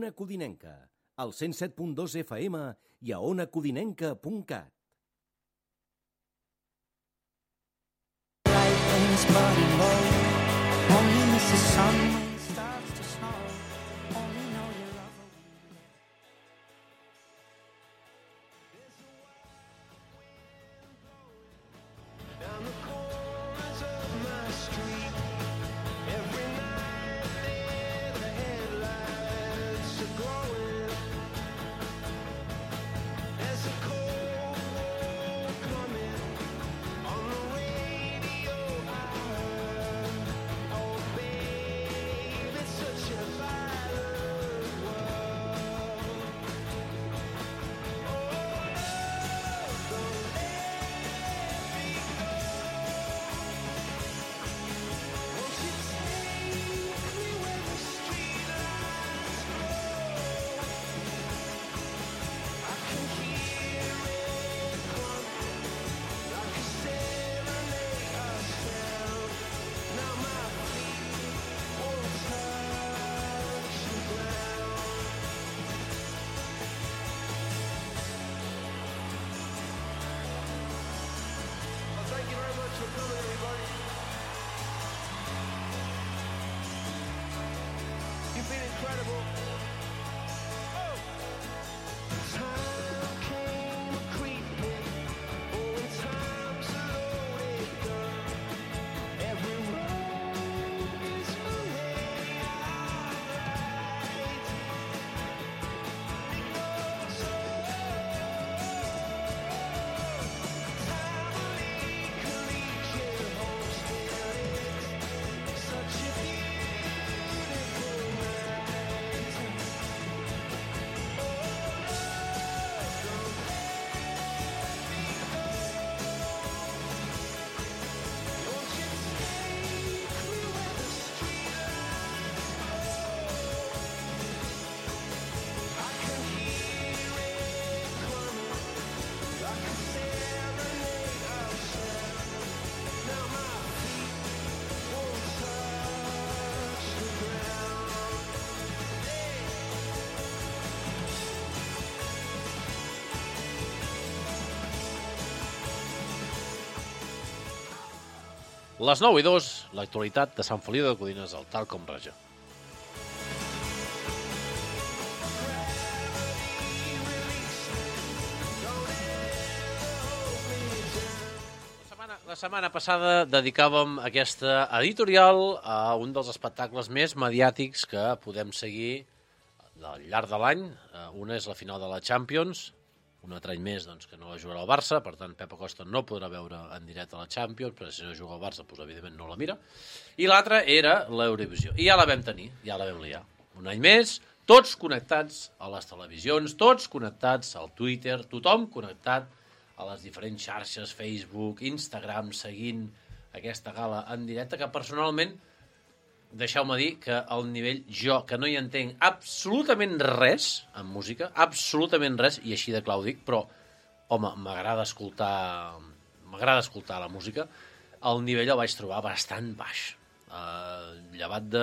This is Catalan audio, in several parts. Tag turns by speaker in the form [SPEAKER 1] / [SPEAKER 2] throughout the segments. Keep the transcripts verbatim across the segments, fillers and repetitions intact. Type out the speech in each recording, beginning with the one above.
[SPEAKER 1] Ona Codinenca, al cent set punt dos F M i a ona codinenca punt cat.
[SPEAKER 2] Les nou i dos, l'actualitat de Sant Feliu de Codines al Talcom Regió. La setmana, la setmana passada dedicàvem aquesta editorial a un dels espectacles més mediàtics que podem seguir al llarg de l'any. Una és la final de la Champions, un altre any més doncs, que no la jugarà el Barça, per tant Pep Acosta no podrà veure en directe la Champions, però si no juga el Barça, doncs, evidentment no la mira. I l'altra era l'Eurovisió. I ja la vam tenir, ja la vam liar. Un any més, tots connectats a les televisions, tots connectats al Twitter, tothom connectat a les diferents xarxes, Facebook, Instagram, seguint aquesta gala en directe, que personalment, deixeu-me dir que al nivell, jo, que no hi entenc absolutament res en música, absolutament res, i així de clar ho dic, però, home, m'agrada escoltar, m'agrada escoltar la música, el nivell el vaig trobar bastant baix. Uh, llevat de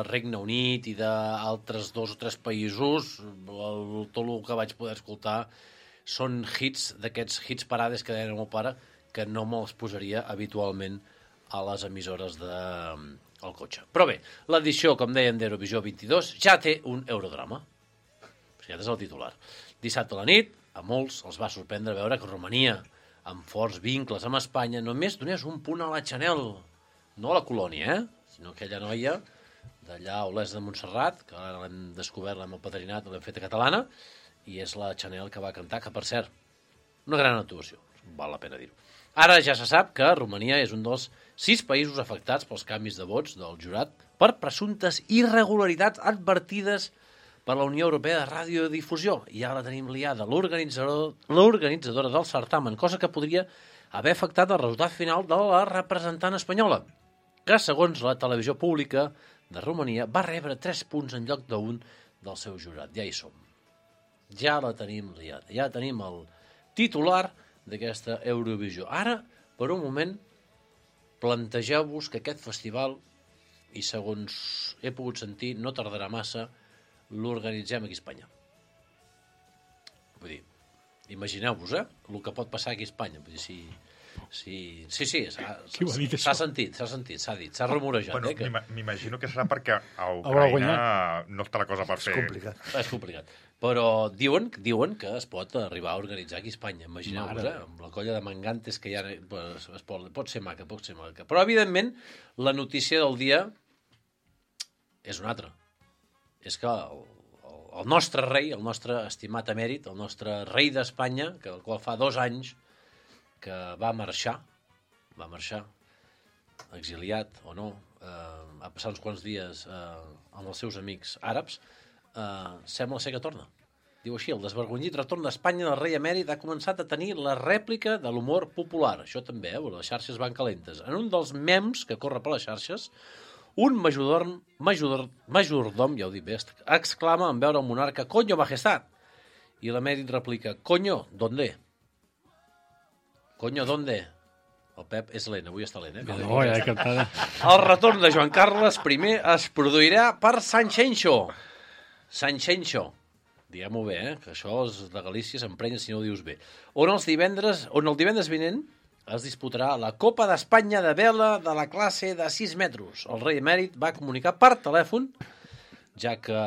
[SPEAKER 2] Regne Unit i d'altres dos o tres països, el, tot el que vaig poder escoltar són hits, d'aquests hits parades que deia el meu pare, que no me'ls posaria habitualment a les emissores de... al cotxe. Però bé, l'edició, com deien, d'Eurovisió vint-i-dos ja té un eurodrama. Aquest és el titular. Dissabte a la nit, a molts els va sorprendre veure que Romania, amb forts vincles amb Espanya, només donés un punt a la Chanel. No a la colònia, eh? Sinó aquella noia d'allà a Olesa de Montserrat, que ara l'hem descobert amb el padrinat, l'hem fet a catalana, i és la Chanel que va cantar, que per cert, una gran actuació, val la pena dir-ho. Ara ja se sap que Romania és un dels sis països afectats pels canvis de vots del jurat per presumptes irregularitats advertides per la Unió Europea de Radiodifusió. Ja la tenim liada, l'organitzador, l'organitzadora del certamen, cosa que podria haver afectat el resultat final de la representant espanyola, que, segons la televisió pública de Romania, va rebre tres punts en lloc d'un del seu jurat. Ja hi som. Ja la tenim liada. Ja tenim el titular d'aquesta Eurovisió. Ara, per un moment, plantegeu-vos que aquest festival, i segons he pogut sentir, no tardarà massa l'organitzem aquí a Espanya. Vull dir, imagineu-vos, eh, el que pot passar aquí a Espanya. Vull dir, si... Sí, sí, sí, s'ha sentit, s'ha sentit, s'ha dit, s'ha rumorejat.
[SPEAKER 3] Bueno,
[SPEAKER 2] eh, que...
[SPEAKER 3] m'imagino que serà perquè a Ucraïna no està la cosa per fer.
[SPEAKER 4] És complicat.
[SPEAKER 2] És complicat. Però diuen, diuen que es pot arribar a organitzar aquí a Espanya. Imagineu-vos, eh? Amb la colla de mangantes que hi ha... Es, es pot, pot ser maca, pot ser maca. Però, evidentment, la notícia del dia és una altra. És que el, el nostre rei, el nostre estimat emèrit, el nostre rei d'Espanya, que el qual fa dos anys que va marxar, va marxar, exiliat o no, eh, ha passat uns quants dies eh, amb els seus amics àrabs, eh, sembla ser que torna. Diu així, el desvergonyit retorn d'Espanya del rei emèrit ha començat a tenir la rèplica de l'humor popular. Això també, eh? Les xarxes van calentes. En un dels mems que corre per les xarxes, un majordom, majordom, majordom ja ho dic bé, exclama en veure el monarca «Coño, majestat!» I l'emèrit replica «Coño, ¿dónde?» Coño, ¿dónde? El Pep és lent, avui està lent, eh?
[SPEAKER 5] No, ja he captat.
[SPEAKER 2] El retorn de Joan Carles I es produirà per Sanxenxo. Sanxenxo. Diguem-ho bé, eh? Que això és de Galícia, s'emprenya si no ho dius bé. On, els divendres, on el divendres vinent es disputarà la Copa d'Espanya de vela de la classe de sis metres. El rei emèrit va comunicar per telèfon, ja que...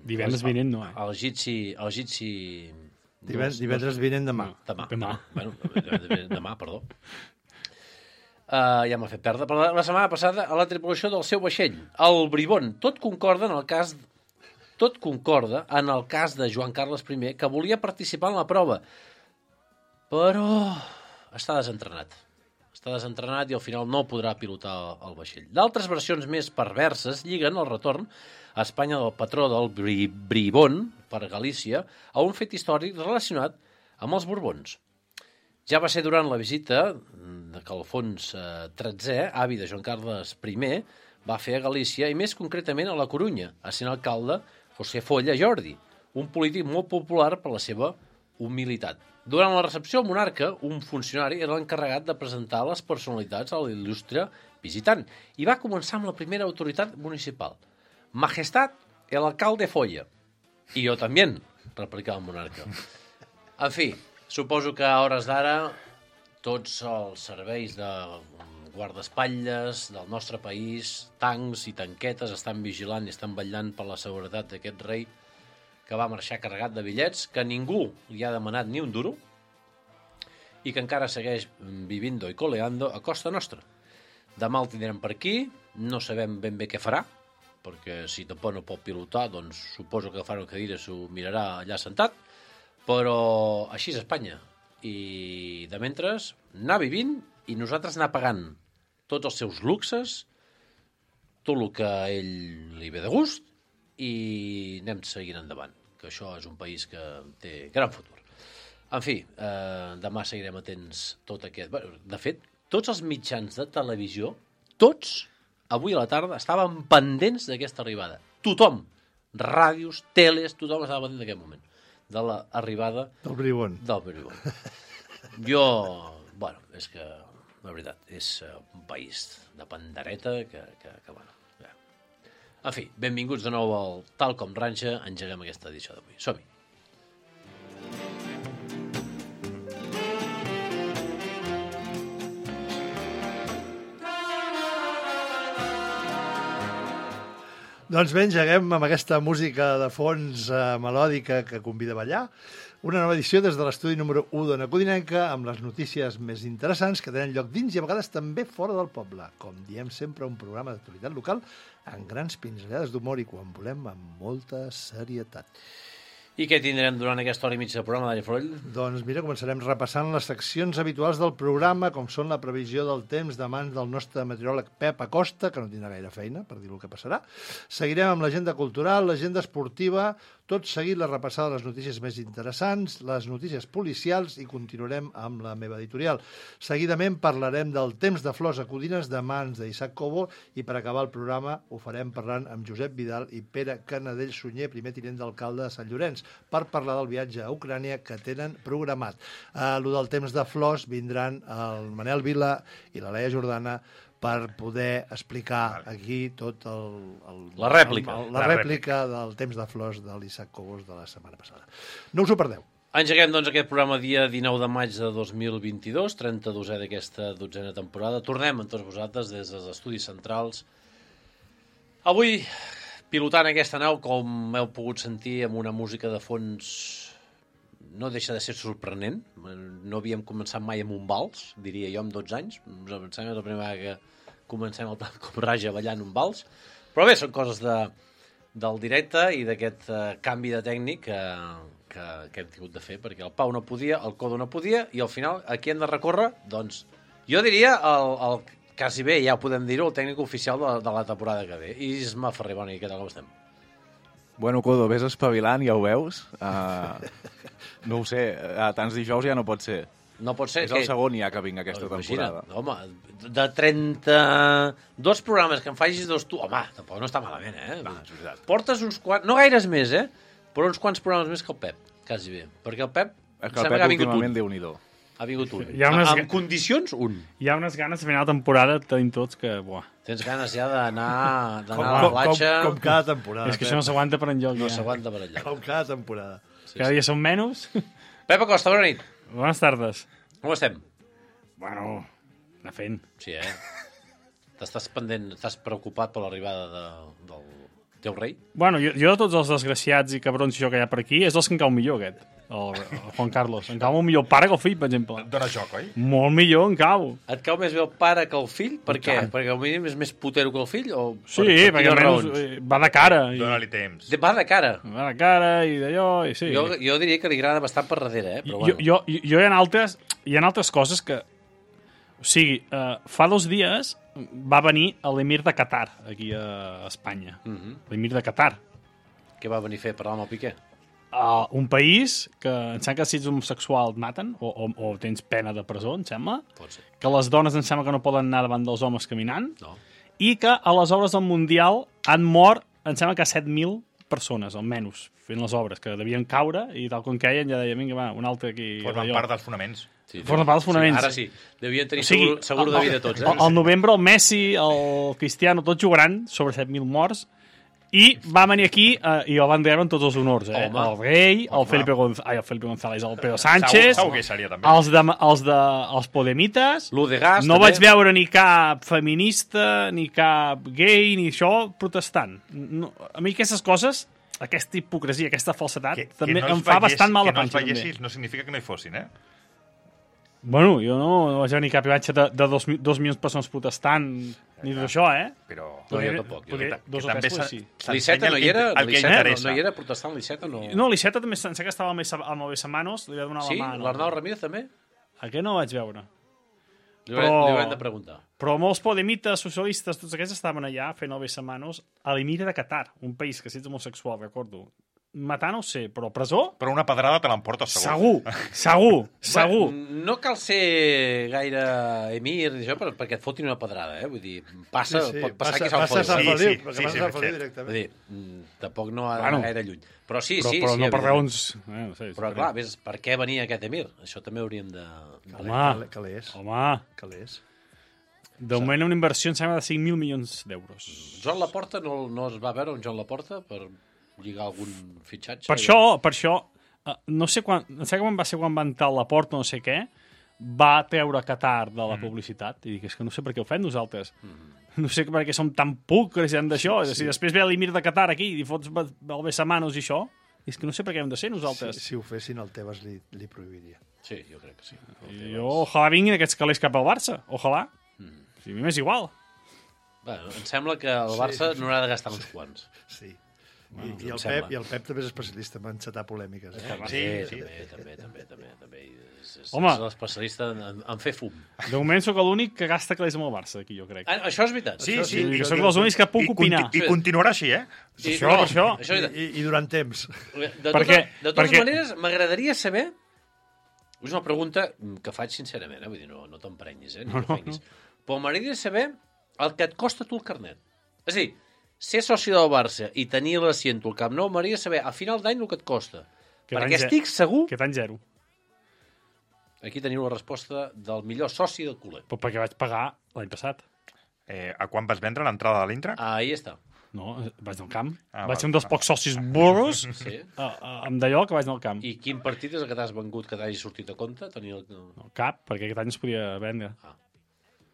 [SPEAKER 5] Divendres vinent no, eh?
[SPEAKER 2] El Gitsi... El Gitsi...
[SPEAKER 4] Divendres, divendres vinent demà.
[SPEAKER 2] Demà.
[SPEAKER 5] Demà.
[SPEAKER 2] Bueno, demà, perdó. Uh, ja m'ha fet perdre. Però la setmana passada, a la tripulació del seu vaixell, el Bribón, tot concorda en el cas tot concorda en el cas de Joan Carles I, que volia participar en la prova, però està desentrenat. Està desentrenat i al final no podrà pilotar el vaixell. D'altres versions més perverses lliguen el retorn a Espanya del patró del Bri Bribón per Galícia a un fet històric relacionat amb els Borbons. Ja va ser durant la visita que Alfons tretzè, avi de Joan Carles I, va fer a Galícia i més concretament a la Corunya, essent alcalde José Folla Jordi, un polític molt popular per la seva humilitat. Durant la recepció al monarca, un funcionari era l'encarregat de presentar les personalitats a l'il·lustre visitant i va començar amb la primera autoritat municipal. Majestat, el alcalde Folla. I jo també, replicava el monarca. En fi, suposo que a hores d'ara tots els serveis de guardaespatlles del nostre país, tancs i tanquetes, estan vigilant i estan vetllant per la seguretat d'aquest rei que va marxar carregat de bitllets, que ningú li ha demanat ni un duro i que encara segueix vivindo i coleando a costa nostra. Demà el tindrem per aquí, no sabem ben bé què farà, perquè si tampoc no pot pilotar, doncs suposo que agafarà una cadira s'ho mirarà allà sentat, però així és Espanya. I de mentre anar vivint i nosaltres anar pagant tots els seus luxes, tot el que a ell li ve de gust, i anem seguint endavant, que això és un país que té gran futur. En fi, eh, demà seguirem atents tot aquest... De fet, tots els mitjans de televisió, tots, avui a la tarda, estaven pendents d'aquesta arribada. Tothom, ràdios, teles, tothom estava pendent d'aquest moment, de l'arribada
[SPEAKER 4] del Bribón.
[SPEAKER 2] Del Bribón. Jo, bueno, és que, la veritat, és un país de pandereta que, que, que bueno, ja. En fi, benvinguts de nou al Tal Com Ranxa, engeguem aquesta edició d'avui. Som-hi.
[SPEAKER 4] Doncs bé, engeguem amb aquesta música de fons eh, melòdica que convida a ballar. Una nova edició des de l'estudi número u d'Ona Codinenca amb les notícies més interessants que tenen lloc dins i a vegades també fora del poble. Com diem sempre, un programa d'actualitat local amb grans pinzellades d'humor i quan volem amb molta serietat.
[SPEAKER 2] I què tindrem durant aquesta hora i mitja de programa, Dani Froll?
[SPEAKER 4] Doncs mira, començarem repassant les seccions habituals del programa, com són la previsió del temps de mans del nostre meteoròleg Pep Acosta, que no tindrà gaire feina, per dir el que passarà. Seguirem amb l'agenda cultural, l'agenda esportiva, tot seguit la repassada de les notícies més interessants, les notícies policials i continuarem amb la meva editorial. Seguidament parlarem del temps de flors a Codines de mans d'Isaac Cobo i per acabar el programa ho farem parlant amb Josep Vidal i Pere Canadell Sunyer, primer tinent d'alcalde de Sant Llorenç, per parlar del viatge a Ucrània que tenen programat. A lo del temps de flors vindran el Manel Vila i la Laia Jordana per poder explicar aquí tot el... el
[SPEAKER 2] la rèplica.
[SPEAKER 4] El, el, la, la rèplica del Temps de Flors de l'Isaac Cobos de la setmana passada. No us ho perdeu.
[SPEAKER 2] Engeguem, doncs, aquest programa dia dinou de maig de dos mil vint-i-dos, trenta-dosè d'aquesta dotzena temporada. Tornem amb tots vosaltres des dels estudis centrals. Avui, pilotant aquesta nau, com heu pogut sentir, amb una música de fons no deixa de ser sorprenent. No havíem començat mai amb un vals, diria jo, amb dotze anys. Em sembla la primera vegada que comencem el tant com raja ballant un vals. Però bé, són coses de, del directe i d'aquest uh, canvi de tècnic que, que, que hem tingut de fer, perquè el Pau no podia, el Codo no podia, i al final, aquí hem de recórrer, doncs, jo diria, el, el quasi bé, ja ho podem dir-ho, el tècnic oficial de, de la temporada que ve. Isma Ferrer, bona nit, què tal, com estem?
[SPEAKER 6] Bueno, Codo, vés espavilant, ja ho veus. Uh, no ho sé, uh, tants dijous ja no pot ser.
[SPEAKER 2] No pot ser.
[SPEAKER 6] És el segon ja que vinc aquesta temporada.
[SPEAKER 2] Home, de trenta-dos programes que em facis dos tu... Home, tampoc no està malament, eh?
[SPEAKER 6] Va, és veritat.
[SPEAKER 2] Portes uns quants... No gaires més, eh? Però uns quants programes més que el Pep, quasi bé. Perquè el Pep...
[SPEAKER 6] És que el Pep últimament déu-n'hi-do.
[SPEAKER 2] Ha vingut un.
[SPEAKER 5] Hi ha unes...
[SPEAKER 2] En condicions, un.
[SPEAKER 5] Hi ha unes ganes a final de temporada, tenim tots que... Buah.
[SPEAKER 2] Tens ganes ja d'anar
[SPEAKER 4] Com,
[SPEAKER 2] a la platja...
[SPEAKER 4] com, com cada temporada.
[SPEAKER 5] És que això no s'aguanta per enlloc.
[SPEAKER 2] No
[SPEAKER 5] ja.
[SPEAKER 2] s'aguanta per enlloc.
[SPEAKER 4] Com cada temporada.
[SPEAKER 2] Sí,
[SPEAKER 5] Cada
[SPEAKER 2] sí.
[SPEAKER 5] dia són menys.
[SPEAKER 2] Pep Acosta, bona nit.
[SPEAKER 5] Bones tardes.
[SPEAKER 2] Com estem?
[SPEAKER 5] Bueno, anar fent.
[SPEAKER 2] Sí, eh? T'estàs pendent, estàs preocupat per l'arribada de, del teu rei?
[SPEAKER 5] Bueno, jo, jo de tots els desgraciats i cabrons això que hi ha per aquí, és dels que em cau millor, aquest. El, el Juan Carlos. Em cau molt millor el pare que el fill, per exemple.
[SPEAKER 3] Dóna joc, oi?
[SPEAKER 5] Molt millor em cau.
[SPEAKER 2] Et cau més bé el pare que el fill? Per què? Perquè al mínim és més putero que el fill? O
[SPEAKER 5] Sí,
[SPEAKER 2] per, per
[SPEAKER 5] perquè
[SPEAKER 2] quines
[SPEAKER 5] almenys
[SPEAKER 2] raons?
[SPEAKER 5] eh, va de cara. I,
[SPEAKER 3] Dóna-li temps.
[SPEAKER 2] De- Va de cara.
[SPEAKER 5] va de cara i d'allò, i sí.
[SPEAKER 2] Jo, jo diria que li agrada bastant per darrere, eh? Però
[SPEAKER 5] jo,
[SPEAKER 2] bueno.
[SPEAKER 5] jo, jo, jo hi ha altres, hi ha altres coses que... O sigui, uh, fa dos dies va venir l'emir de Qatar, aquí a Espanya.
[SPEAKER 2] Uh -huh.
[SPEAKER 5] L'emir de Qatar.
[SPEAKER 2] Què va venir a fer? Parlar amb el Piqué?
[SPEAKER 5] Uh, un país que em sembla que si ets homosexual et maten, o, o, o tens pena de presó, em sembla,
[SPEAKER 2] Pot ser.
[SPEAKER 5] que les dones em sembla que no poden anar davant dels homes caminant,
[SPEAKER 2] No.
[SPEAKER 5] i que a les obres del Mundial han mort, em sembla que set mil persones, almenys, fent les obres, que devien caure, i tal com queien ja deia, vinga, va, un altre aquí...
[SPEAKER 3] Formen
[SPEAKER 5] allò.
[SPEAKER 3] part dels fonaments.
[SPEAKER 2] Sí,
[SPEAKER 5] Forma part dels fonaments.
[SPEAKER 2] Sí, ara sí. Devien tenir
[SPEAKER 5] O sigui,
[SPEAKER 2] seguro, seguro de vida tots, eh?
[SPEAKER 5] Al, al novembre el Messi, el Cristiano, tots jugaran sobre set mil morts, i va venir aquí eh, i el van treure amb tots els honors, eh?
[SPEAKER 2] Home.
[SPEAKER 5] El rei, el Felipe, Gonz ai, el Felipe González, el Pedro Sánchez,
[SPEAKER 3] Segur que seria també.
[SPEAKER 5] els, de, els, de, els Podemites.
[SPEAKER 2] L'U de Gas,
[SPEAKER 5] No
[SPEAKER 2] també.
[SPEAKER 5] vaig veure ni cap feminista, ni cap gay, ni això protestant. No, a mi aquestes coses, aquesta hipocresia, aquesta falsedat,
[SPEAKER 3] Que, que
[SPEAKER 5] també
[SPEAKER 3] no
[SPEAKER 5] em
[SPEAKER 3] els
[SPEAKER 5] fa
[SPEAKER 3] veiés-
[SPEAKER 5] bastant mal
[SPEAKER 3] que
[SPEAKER 5] a
[SPEAKER 3] no els
[SPEAKER 5] panxa. també.
[SPEAKER 3] veiessis no significa que no hi fossin, eh?
[SPEAKER 5] Bueno, jo no, no vaig veure ni cap imatge de, de dos, mi- dos milions de persones protestant, ni d'això, eh?
[SPEAKER 3] Però...
[SPEAKER 2] No, jo tampoc, jo
[SPEAKER 5] Podria-
[SPEAKER 3] que
[SPEAKER 5] dos o
[SPEAKER 3] també
[SPEAKER 5] tres,
[SPEAKER 3] s'ha-
[SPEAKER 5] sí.
[SPEAKER 3] s'ensenya
[SPEAKER 2] L'Iceta no
[SPEAKER 3] el
[SPEAKER 2] hi
[SPEAKER 3] que-
[SPEAKER 2] era?
[SPEAKER 3] el que
[SPEAKER 2] L'Iceta no,
[SPEAKER 3] interessa.
[SPEAKER 2] no hi era protestant, l'Iceta no...
[SPEAKER 5] No, l'Iceta també em sembla que estava amb el Besa- amb el Besamanos, li va donar
[SPEAKER 2] Sí?
[SPEAKER 5] la mà. No?
[SPEAKER 2] L'Arnau Ramírez també?
[SPEAKER 5] Aquest no ho vaig veure.
[SPEAKER 2] Li haurem,
[SPEAKER 5] Però-
[SPEAKER 2] li haurem de preguntar.
[SPEAKER 5] Però molts podemites, socialistes, tots aquests estaven allà fent el Besamanos a l'Emir de Qatar, un país que si ets homosexual, recordo. Matar no ho sé, però presó?
[SPEAKER 3] Però una pedrada te l'emportes segur.
[SPEAKER 5] Segur, segur, segur.
[SPEAKER 2] Bueno, no cal ser gaire emir això, per, perquè et fotin una pedrada, eh? Vull dir, passa,
[SPEAKER 4] Sí, sí,
[SPEAKER 2] pot passar
[SPEAKER 4] passa-
[SPEAKER 2] aquí a Sant
[SPEAKER 4] passa a Sant
[SPEAKER 2] Feliu.
[SPEAKER 3] Sí,
[SPEAKER 4] Feliu,
[SPEAKER 3] sí,
[SPEAKER 4] perquè
[SPEAKER 3] sí,
[SPEAKER 4] passa
[SPEAKER 3] sí,
[SPEAKER 4] a Sant Feliu
[SPEAKER 3] sí.
[SPEAKER 4] directament.
[SPEAKER 2] Vull dir, mm, tampoc no ha d'anar
[SPEAKER 5] Bueno.
[SPEAKER 2] gaire lluny. Però sí,
[SPEAKER 5] però,
[SPEAKER 2] sí,
[SPEAKER 5] però
[SPEAKER 2] sí.
[SPEAKER 5] no per
[SPEAKER 2] evidentment.
[SPEAKER 5] raons... Eh, no sé,
[SPEAKER 2] Però
[SPEAKER 5] sí,
[SPEAKER 2] clar, ves, per què venia aquest emir? Això també hauríem de... de...
[SPEAKER 5] Home,
[SPEAKER 4] Que l'és,
[SPEAKER 5] home,
[SPEAKER 4] que l'és.
[SPEAKER 5] de moment una inversió em sembla de cinc mil milions d'euros.
[SPEAKER 2] Joan Laporta no, no es va veure un Joan Laporta per lligar algun fitxatge?
[SPEAKER 5] Per això, per això, eh, no sé quan, no sé quan va ser quan va entrar a la porta o no sé què, va treure Qatar de la publicitat. I dic, és que no sé per què ho fem nosaltres. No sé per què som tan pulcres i hem d'això. Sí. Si després ve l'Emir de Qatar aquí i fots el Besamanos i això, és que no sé per què hem de ser
[SPEAKER 4] Si,
[SPEAKER 5] nosaltres.
[SPEAKER 4] si ho fessin, el Tebas li, li prohibiria.
[SPEAKER 2] Sí, jo crec que sí.
[SPEAKER 5] I jo, ojalà vinguin aquests calés cap al Barça. Ojalà. Si a mi m'és igual.
[SPEAKER 2] Bueno, em sembla que el Barça no haurà de gastar uns quants.
[SPEAKER 4] Sí.
[SPEAKER 2] Bueno,
[SPEAKER 4] I, i,
[SPEAKER 2] em
[SPEAKER 4] el
[SPEAKER 2] sembla.
[SPEAKER 4] Pep, I el Pep també és especialista en encetar polèmiques. Eh?
[SPEAKER 2] També,
[SPEAKER 3] Sí, sí.
[SPEAKER 2] també, també, també, també, també. És, és,
[SPEAKER 5] Home.
[SPEAKER 2] és l'especialista en, en fer fum.
[SPEAKER 5] De moment sóc l'únic que gasta calés amb el Barça, aquí, jo crec.
[SPEAKER 2] Ah, això és veritat.
[SPEAKER 3] Sí,
[SPEAKER 2] Això
[SPEAKER 3] sí.
[SPEAKER 5] I que
[SPEAKER 4] això-
[SPEAKER 5] sóc els únics que puc
[SPEAKER 3] I,
[SPEAKER 5] opinar.
[SPEAKER 3] conti I continuarà així, eh?
[SPEAKER 2] I,
[SPEAKER 5] això, per això.
[SPEAKER 2] això és veritat.
[SPEAKER 4] I, I durant temps.
[SPEAKER 2] De, tota,
[SPEAKER 5] Perquè-
[SPEAKER 2] de totes
[SPEAKER 5] perquè-
[SPEAKER 2] maneres, m'agradaria saber... És una pregunta que faig sincerament, eh? Vull dir, no, no t'emprenyis, eh? Ni no, no. Però m'agradaria saber el que et costa tu el carnet. És a dir, ser soci del Barça i tenir l'assiento al Camp Nou, m'agradaria saber a final d'any el que et costa.
[SPEAKER 5] Que
[SPEAKER 2] Perquè
[SPEAKER 5] l'any ze-
[SPEAKER 2] estic segur...
[SPEAKER 5] Aquest any zero.
[SPEAKER 2] Aquí teniu la resposta del millor soci del culer.
[SPEAKER 5] Però perquè vaig pagar l'any passat.
[SPEAKER 3] Eh, a quan vas vendre l'entrada de l'Intra?
[SPEAKER 2] Ahí està.
[SPEAKER 5] No, vaig al camp.
[SPEAKER 3] Ah,
[SPEAKER 5] vaig
[SPEAKER 3] val.
[SPEAKER 5] ser un dels pocs socis burros
[SPEAKER 2] Sí.
[SPEAKER 5] a, a, amb d'allò que vaig anar al camp.
[SPEAKER 2] I quin partit és el que t'has vengut que t'hagi sortit a compte? Tenir el...
[SPEAKER 5] No, cap, perquè aquest any es podia vendre.
[SPEAKER 2] Ah.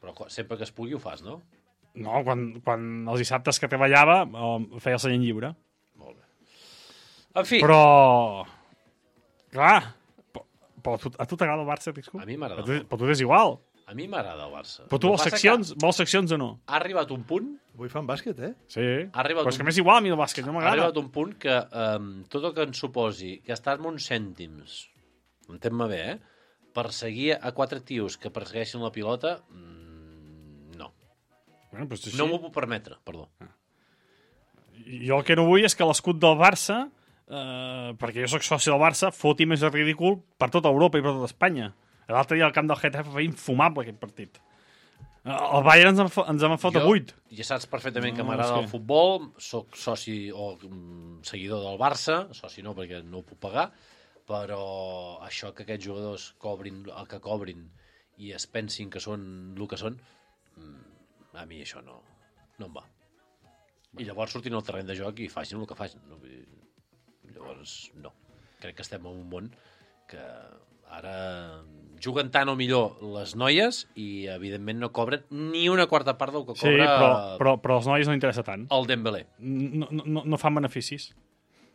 [SPEAKER 2] Però quan- sempre que es pugui ho fas, no?
[SPEAKER 5] No, quan, quan els dissabtes que treballava eh, feia el seient lliure.
[SPEAKER 2] Molt bé. En fi,
[SPEAKER 5] Però... Clar, però, però a tu, a tu t'agrada el Barça, Pisco?
[SPEAKER 2] A mi m'agrada
[SPEAKER 5] Però tu-
[SPEAKER 2] molt.
[SPEAKER 5] Però tu és igual.
[SPEAKER 2] a mi m'agrada el Barça.
[SPEAKER 5] Però tu
[SPEAKER 2] El
[SPEAKER 5] vols
[SPEAKER 2] que passa
[SPEAKER 5] seccions, vols seccions o no?
[SPEAKER 2] que Ha arribat un punt
[SPEAKER 4] Avui fan bàsquet, eh?
[SPEAKER 5] Sí.
[SPEAKER 2] Ha arribat
[SPEAKER 5] Però és
[SPEAKER 2] un-
[SPEAKER 5] que m'és igual a mi el bàsquet, no
[SPEAKER 2] ha
[SPEAKER 5] m'agrada.
[SPEAKER 2] arribat un punt que um, tot el que ens suposi gastar-me uns cèntims, entén-me bé, eh? Per seguir a quatre tios que persegueixen la pilota, mm, no.
[SPEAKER 5] Bueno, però és així.
[SPEAKER 2] No m'ho puc permetre, perdó.
[SPEAKER 5] Jo el que no vull és que l'escut del Barça, eh, perquè jo sóc soci del Barça, foti més de ridícul per tota Europa i per tota Espanya. L'altre dia al camp del Getafe feia infumable aquest partit. Eh, El Bayern ens en, fo- ens en fot a vuit.
[SPEAKER 2] Ja saps perfectament que
[SPEAKER 5] No,
[SPEAKER 2] m'agrada
[SPEAKER 5] és que-
[SPEAKER 2] el futbol, sóc soci o mm, seguidor del Barça, soci no perquè no ho puc pagar, però això que aquests jugadors cobrin el que cobrin i es pensin que són el que són, mm, a mi això no, no em va. I llavors surtin al terreny de joc i facin el que facin. No? Vull dir, llavors, no. Crec que estem en un món que ara juguen tant o millor les noies i, evidentment, no cobren ni una quarta part del que
[SPEAKER 5] Sí,
[SPEAKER 2] cobra
[SPEAKER 5] però, però, però als nois no interessa tant.
[SPEAKER 2] el Dembélé.
[SPEAKER 5] No, no, no fan beneficis.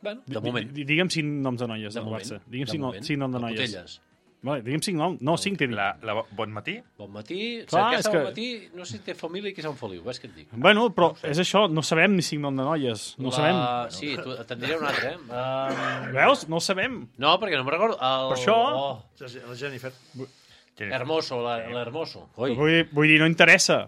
[SPEAKER 2] Bueno, de
[SPEAKER 5] Di-
[SPEAKER 2] moment.
[SPEAKER 5] di- Digue'm cinc noms de noies
[SPEAKER 2] De
[SPEAKER 5] del
[SPEAKER 2] moment.
[SPEAKER 5] Barça. Digue'm
[SPEAKER 2] de
[SPEAKER 5] cinc, no,
[SPEAKER 2] moment.
[SPEAKER 5] cinc noms de
[SPEAKER 2] El
[SPEAKER 5] noies.
[SPEAKER 2] Putelles.
[SPEAKER 5] Vale, digue'm cinc noms. No, cinc t'he dit.
[SPEAKER 3] La, la Bon Matí?
[SPEAKER 2] Bon matí.
[SPEAKER 5] Clar,
[SPEAKER 2] Clar,
[SPEAKER 5] és
[SPEAKER 2] és
[SPEAKER 5] que-
[SPEAKER 2] bon matí, no sé si té família i qui Sant Feliu, ves què et dic.
[SPEAKER 5] Bueno, però és això, no sabem ni cinc noms de noies. No
[SPEAKER 2] La...
[SPEAKER 5] sabem.
[SPEAKER 2] Sí, tu, te'n diré un altre, eh? Uh...
[SPEAKER 5] Veus? No ho sabem.
[SPEAKER 2] No, perquè no me'n recordo. El...
[SPEAKER 5] Per això-
[SPEAKER 2] Oh,
[SPEAKER 4] La Jennifer.
[SPEAKER 2] Hermoso, la- l'Hermoso. Oi.
[SPEAKER 5] Vull, vull dir, no interessa.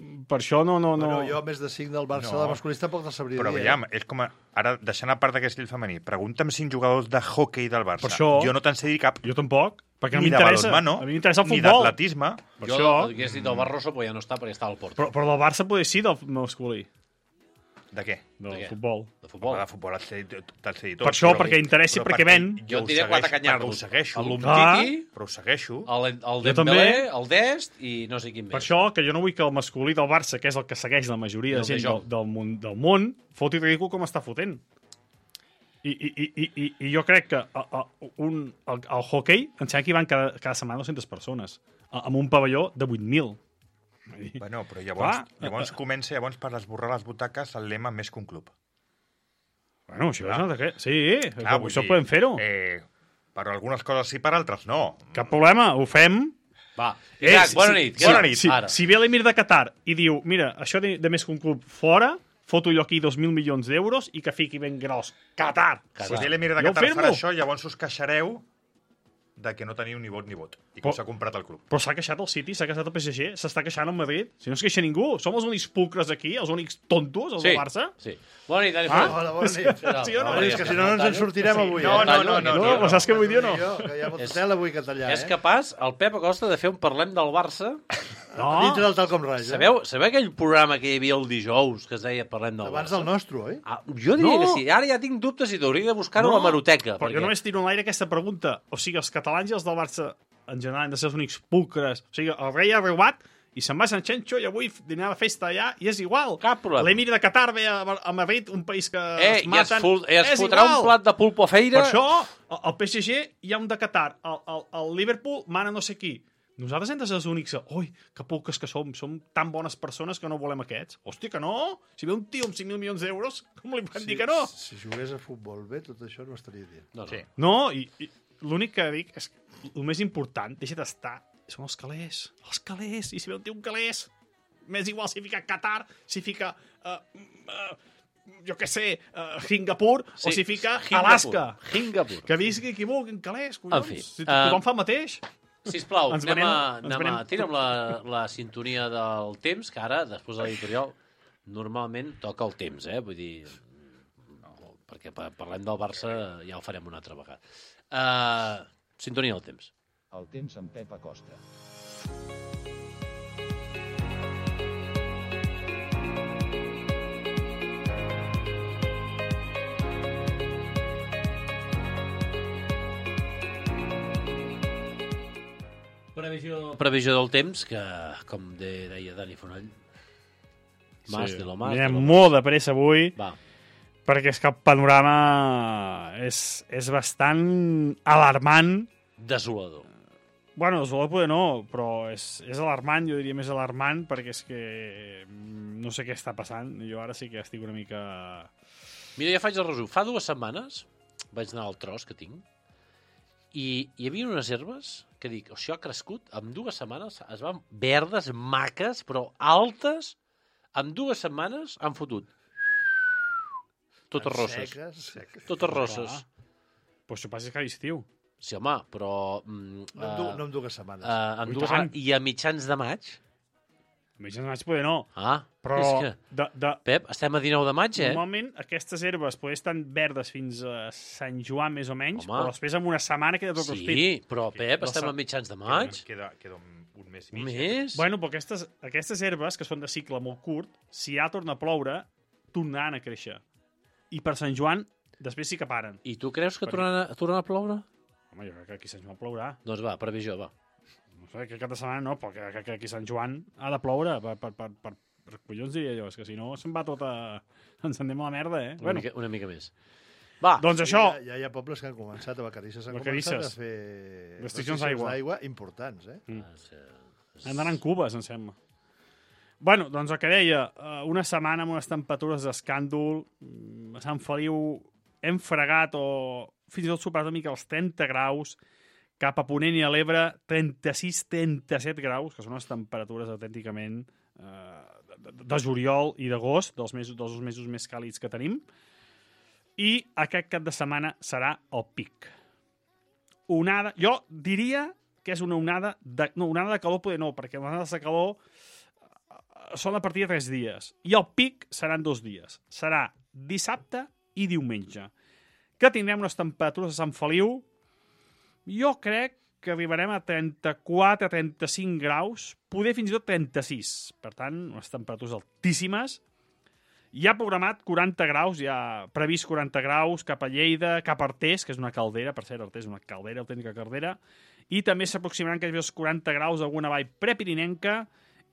[SPEAKER 5] Per això no... no, no...
[SPEAKER 4] Bueno, jo, a més de cinc del Barça,
[SPEAKER 3] No.
[SPEAKER 4] de masculí, tampoc te'l sabria
[SPEAKER 3] Però
[SPEAKER 4] dir.
[SPEAKER 3] veiem, és com a, ara, deixant a part d'aquest estil femení, pregunta'm cinc jugadors de hockey del Barça.
[SPEAKER 5] Per això-
[SPEAKER 3] Jo no te'n sé dir cap.
[SPEAKER 5] Jo tampoc, perquè no
[SPEAKER 3] Ni de
[SPEAKER 5] m'interessa.
[SPEAKER 3] balonmano,
[SPEAKER 5] A mi m'interessa el
[SPEAKER 3] ni
[SPEAKER 5] futbol.
[SPEAKER 3] d'atletisme.
[SPEAKER 5] Per
[SPEAKER 2] Jo
[SPEAKER 5] això...
[SPEAKER 2] hagués dit el Barroso, però ja no està perquè està al Porto.
[SPEAKER 5] Però, però del Barça poder sí del masculí,
[SPEAKER 3] De què?
[SPEAKER 5] del
[SPEAKER 2] De què?
[SPEAKER 5] futbol.
[SPEAKER 2] De futbol.
[SPEAKER 3] Home, de futbol te'l sé, te'l sé dir tot.
[SPEAKER 5] Per això,
[SPEAKER 3] però-
[SPEAKER 5] perquè interessi,
[SPEAKER 3] però
[SPEAKER 5] perquè ven.
[SPEAKER 2] Jo
[SPEAKER 3] ho
[SPEAKER 2] et diré
[SPEAKER 3] segueixo,
[SPEAKER 2] quatre
[SPEAKER 3] perquè
[SPEAKER 2] canyardos.
[SPEAKER 3] ho segueixo,
[SPEAKER 2] El
[SPEAKER 5] Ah.
[SPEAKER 2] Umtiti,
[SPEAKER 3] però ho segueixo.
[SPEAKER 2] el, el
[SPEAKER 5] Jo
[SPEAKER 2] Dembélé,
[SPEAKER 5] també.
[SPEAKER 2] el Dest i no sé quin més.
[SPEAKER 5] Per això que jo no vull que el masculí del Barça, que és el que segueix la majoria
[SPEAKER 2] I
[SPEAKER 5] de
[SPEAKER 2] el
[SPEAKER 5] gent
[SPEAKER 2] de
[SPEAKER 5] del,
[SPEAKER 2] joc.
[SPEAKER 5] del, món, del món, foti ridícul com està fotent. I, i, i, i, i, i jo crec que a, a, un, el, el hockey, em sembla que hi van cada, cada setmana dues-centes persones, a, amb un pavelló de vuit mil.
[SPEAKER 3] Bueno, però llavors,
[SPEAKER 5] Clar.
[SPEAKER 3] llavors comença llavors per esborrar les butaques el lema més que un club.
[SPEAKER 5] Bueno, això és una de què? Sí,
[SPEAKER 3] Clar,
[SPEAKER 5] això,
[SPEAKER 3] vull
[SPEAKER 5] això
[SPEAKER 3] dir,
[SPEAKER 5] podem fer-ho.
[SPEAKER 3] Eh, per algunes coses sí, per altres no.
[SPEAKER 5] Cap problema, ho fem.
[SPEAKER 2] Va,
[SPEAKER 5] Eh,
[SPEAKER 2] Isaac,
[SPEAKER 5] si-
[SPEAKER 2] bona
[SPEAKER 5] si-
[SPEAKER 2] nit.
[SPEAKER 5] si-
[SPEAKER 2] Bona
[SPEAKER 3] nit.
[SPEAKER 2] nit.
[SPEAKER 5] Si,
[SPEAKER 2] Ara.
[SPEAKER 5] si ve l'emir de Qatar i diu, mira, això de, de més que un club fora, foto jo aquí dos mil milions d'euros i que fiqui ben gros. Qatar!
[SPEAKER 2] Qatar.
[SPEAKER 3] Si l'Emir de
[SPEAKER 5] Jo
[SPEAKER 3] Qatar
[SPEAKER 5] firmo.
[SPEAKER 3] farà això, llavors us queixareu de que no teniu ni vot ni vot i que
[SPEAKER 5] Però-
[SPEAKER 3] us ha comprat el club.
[SPEAKER 5] Però s'ha queixat el City, s'ha queixat el P S G, s'està queixant el Madrid. Si no es queixa ningú, som els únics pulcres aquí, els únics tontos, els
[SPEAKER 2] Sí,
[SPEAKER 5] del Barça.
[SPEAKER 2] sí. Bona nit, Dani
[SPEAKER 5] Ah?
[SPEAKER 2] Font.
[SPEAKER 4] Hola, bona nit.
[SPEAKER 5] Sí o no?
[SPEAKER 4] Home, és que si no, no ens en sortirem avui.
[SPEAKER 3] No,
[SPEAKER 4] eh?
[SPEAKER 3] no, no, no,
[SPEAKER 5] No,
[SPEAKER 3] no,
[SPEAKER 5] però saps què vull dir o no?
[SPEAKER 4] Jo, que hi ha molta
[SPEAKER 2] És-
[SPEAKER 4] tela avui que tallar,
[SPEAKER 2] És
[SPEAKER 4] eh?
[SPEAKER 2] capaç, el Pep Acosta, de fer un Parlem del Barça.
[SPEAKER 5] No,
[SPEAKER 4] Dintre del tal com raig, eh?
[SPEAKER 2] Sabeu, sabeu aquell programa que hi havia el dijous que es deia Parlem del
[SPEAKER 4] Abans
[SPEAKER 2] Barça?
[SPEAKER 4] del nostre, oi?
[SPEAKER 2] Ah, jo diria
[SPEAKER 5] No.
[SPEAKER 2] que sí. Ara ja tinc dubtes i t'hauria de buscar-ho a
[SPEAKER 5] No,
[SPEAKER 2] la maroteca.
[SPEAKER 5] però jo només tiro en l'aire aquesta pregunta. O sigui, els catalans i els del Barça, en general, han de ser els únics pulcres. O sigui, el rei ha arribat i se'n va a Sant Xenxo i avui dinar a la festa allà i és igual.
[SPEAKER 2] Cap problema.
[SPEAKER 5] L'emir de Qatar ve a, a Madrid, un país que
[SPEAKER 2] Eh,
[SPEAKER 5] es
[SPEAKER 2] i es,
[SPEAKER 5] maten.
[SPEAKER 2] fot, es
[SPEAKER 5] és
[SPEAKER 2] fotrà
[SPEAKER 5] igual.
[SPEAKER 2] un plat de pulpo a feira.
[SPEAKER 5] Per això, al al P S G hi ha un de Qatar, el, el, el Liverpool mana no sé qui. Nosaltres hem de ser els únics. Ui, que pulques que som. Som tan bones persones que no volem aquests. Hòstia, que no? Si ve un tio amb cinc mil milions d'euros, com li podem dir que no?
[SPEAKER 4] Si jugués a futbol bé, tot això no estaria dient.
[SPEAKER 2] No, no.
[SPEAKER 3] Sí.
[SPEAKER 5] No, i, i l'únic que dic és que el més important, deixa't estar, són els calés. Els calés. I si ve un tio un calés, m'és igual si fica Qatar, si fica... Uh, uh, jo què sé, uh, Singapur, sí, o si fica
[SPEAKER 2] Singapur.
[SPEAKER 5] Alaska.
[SPEAKER 2] Singapur.
[SPEAKER 5] Que visqui qui vulgui en calés, collons.
[SPEAKER 2] En fi,
[SPEAKER 5] si
[SPEAKER 2] eh,
[SPEAKER 5] tothom fa el mateix.
[SPEAKER 2] Sisplau,
[SPEAKER 5] Ens
[SPEAKER 2] anem,
[SPEAKER 5] venem-
[SPEAKER 2] a,
[SPEAKER 5] ens
[SPEAKER 2] anem a,
[SPEAKER 5] venem-
[SPEAKER 2] tira'm la, la sintonia del temps, que ara, després de l'editorial, normalment toca el temps, eh? Vull dir, no, perquè pa- parlem del Barça ja ho farem una altra vegada. Uh, sintonia del temps.
[SPEAKER 7] El temps amb Pep Acosta.
[SPEAKER 2] Previsió, previsió del temps, que, com de, deia Dani Fonoll, Más
[SPEAKER 5] sí.
[SPEAKER 2] de lo más.
[SPEAKER 5] Anirem
[SPEAKER 2] de lo
[SPEAKER 5] molt de pressa avui,
[SPEAKER 2] Va.
[SPEAKER 5] perquè és que el panorama és, és bastant alarmant.
[SPEAKER 2] Desolador.
[SPEAKER 5] Bueno, desolador poder no, però és, és alarmant, jo diria més alarmant, perquè és que no sé què està passant. Jo ara sí que estic una mica...
[SPEAKER 2] Mira, ja faig el resum. Fa dues setmanes vaig anar al tros que tinc i hi havia unes herbes que dic, això ha crescut, en dues setmanes es van verdes, maques, però altes, en dues setmanes han fotut. Totes rosses.
[SPEAKER 4] Seques, seques.
[SPEAKER 2] Totes rosses.
[SPEAKER 5] Però això passa que a l'estiu.
[SPEAKER 2] Sí, home, però... Mm,
[SPEAKER 4] No, en du, no en dues setmanes.
[SPEAKER 2] uh, en
[SPEAKER 5] I
[SPEAKER 2] dues
[SPEAKER 5] tant.
[SPEAKER 2] setmanes, I a mitjans de maig...
[SPEAKER 5] A més, no vaig poder no.
[SPEAKER 2] Ah,
[SPEAKER 5] Però,
[SPEAKER 2] és que...
[SPEAKER 5] de, de,
[SPEAKER 2] Pep, estem a dinou de maig, eh?
[SPEAKER 5] normalment, aquestes herbes poder estan verdes fins a Sant Joan, més o menys,
[SPEAKER 2] Home.
[SPEAKER 5] però després en una setmana queda tot rostit.
[SPEAKER 2] Sí, però Pep,
[SPEAKER 5] La
[SPEAKER 2] estem
[SPEAKER 5] sa-
[SPEAKER 2] a mitjans de maig.
[SPEAKER 3] Queda, queda un, un mes i
[SPEAKER 2] Un
[SPEAKER 3] mig.
[SPEAKER 2] mes?
[SPEAKER 5] Bueno, però aquestes, aquestes herbes, que són de cicle molt curt, si ja torna a ploure, tornaran a créixer. I per Sant Joan, després sí que paren.
[SPEAKER 2] I tu creus que tornarà, tornarà a ploure?
[SPEAKER 5] Home, jo crec que aquí a Sant Joan plourà.
[SPEAKER 2] Doncs va, previsió, va.
[SPEAKER 5] No sé, que cada setmana no, però que, que, que aquí a Sant Joan ha de ploure per, per, per, per, per collons, diria jo. És que si no, se'n va tota... Ens anem a la merda, eh?
[SPEAKER 2] Una,
[SPEAKER 5] Bueno,
[SPEAKER 2] mica, una mica més. Va,
[SPEAKER 5] doncs això,
[SPEAKER 4] Ja, ja hi ha pobles que han començat, a Vacarisses han
[SPEAKER 5] Vacarisses.
[SPEAKER 4] començat a fer
[SPEAKER 5] Restriccions d'aigua.
[SPEAKER 4] d'aigua importants, eh?
[SPEAKER 5] han d'anar en cubes, em sembla. Bueno, doncs el que deia, eh, una setmana amb unes temperatures d'escàndol, mm, a Sant Feliu hem fregat o fins i tot superat una mica els trenta graus, cap a Ponent i a l'Ebre, trenta-sis trenta-set graus, que són unes temperatures autènticament eh, de, de juliol i d'agost, dels, mesos, dels dos mesos més càlids que tenim. I aquest cap de setmana serà el pic. Onada, jo diria que és una onada de... No, onada de calor poder no, perquè onades de calor eh, són a partir de tres dies. I el pic seran dos dies. Serà dissabte i diumenge. Que tindrem unes temperatures a Sant Feliu. Jo crec que arribarem a trenta-quatre a trenta-cinc graus, poder fins i tot trenta-sis. Per tant, unes temperatures altíssimes. Hi ha programat quaranta graus, hi ha previst quaranta graus cap a Lleida, cap a Artés, que és una caldera, per cert, Artés és una caldera, autèntica caldera, i també s'aproximaran aquests quaranta graus a alguna vall prepirinenca,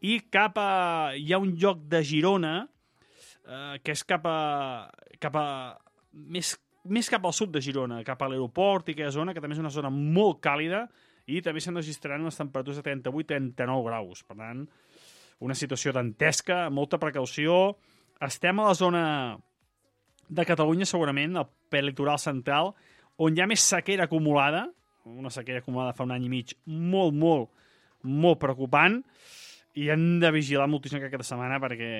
[SPEAKER 5] i cap a... hi ha un lloc de Girona, eh, que és cap a... cap a més més cap al sud de Girona, cap a l'aeroport i aquella zona, que també és una zona molt càlida, i també se'n registraran unes temperatures de trenta-vuit a trenta-nou graus. Per tant, una situació dantesca, molta precaució. Estem a la zona de Catalunya, segurament, al prelitoral central, on hi ha més sequera acumulada, una sequera acumulada fa un any i mig molt, molt, molt preocupant, i hem de vigilar moltíssim aquesta setmana perquè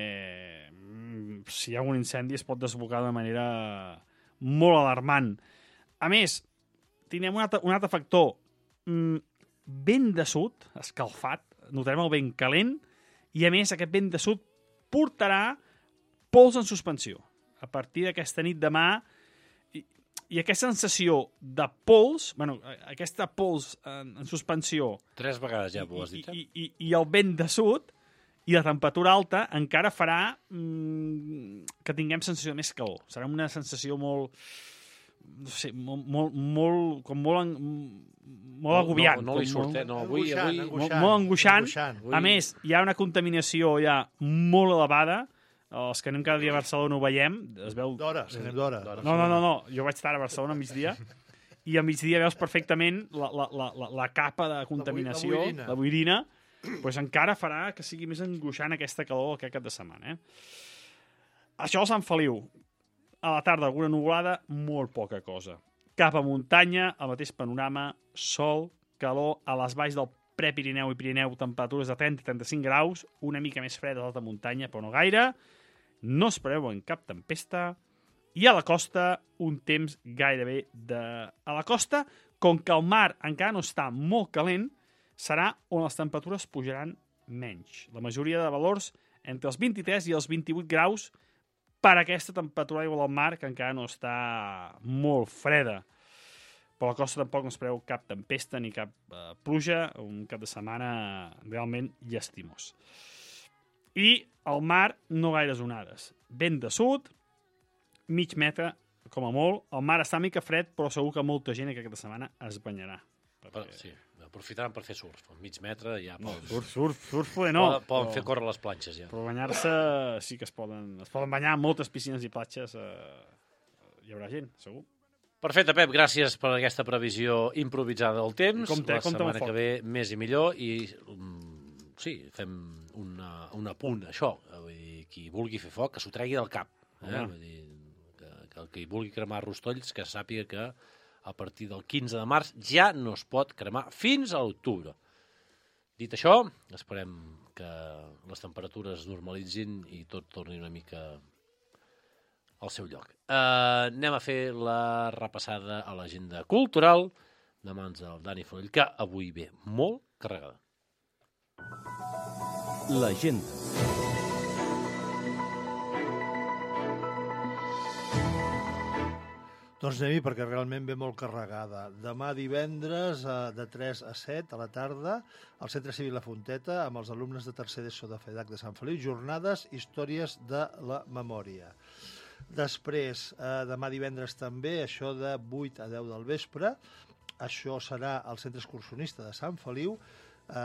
[SPEAKER 5] mm, si hi ha un incendi es pot desbocar d'una manera molt alarmant. A més, tindrem un altre, un altre factor. Mm, vent de sud, escalfat, notarem el vent calent, i a més aquest vent de sud portarà pols en suspensió. A partir d'aquesta nit demà, i, i aquesta sensació de pols, bueno, aquesta pols en, en suspensió...
[SPEAKER 2] Tres vegades ja ho has dit,
[SPEAKER 5] i, i, i el vent de sud i la temperatura alta encara farà mmm, que tinguem sensació de més calor. Serà una sensació molt... no sé, molt, molt, molt com molt, en, molt agobiant.
[SPEAKER 2] No, no, no li
[SPEAKER 5] com
[SPEAKER 2] surt,
[SPEAKER 5] molt,
[SPEAKER 2] eh? No, avui, avui...
[SPEAKER 5] molt, molt angoixant.
[SPEAKER 4] angoixant.
[SPEAKER 5] A més, hi ha una contaminació ja molt elevada. Els que anem cada dia a Barcelona ho veiem. Es veu...
[SPEAKER 4] D'hora, si anem d'hora.
[SPEAKER 5] No, no, no, no. Jo vaig estar a Barcelona a migdia i a migdia veus perfectament la, la, la, la, la capa de contaminació,
[SPEAKER 4] La boirina.
[SPEAKER 5] la boirina, pues encara farà que sigui més angoixant aquesta calor aquest cap de setmana. Eh? Això a Sant Feliu. A la tarda alguna nuvolada, molt poca cosa. Cap a muntanya, el mateix panorama, sol, calor, a les valls del Prepirineu i Pirineu, temperatures de trenta a trenta-cinc graus, una mica més freda a l'alta muntanya, però no gaire. No es preveuen cap tempesta. I a la costa, un temps gairebé de... A la costa, com que el mar encara no està molt calent, serà on les temperatures pujaran menys. La majoria de valors entre els vint-i-tres i els vint-i-vuit graus per aquesta temperatura d'aigua del mar, que encara no està molt freda. Per la costa tampoc no es preveu cap tempesta ni cap eh, pluja, un cap de setmana realment llastimós. I al mar no gaires onades. Vent de sud, mig metre, com a molt. El mar està una mica fred, però segur que molta gent aquesta setmana es banyarà.
[SPEAKER 2] Per, sí, aprofitaran per fer surf. A mig metre ja
[SPEAKER 5] No,
[SPEAKER 2] poden,
[SPEAKER 5] surf, surf, surf poder no.
[SPEAKER 2] poden, poden
[SPEAKER 5] però,
[SPEAKER 2] fer córrer les planxes ja.
[SPEAKER 5] però banyar-se sí que es poden, es poden banyar a moltes piscines i platges. Eh, hi haurà gent, segur.
[SPEAKER 2] Perfecte, Pep, gràcies per aquesta previsió improvisada del temps.
[SPEAKER 5] Compte,
[SPEAKER 2] la
[SPEAKER 5] compte amb
[SPEAKER 2] setmana
[SPEAKER 5] el
[SPEAKER 2] que ve més i millor i um, sí, fem una, un apunt, això. Vull dir, qui vulgui fer foc, que s'ho tregui del cap. Eh? Vull dir, que, que el que vulgui cremar rostolls, que sàpiga que a partir del quinze de març ja no es pot cremar fins a l'octubre. Dit això, esperem que les temperatures normalitzin i tot torni una mica al seu lloc. Uh, anem a fer la repassada a l'agenda cultural de mans del Dani Foll, que avui ve molt carregada.
[SPEAKER 1] L'agenda.
[SPEAKER 4] Doncs anem-hi perquè realment ve molt carregada. Demà divendres, eh, de tres a set a la tarda, al Centre Cívic La Fonteta, amb els alumnes de tercer d'ESO de FEDAC de Sant Feliu, jornades Històries de la Memòria. Després, eh, demà divendres també, això de vuit a deu del vespre, això serà al Centre Excursionista de Sant Feliu, eh,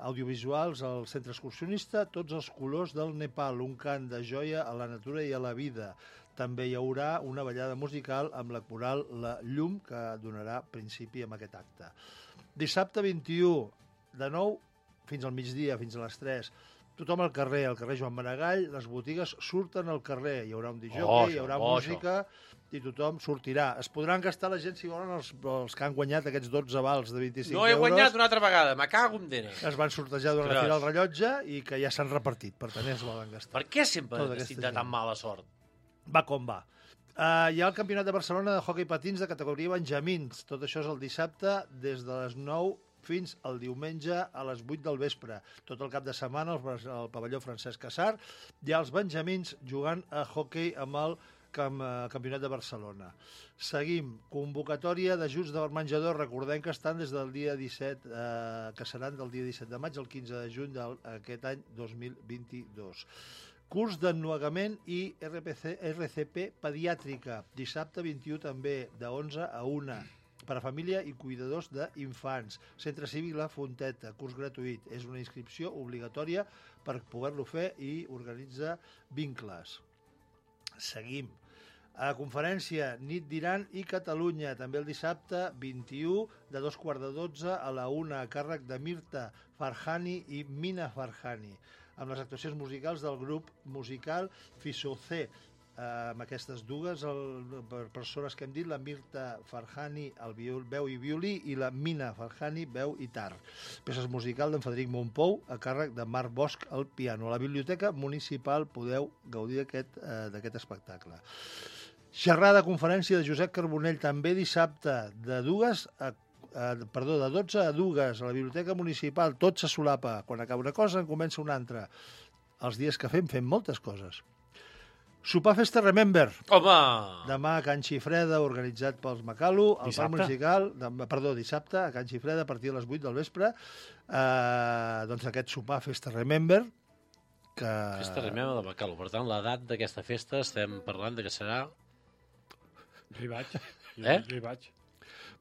[SPEAKER 4] audiovisuals al Centre Excursionista, tots els colors del Nepal, un cant de joia a la natura i a la vida. També hi haurà una ballada musical amb la coral La Llum, que donarà principi amb aquest acte. Dissabte vint-i-u, de nou fins al migdia, fins a les tres, tothom al carrer, al carrer Joan Maragall, les botigues surten al carrer, hi haurà un disjockey,
[SPEAKER 2] Oh,
[SPEAKER 4] hi haurà
[SPEAKER 2] oh,
[SPEAKER 4] música, i tothom sortirà. Es podran gastar la gent, si volen, els, els que han guanyat aquests dotze vals de vint-i-cinc
[SPEAKER 2] No he
[SPEAKER 4] euros,
[SPEAKER 2] guanyat una altra vegada, me cago en dena.
[SPEAKER 4] que es van sortejar durant la
[SPEAKER 2] Ostres.
[SPEAKER 4] Fira del Rellotge i que ja s'han repartit, per tant, es volen gastar.
[SPEAKER 2] Per què sempre
[SPEAKER 4] Tota
[SPEAKER 2] estic
[SPEAKER 4] aquesta
[SPEAKER 2] de tan
[SPEAKER 4] gent.
[SPEAKER 2] mala sort?
[SPEAKER 4] Va com va. Uh, hi ha el Campionat de Barcelona de hoquei patins de categoria Benjamins. Tot això és el dissabte des de les nou fins al diumenge a les vuit del vespre. Tot el cap de setmana al, al pavelló Francesc Casar hi ha els Benjamins jugant a hoquei amb el Camp, uh, Campionat de Barcelona. Seguim. Convocatòria d'ajuts del menjador. Recordem que estan des del dia disset, eh, que seran del dia disset de maig al quinze de juny d'aquest any dos mil vint-i-dos. Curs d'ennuegament i R P C, R C P pediàtrica. Dissabte vint-i-u també, de onze a una. Per a família i cuidadors d'infants. Centre Cívic La Fonteta, curs gratuït. És una inscripció obligatòria per poder-lo fer i organitza vincles. Seguim. A conferència Nit d'Iran i Catalunya, també el dissabte vint-i-u, de dos quarts de dotze a la una, a càrrec de Mirta Farhani i Mina Farhani, amb les actuacions musicals del grup musical Fisocé, amb aquestes dues el, persones que hem dit, la Mirta Farhani, el viol, veu i violí, i la Mina Farhani, veu i tar. Peces musical d'en Frederic Montpou, a càrrec de Marc Bosch, al piano. A la Biblioteca Municipal podeu gaudir d'aquest eh, espectacle. Xerrada conferència de Josep Carbonell, també dissabte, de dues a Uh, perdó, de dotze a dues a la Biblioteca Municipal, tot se solapa. Quan acaba una cosa, en comença una altra. Els dies que fem, fem moltes coses. Sopar Festa Remember.
[SPEAKER 2] Home!
[SPEAKER 4] Demà a Can Xifreda, organitzat pels Macalu, al
[SPEAKER 5] Dissabte?
[SPEAKER 4] Parc Musical, demà, perdó, dissabte, a Can Xifreda, a partir de les vuit del vespre, uh, doncs aquest sopar Festa Remember, que...
[SPEAKER 2] Festa Remember de Bacalo. Per tant, l'edat d'aquesta festa estem parlant de que serà...
[SPEAKER 5] Jo hi vaig. Jo,
[SPEAKER 2] Eh?
[SPEAKER 5] jo hi vaig.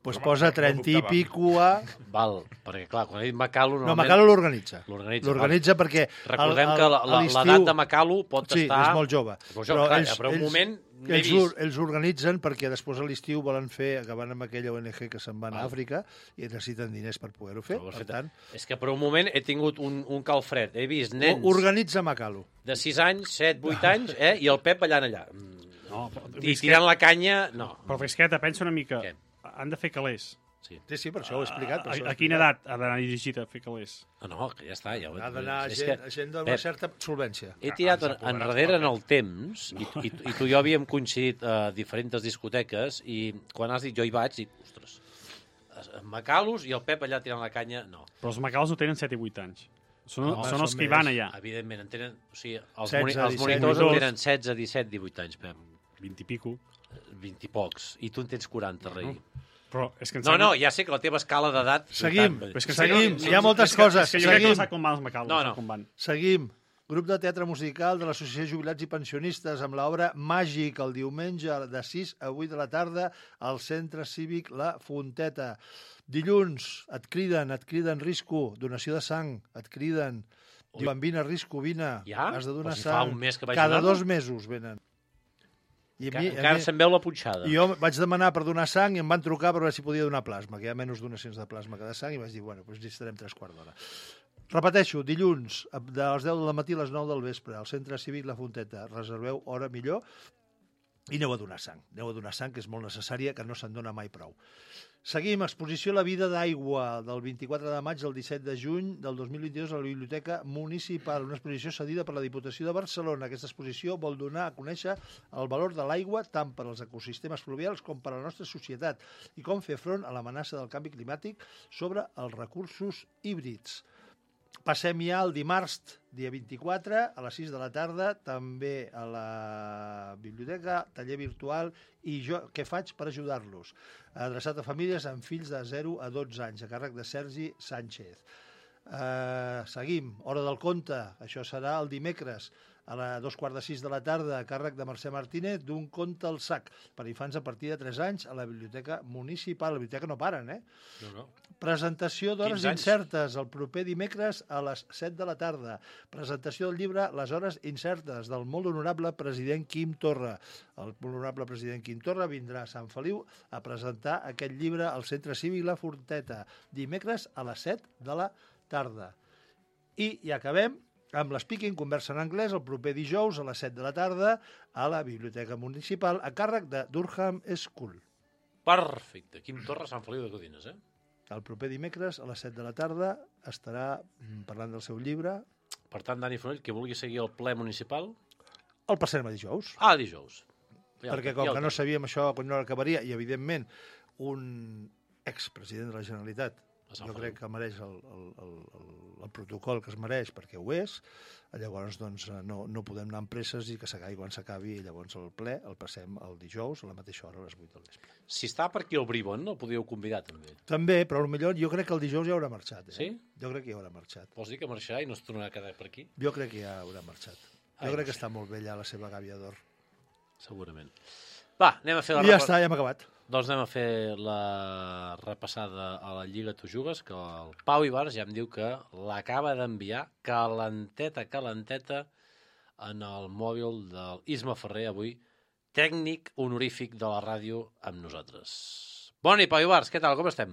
[SPEAKER 4] Pues posa trenta i pico a...
[SPEAKER 2] Val, perquè clar, quan he dit Macalo...
[SPEAKER 4] No,
[SPEAKER 2] normalment...
[SPEAKER 4] Macalu l'organitza.
[SPEAKER 2] L'organitza,
[SPEAKER 4] L'organitza perquè...
[SPEAKER 2] Recordem
[SPEAKER 4] el- el-
[SPEAKER 2] que la-
[SPEAKER 4] a
[SPEAKER 2] la-
[SPEAKER 4] l'estiu-
[SPEAKER 2] l'edat de Macalo pot
[SPEAKER 4] sí,
[SPEAKER 2] estar...
[SPEAKER 4] és molt jove.
[SPEAKER 2] Molt jove, clar, però un moment n'he
[SPEAKER 4] ells,
[SPEAKER 2] vist.
[SPEAKER 4] or- ells organitzen perquè després a l'estiu volen fer, acabant amb aquella O N G que se'n van a
[SPEAKER 2] Val.
[SPEAKER 4] Àfrica i necessiten diners per poder-ho fer.
[SPEAKER 2] Però ho has
[SPEAKER 4] Per
[SPEAKER 2] fet-
[SPEAKER 4] tant,
[SPEAKER 2] És que per un moment he tingut un, un calfred. He vist nens
[SPEAKER 4] organitza Macalu.
[SPEAKER 2] de sis anys, set, vuit anys, eh? I el Pep ballant allà. Mm,
[SPEAKER 5] No, però,
[SPEAKER 2] I tirant la canya... No.
[SPEAKER 5] però Fresqueta, pensa una mica.
[SPEAKER 2] Què?
[SPEAKER 5] Han de fer calés.
[SPEAKER 2] Sí.
[SPEAKER 4] Sí, sí, per això ho he explicat. Per
[SPEAKER 5] A,
[SPEAKER 4] això ho he
[SPEAKER 5] a quina
[SPEAKER 4] explicat.
[SPEAKER 5] edat ha d'anar dirigit a fer calés?
[SPEAKER 2] No, no, que ja està. Ja ho he...
[SPEAKER 4] Ha d'anar
[SPEAKER 2] és
[SPEAKER 4] gent,
[SPEAKER 2] que,
[SPEAKER 4] gent d'una
[SPEAKER 2] Pep,
[SPEAKER 4] certa solvència.
[SPEAKER 2] He tirat
[SPEAKER 3] ens
[SPEAKER 2] en,
[SPEAKER 3] apoderats
[SPEAKER 2] enrere en
[SPEAKER 3] pel
[SPEAKER 2] el temps i, i, i tu i jo havíem coincidit a diferents discoteques i quan has dit jo hi vaig, dic, ostres, Macalos i el Pep allà tirant la canya, no.
[SPEAKER 5] Però els macals no tenen set i vuit anys. Són,
[SPEAKER 4] No,
[SPEAKER 5] són els
[SPEAKER 4] són
[SPEAKER 5] que hi
[SPEAKER 4] més.
[SPEAKER 5] van allà.
[SPEAKER 2] Evidentment, en tenen... O sigui, els,
[SPEAKER 4] setze,
[SPEAKER 2] moni, els
[SPEAKER 4] disset,
[SPEAKER 2] monitors en
[SPEAKER 5] divuit.
[SPEAKER 2] tenen setze, disset, divuit anys, Pep.
[SPEAKER 5] vint i pico.
[SPEAKER 2] vint i pocs. I tu en tens quaranta, rei.
[SPEAKER 5] Però és que em
[SPEAKER 2] No,
[SPEAKER 5] sembla...
[SPEAKER 2] no, ja sé que la teva escala d'edat...
[SPEAKER 4] Seguim.
[SPEAKER 2] vuitanta.
[SPEAKER 5] Però és que
[SPEAKER 4] Seguim.
[SPEAKER 5] sí,
[SPEAKER 4] Hi ha moltes
[SPEAKER 5] és que,
[SPEAKER 4] coses.
[SPEAKER 5] És que jo crec que no
[SPEAKER 4] Seguim.
[SPEAKER 5] sap com van els macals.
[SPEAKER 2] No,
[SPEAKER 5] No,
[SPEAKER 2] no.
[SPEAKER 5] no. Com van.
[SPEAKER 4] Seguim. Grup de teatre musical de l'Associació de Jubilats i Pensionistes amb l'obra Màgic el diumenge de sis a vuit de la tarda al Centre Cívic La Fonteta. Dilluns et criden, et criden Risco, donació de sang, et criden. Diuen, vine Risco, vine,
[SPEAKER 2] ja?
[SPEAKER 4] has de donar
[SPEAKER 2] Pues si fa
[SPEAKER 4] sang.
[SPEAKER 2] un mes que vaig
[SPEAKER 4] Cada
[SPEAKER 2] donar-lo.
[SPEAKER 4] dos mesos venen. I a
[SPEAKER 2] Encara,
[SPEAKER 4] mi, a
[SPEAKER 2] encara
[SPEAKER 4] mi,
[SPEAKER 2] se'n veu la punxada.
[SPEAKER 4] jo vaig demanar per donar sang i em van trucar per veure si podia donar plasma, que hi ha menys donacions de plasma que de sang, i vaig dir, bueno, doncs hi estarem tres quarts d'hora. Repeteixo, dilluns, de les deu del matí a les nou del vespre, al Centre Cívic La Fonteta. Reserveu hora millor i aneu a donar sang. Aneu a donar sang, que és molt necessària, que no se'n dona mai prou. Seguim, exposició La vida d'aigua, del vint-i-quatre de maig al disset de juny del dos mil vint-i-dos a la Biblioteca Municipal, una exposició cedida per la Diputació de Barcelona. Aquesta exposició vol donar a conèixer el valor de l'aigua tant per als ecosistemes fluvials com per a la nostra societat i com fer front a l'amenaça del canvi climàtic sobre els recursos híbrids. Passem ja al dimarts, dia vint-i-quatre, a les sis de la tarda, també a la biblioteca, taller virtual i jo què faig per ajudar-los? Adreçat a famílies amb fills de zero a dotze anys, a càrrec de Sergi Sánchez. Uh, seguim, hora del conte, això serà el dimecres, a la dos quarts de sis de la tarda, a càrrec de Mercè Martínez, d'un conte al sac, per infants a partir de tres anys, a la Biblioteca Municipal. La biblioteca no paren, eh?
[SPEAKER 2] No, no.
[SPEAKER 4] Presentació d'hores
[SPEAKER 2] quinze anys.
[SPEAKER 4] incertes el proper dimecres a les set de la tarda. Presentació del llibre Les hores incertes del molt honorable president Quim Torra. El molt honorable president Quim Torra vindrà a Sant Feliu a presentar aquest llibre al Centre Cívic La Fonteta, dimecres a les set de la tarda. I, i acabem amb l'Speaking, conversa en anglès, el proper dijous a les set de la tarda a la Biblioteca Municipal a càrrec de Durham School.
[SPEAKER 2] Perfecte. Quim Torra, Sant Feliu de Codines, eh?
[SPEAKER 4] El proper dimecres a les set de la tarda estarà parlant del seu llibre.
[SPEAKER 2] Per tant, Dani Fonoll, que vulgui seguir el ple municipal...
[SPEAKER 4] El passarem a dijous.
[SPEAKER 2] Ah, dijous. Ja
[SPEAKER 4] perquè
[SPEAKER 2] el-
[SPEAKER 4] com
[SPEAKER 2] ja el
[SPEAKER 4] que no
[SPEAKER 2] tenim.
[SPEAKER 4] sabíem això quan no acabaria, i evidentment un expresident de la Generalitat
[SPEAKER 2] A Sant
[SPEAKER 4] jo
[SPEAKER 2] Feliu.
[SPEAKER 4] crec que mereix el, el, el, el, el protocol que es mereix perquè ho és, llavors doncs, no, no podem anar amb presses i que s'acabi quan s'acabi, i llavors el ple el passem el dijous a la mateixa hora, a les vuit del vespre.
[SPEAKER 2] Si està per aquí el Bribon, el podíeu convidar també.
[SPEAKER 4] També, però potser jo crec que el dijous ja haurà marxat. Eh?
[SPEAKER 2] Sí?
[SPEAKER 4] Jo crec que ja haurà marxat.
[SPEAKER 2] Vols dir que marxarà i no es tornarà a quedar per aquí?
[SPEAKER 4] Jo crec que ja haurà marxat. Jo
[SPEAKER 2] Ai,
[SPEAKER 4] crec
[SPEAKER 2] no
[SPEAKER 4] que
[SPEAKER 2] sé.
[SPEAKER 4] està molt bé ja la seva gàbia d'or.
[SPEAKER 2] Segurament. Va, anem a fer la
[SPEAKER 4] I ja
[SPEAKER 2] repa-
[SPEAKER 4] està, ja hem acabat.
[SPEAKER 2] Doncs anem a fer la repassada a la Lliga Tu Jugues, que el Pau Ibars ja em diu que l'acaba d'enviar calenteta, calenteta en el mòbil del Isma Ferrer, avui tècnic honorífic de la ràdio amb nosaltres. Bona nit, Pau Ibars, què tal, com estem?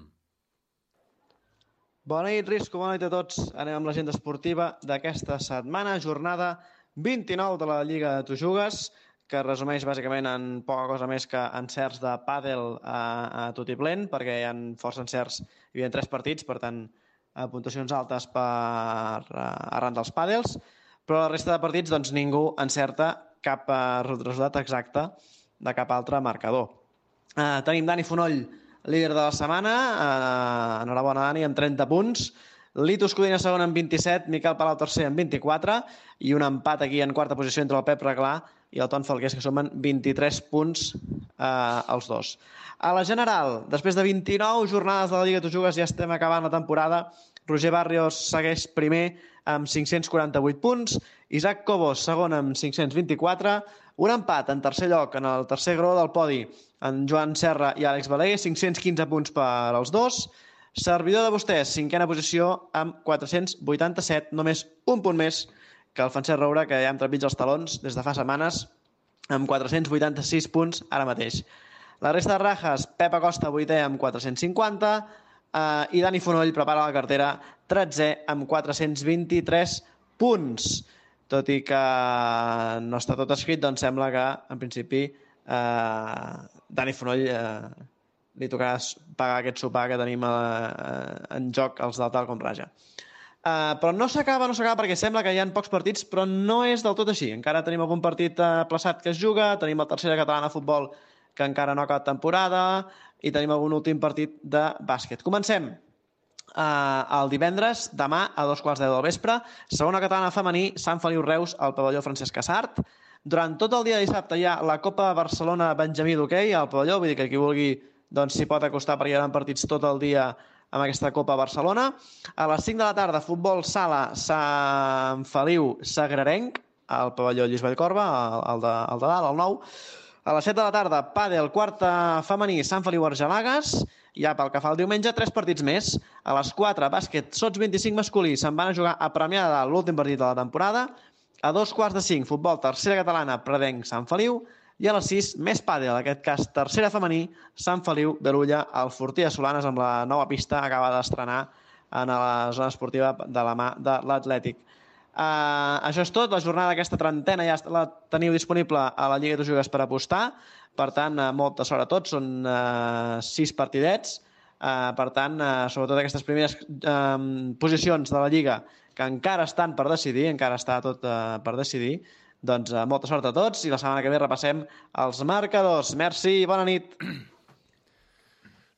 [SPEAKER 8] Bona nit, Risco, bona nit a tots. Anem amb l'agenda esportiva d'aquesta setmana, jornada vint-i-nou de la Lliga de Tu Jugues, que es resumeix bàsicament en poca cosa més que encerts de pàdel a, a tot i plen, perquè hi ha força encerts, hi havia tres partits, per tant, a puntuacions altes per, a, arran dels pàdels, però la resta de partits doncs, ningú encerta cap eh, resultat exacte de cap altre marcador. Eh, tenim Dani Fonoll, líder de la setmana, eh, enhorabona Dani, amb trenta punts, Litus Codina segon amb vint-i-set, Miquel Palau tercer amb vint-i-quatre, i un empat aquí en quarta posició entre el Pep Reglà i el Ton Falgués, que sumen vint-i-tres punts eh, els dos. A la general, després de vint-i-nou jornades de la Lliga Tu Jugues, ja estem acabant la temporada. Roger Barrios segueix primer amb cinc-cents quaranta-vuit punts, Isaac Cobos segon amb cinc-cents vint-i-quatre, un empat en tercer lloc en el tercer gró del podi en Joan Serra i Àlex Balaguer, cinc-cents quinze punts per als dos. Servidor de vostès, cinquena posició amb quatre-cents vuitanta-set, només un punt més que el Francesc Roura, que ja hem trepitjat els talons des de fa setmanes, amb quatre-cents vuitanta-sis punts ara mateix. La resta de rajes, Pep Acosta, vuitè, amb quatre-cents cinquanta, eh, i Dani Fonoll prepara la cartera, tretzè, amb quatre-cents vint-i-tres punts. Tot i que no està tot escrit, doncs sembla que, en principi, eh, Dani Fonoll eh, li tocarà pagar aquest sopar que tenim eh, en joc els del Tal com Raja. Uh, però no s'acaba, no s'acaba, perquè sembla que hi ha pocs partits, però no és del tot així. Encara tenim algun partit uh, plaçat que es juga, tenim la tercera catalana de futbol que encara no ha acabat temporada i tenim algun últim partit de bàsquet. Comencem uh, el divendres, demà a dos quarts de deu del vespre, segona catalana femení, Sant Feliu Reus, al pavelló Francesc Casart. Durant tot el dia de dissabte hi ha la Copa Barcelona Benjamí d'hoquei al pavelló, vull dir que qui vulgui doncs s'hi pot acostar perquè hi ha partits tot el dia amb aquesta Copa Barcelona. A les cinc de la tarda, futbol sala Sant Feliu Sagrarenc, al pavelló Lluís Vallcorba, al de, al de dalt, al nou. A les set de la tarda, pàdel, quarta femení, Sant Feliu Argelagues. Ja pel que fa al diumenge, tres partits més. A les quatre, bàsquet, sots vint-i-cinc masculí, se'n van a jugar a Premià de Dalt, l'últim partit de la temporada. A dos quarts de cinc, futbol, tercera catalana, Predenc, Sant Feliu. I a les sis, més pàdel, en aquest cas, tercera femení, Sant Feliu d'Erulla, al Fortí de Solanes, amb la nova pista, acaba d'estrenar en la zona esportiva de la mà de l'Atlètic. Uh, això és tot, la jornada d'aquesta trentena ja la teniu disponible a la Lliga de Jugues per apostar, per tant, uh, molta sort a tots, són uh, sis partidets, uh, per tant, uh, sobretot aquestes primeres uh, posicions de la Lliga que encara estan per decidir, encara està tot uh, per decidir, doncs uh, molta sort a tots i la setmana que ve repassem els marcadors. Merci i bona nit.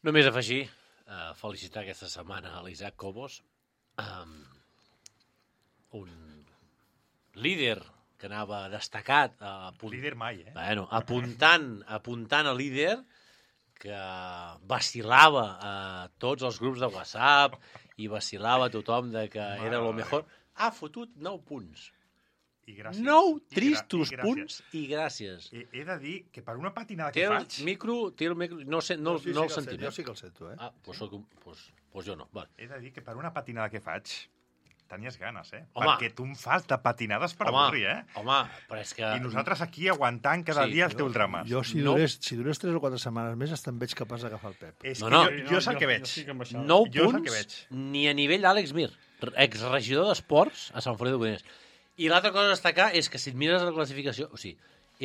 [SPEAKER 2] Només afegir, uh, felicitar aquesta setmana a l'Isaac Cobos, um, un líder que anava destacat, uh, apunt...
[SPEAKER 3] líder mai, eh?
[SPEAKER 2] Bueno, apuntant, apuntant a líder que vacilava a tots els grups de WhatsApp i vacilava a tothom de que
[SPEAKER 3] Mare
[SPEAKER 2] era lo mejor. Ha fotut nou punts.
[SPEAKER 3] I gràcies.
[SPEAKER 2] Nou
[SPEAKER 3] I
[SPEAKER 2] tristos
[SPEAKER 3] gra i
[SPEAKER 2] punts i gràcies.
[SPEAKER 3] He, he de dir que per una patinada
[SPEAKER 2] Té
[SPEAKER 3] que
[SPEAKER 2] el
[SPEAKER 3] faig...
[SPEAKER 2] micro, té el micro, no, sé, no,
[SPEAKER 4] sí, sí
[SPEAKER 2] no
[SPEAKER 4] que
[SPEAKER 2] el sentim.
[SPEAKER 4] Sento, jo sí que el sento, eh?
[SPEAKER 2] Ah, doncs pues, pues, pues jo no. Vale.
[SPEAKER 3] He de dir que per una patinada que faig tenies ganes, eh?
[SPEAKER 2] Home.
[SPEAKER 3] Perquè tu em fas de patinades per
[SPEAKER 2] home,
[SPEAKER 3] avorrir, eh?
[SPEAKER 2] Home, però és que...
[SPEAKER 3] I nosaltres aquí aguantant cada
[SPEAKER 2] Sí,
[SPEAKER 3] dia els teus drames.
[SPEAKER 4] Jo, si,
[SPEAKER 2] No.
[SPEAKER 4] durés, si durés tres o quatre setmanes més, hasta em veig capaç d'agafar el Pep.
[SPEAKER 3] És
[SPEAKER 2] No,
[SPEAKER 3] que
[SPEAKER 2] no.
[SPEAKER 3] jo, jo és el que veig.
[SPEAKER 5] sí que em baixava.
[SPEAKER 2] Nou
[SPEAKER 3] Jo és el que
[SPEAKER 2] punts,
[SPEAKER 3] veig.
[SPEAKER 2] ni a nivell d'Àlex Mir, exregidor d'esports a Sant Feliu de Codiners. I l'altra cosa a destacar és que si et mires la classificació, o sigui,